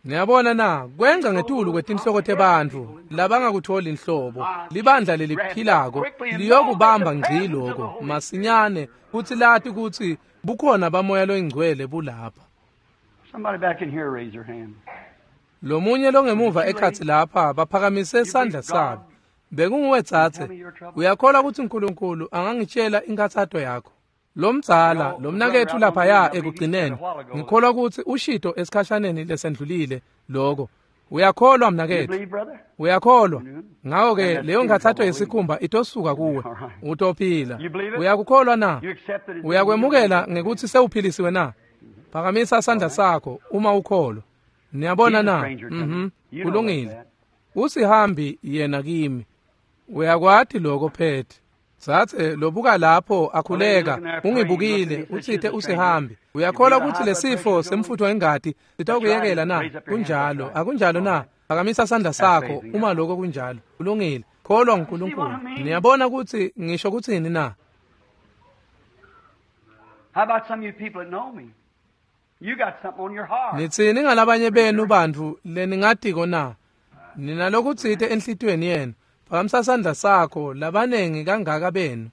Niyabona na, kwenza ngetulu kwetinhloko tebantfu labangakutholi inhlobo. Libandla leliphilako liyokubamba ngci lokho masinyane futsi lati kutsi bukhona baMoya loyiNgcwele bulapha. Somebody back in here raise their hand. Lomunye longemuva ekhatsi lapha baphakamise sandla sabo. Bekunguwe tsatse. Uyakholwa kutsi uNkulunkulu angangitshela inkathato yakho? Lomdzala, lomnaketfu laphaya ekugcineni, ngikholwa kutsi ushito esikhashaneni lesendlulile lokho. Uyakholwa mnaketfu? Uyakholwa? Ngako-ke leyo nkathato yesikhumba itosuka kuwe. Utophila. Uyakukholwa na? Uyakwemukela ngekutsi sewuphilisiwe na? Phakamisa sandla sakho uma ukholwa. Niyabona na? Kulungile. Usihambi yena kimi. Uyakwati lokho Pete. Sathe lobuka lapho akhuleka, ungibukile, utsite usihambi. Uyakholwa kutsi lesifo semfutfo wengati sitawukuyekela na? Kunjalo, akunjalo na? Phakamisa sandla sakho uma lokho kunjalo. Kulungile. Kholwa uNkulunkulu. Niyabona kutsi ngisho kutsini na? How about some of you people that know me? You got something on your heart. Nitsini ngalabanye benu bantfu leningatiko na? Ninalokutsite enhlitiyweni yenu. Phakamisa sandla sakho, labanengi kangaka benu.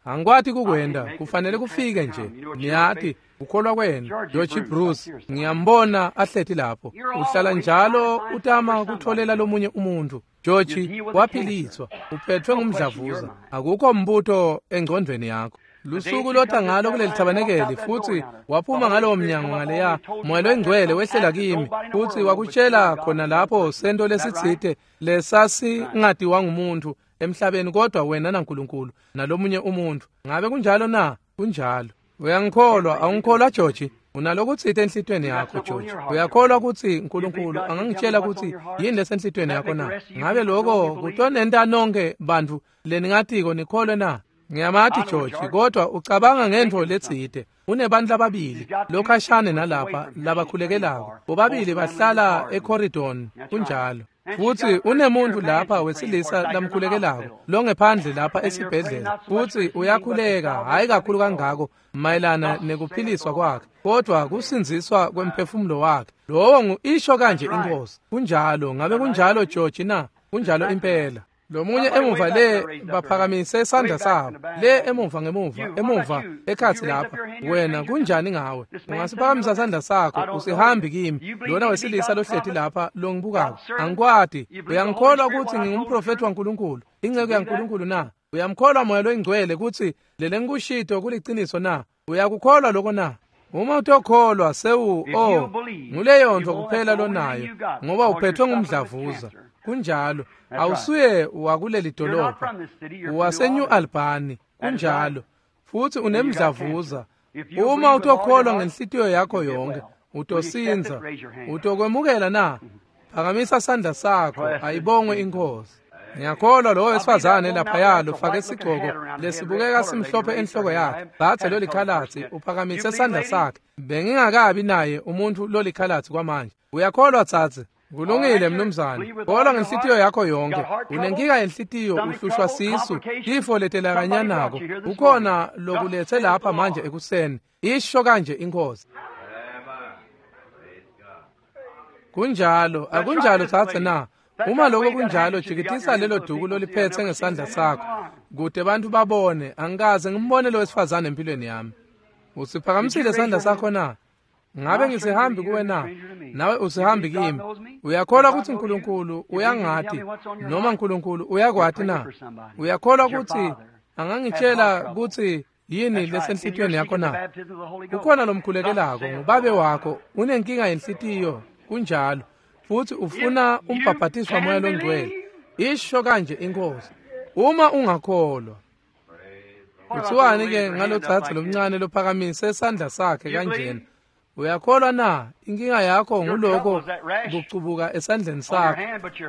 Angikwati kukwenda, kufanele kufike nje. Niyati, ukholwa kwenu. George Bruce, ngiyambona ahleti lapho. Uhlala njalo utama kutholela lomunye umuntu. George waphiliswa, uphethwe ngumdlavuza. Akukho mbuto engcondvweni yakho. Lusuku lota ngalo kuleli thabanekeli futhi waphuma ngalowo mnyango ngaleya. Moya loyiNgcwele wehlela kimi futhi wakutshela khona lapho sento lesitsite lesasingatiwa ngumuntu emhlabeni kodwa wena naNkulunkulu nalomunye umuntu. Ngabe kunjalo na? Kunjalo. Uyangikholwa, awungikholwa George? Unalokutsite enhlitiyweni yakho George. Uyakholwa kutsi uNkulunkulu angangitshela kutsi yini lesenhlitiyweni yakho na? Ngabe lokho kutonenta nonke bantfu leningatiko nikholwe na? Ngiyamati George, kodwa ucabanga ngentfo letsite. Unebantu lababili lokhashane nalapha labakhulekelako. Bobabili bahlala eCorridon, kunjalo. Futsi unemuntu lapha wesilisa lamkhulekelako longephandle lapha esibhedlela. Futsi uyakhuleka, hhayi kakhulu kangako mayelana nekuphiliswa kwakhe, kodwa kusindziswa kwemphefumulo wakhe. Lowo ngu isho kanje iNkosi. Kunjalo, ngabe kunjalo George na? Kunjalo impela. Lomunye emuva le baphakamise sandla sabo, le emuva ngemuva, emuva ekhatsi lapha. Wena kunjani ngawe? Ungasiphakamisa sandla sakho, usihambi kimi. Lona wesilisa lohleti lapha longibukako, angikwati. Uyangikholwa kutsi ngingumprofethi waNkulunkulu, inceku yaNkulunkulu na? Uyamkholwa Moya loyiNgcwele kutsi lelengikushito kuliciniso na? Uyakukholwa lokho na? Uma utokholwa sewu nguleyo ntfo kuphela lonayo, ngoba uphethwe ngumdlavuza. Kunjalo. Awusuye wakuleli dolobha, waseNew Albany. Kunjalo. Futhi unemdlavuza. Uma utokholwa ngenhlitiyo yakho yonke, utosinza. Utokwemukela na? Phakamisa sandla sakho, ayibongwe iNkhosi. Ngiyakholwa lowo wesifazane laphaya lofake sigcoko lesibukeka simhlophe enhloko yakhe, dzadze lolikhalatsi uphakamise sandla sakhe. Bengingakabi naye umuntfu lolikhalatsi kwamanje. Uyakholwa dzadze? Kulungile mnumzane. Kholwa ngenhlitiyo yakho yonke. Unenkinga yenhlitiyo, uhlushwa sisu, tifo letelakanyanako. Ukhona lokulethe lapha manje ekuseni. Isho kanje iNkhosi. Kunjalo, akunjalo dzadze na? Uma lokho kunjalo, jikitisa lelo duku loliphethe ngesandla sakho kude bantu babone. Angikaze ngimbone lo wesifazane empilweni yami. Usiphakamisile sandla sakho na? Ngabe ngisihambi kuwe na? Nawe usihambi kimi. Uyakholwa ukuthi uNkulunkulu uyangati noma uNkulunkulu uyakwati na? Uyakholwa ukuthi angangitshela ukuthi yini lesenhlitiyweni yakho na? Kukhona lomkhulekelako, ngubabe wakho, unenkinga yenhlitiyo, kunjalo. Futhi ufuna umbhabhatiswa waMoya loNgcwele. Isho kanje iNkhosi. Uma ungakholwa. Kuthiwani ke ngalodzadze lomncane lophakamise sandla sakhe kanjena? Uyakholwa na? Inkinga yakho nguloko kucubuka esandleni sakho,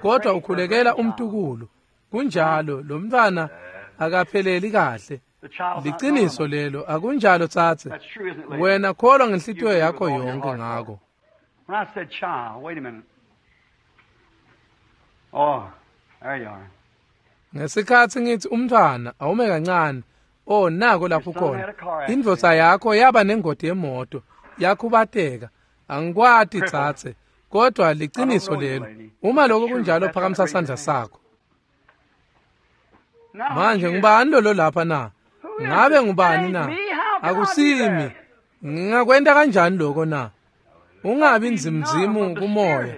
kodwa ukhulekela umtukulu. Kunjalo, lo mntwana akapheleli kahle. Liciniso lelo, akunjalo tsatse? Wena kholwa ngenhlitiyo yakho yonke ngako. When I said child, wait a minute. Oh, there you are. Ngesikhatsi ngithi umntwana, awume kancane. Oh, nako lapho khona. Indvodza yakho yaba nengoti yemoto, yakhubateka. Angikwati tsatse, kodwa liciniso lelo. Uma lokho kunjalo, phakamisa sandla sakho. Manje ngubani lo lapha na? Ngabe ngubani na? Akusimi. Ngingakwenta kanjani lokho na? Ungabi nzimzimu kumoya.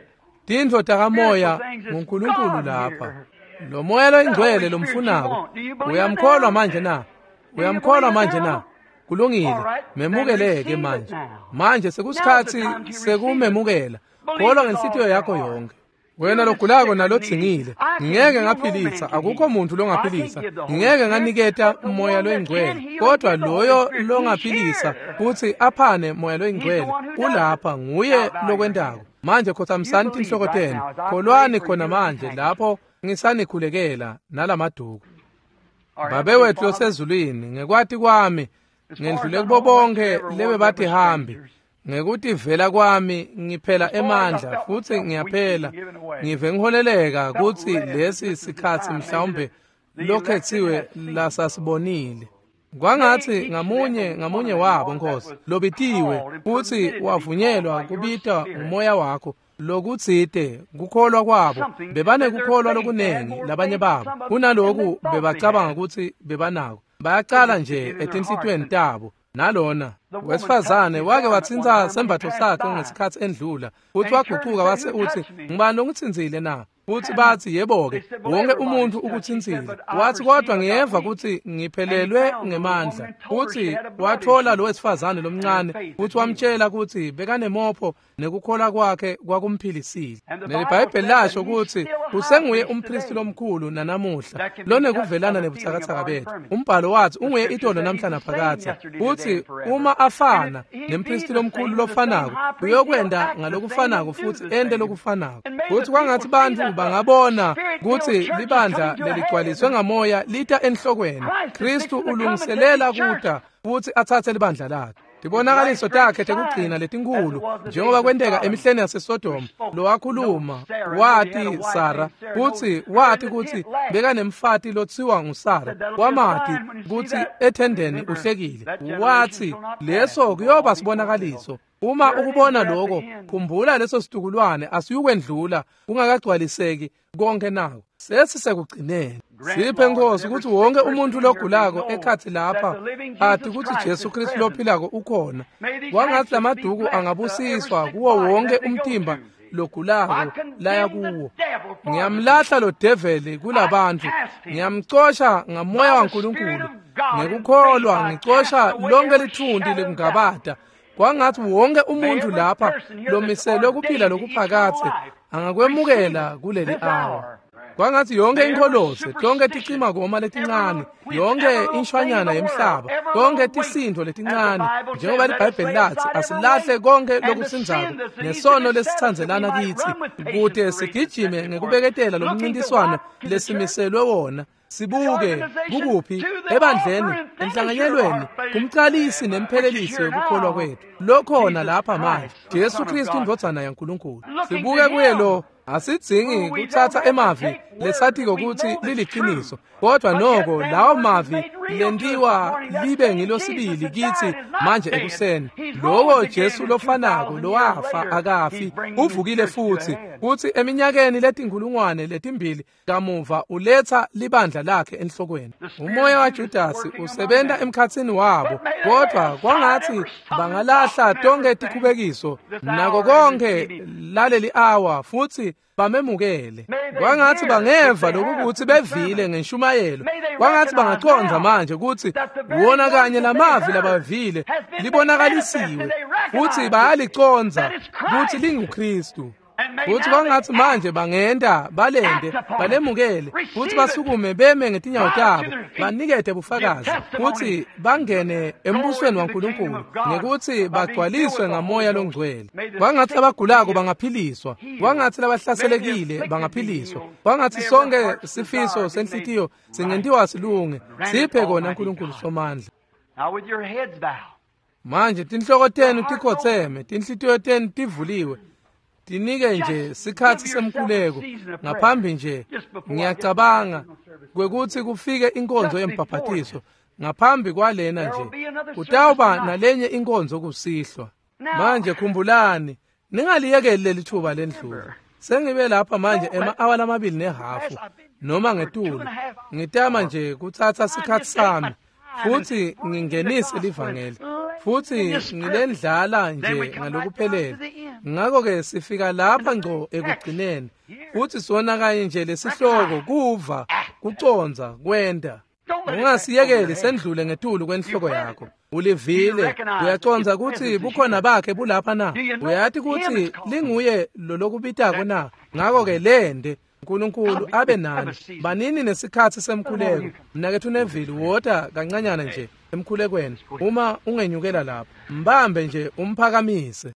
Tintfo takamoya nguNkulunkulu lapha. Lo moya loyingcwele lomfunako. Uyamkholwa manje na? Uyamkholwa manje na? Kulungile. Memukeleke manje. Manje sekusikhatsi sekumemukela. Kholwa ngenhlitiyo yakho yonke. Wena logulako nalodzingile, ngeke ngaphilisa, akukho muntu longaphilisa. Ngeke nganiketa moya loyingcwele, kodwa loyo longaphilisa futhi aphane moya loyingcwele ulapha, nguye lokwentako. Manje khotsamisani tinhloko tenu, kholwani khona manje lapho ngisanikhulekela nalamaduku. Babe wethu losezulwini, ngekwati kwami ngendlule kubo bonke lebebatihambi. Ngekutivela kwami ngiphela emandla futhi ngiyaphela, ngive ngiholeleka kutsi lesi sikhatsi mhlawumbe lokhethiwe lasasibonile. Kwangatsi ngamunye ngamunye wabo Nkosi lobitiwe futhi wavunyelwa kubita umoya wakho lokutsite kukholwa kwabo bebanekukholwa lokunengi labanye babo kunaloku bebacabanga kutsi bebanako. Bayacala nje etinhlitiyweni tabo. Nalona wesifazane wake watsintsa sembatfo sakhe ngesikhatsi endlula, futhi wagucuka wase utsi, ngubani longitsintsile na? Futhi bathi, yebo-ke, wonke umuntu ukutsintsile. Wathi, kodwa ngiyeva kutsi ngiphelelwe ngemandla. Futhi wathola lo wesifazane lomncane, futhi wamtshela kutsi bekanemopho nekukholwa kwakhe kwakumphilisile. NeliBhayibheli lasho kutsi usenguye umpristi lomkhulu nanamuhla lonekuvelana nebutsakatsaka bethu. Umbhalo wathi unguye itolo namhla naphakadze. Futhi uma afana nempristi lomkhulu lofanako, uyokwenda ngalokufanako futhi ente lokufanako. Futhi kwangatsi bantfu bangabona kutsi libandla leligcwaliswe ngamoya lita enhlokweni. Kristu ulungiselela kuta futhi atsatse libandla lakhe. Tibonakaliso takhe tekugcina letinkulu njengoba kwenteka emihleni yaseSodoma, lowakhuluma wati Sara, futsi wati kutsi bekanemfati lotsiwa nguSara, wamati kutsi ethendeni uhlekile. Wathi leso kuyoba sibonakaliso. Uma ukubona lokho, khumbula leso situkulwane asiyukwendlula kungakagcwaliseki konke nako. Sesisekugcineni. Siphe Nkosi ukuthi wonke umuntu logulako ekhathi lapha athi ukuthi Jesu Kristu lophilako ukhona. Kwangathi lamaduku angabusiswa kuwo wonke umtimba logulako laya kuwo. Ngiyamlahla lo develi kulabantu, ngiyamcosha ngamoya waNkulunkulu. Ngekukholwa ngicosha lonke lithunti lekungabata. Kwangathi wonke umuntu lapha lomiselwe kuphila lokuphakathe angakwemukela kuleli awa. Kwangatsi yonke inkholose, tonke ticima-koma letincane, yonke inshwanyana yemhlaba, tonke tisindvo letincane, njengoba liBhayibheli latsi, asilahle konke lokusindzako nesono lesitsandzelana kitsi, kute sigijime ngekubeketela lomncintiswano lesimiselwe wona. Sibuke kukuphi ebandleni, enhlanganyelweni, kumcalisi nemphelelisi wekukholwa kwethu lokhona lapha manje, Jesu Kristu indvodzana yaNkulunkulu. Sibuke kuye lo. Asidzingi kutsatsa emavi lesatiko kutsi liliciniso, kodwa noko lawo mavi lentiwa libe ngilosibili kitsi manje ekuseni. Lowo Jesu lofanako lowafa akafi, uvukile futsi, kutsi eminyakeni letinkhulungwane letimbili kamuva uletsa libandla lakhe enhlokweni. Umoya waJudasi usebenta emkhatsini wabo, kodvwa kwangatsi bangalahla tonke tikhubekiso nako konke laleli awa futsi bamemukele. Kwangatsi bangeva lokukuthi bevile ngenshumayelo. Kwangatsi bangacondza manje kutsi wona kanye lamavi labavile libonakalisiwe futsi bayalicondza kutsi linguKristu. Futsi kwangatsi manje bangenta balende balemukele futsi basukume beme ngetinyawo tabo banikete bufakazi futsi bangene embusweni waNkulunkulu ngekutsi bagcwaliswe ngamoya longcwele. Kwangatsi labagulako bangaphiliswa, kwangatsi labahlaselekile bangaphiliswa, kwangatsi sonke sifiso senhlitiyo singentiwa silunge. Siphe kona Nkulunkulu Somandla. Manje tinhloko tenu tikhotseme, tinhlitiyo tenu tivuliwe. Tinike nje sikhatsi semkhuleko ngaphambi nje, ngiyacabanga kwekutsi kufike inkonzo yembhaphathiso. Ngaphambi kwalena nje kutawuba nalenye inkonzo kusihlwa. Manje khumbulani, ningaliyekeli leli thuba lendlula. Sengibe lapha manje ema-awa lamabili nehafu noma ngetulu. Ngitama nje kutsatsa sikhatsi sami futsi ngingenise livangeli futsi ngilendlala nje ngalokuphelele. Ngakho-ke sifika lapha ngco ekugcineni futsi sona kanye nje lesihloko, kuva, kucondza, kwenta. Ungasiyekeli sendlule ngetulu kwenhloko yakho. Ulivile, uyacondza kutsi bukhona bakhe bulapha na? Uyati kutsi linguye lolokubitako na? Ngakho-ke lende Nkulunkulu abe nani. Banini nesikhatsi semkhuleko. Mnaketfu Neville, wota kancanyana nje emkhulekweni. Uma ungenyukela lapho, mbambe nje umphakamise.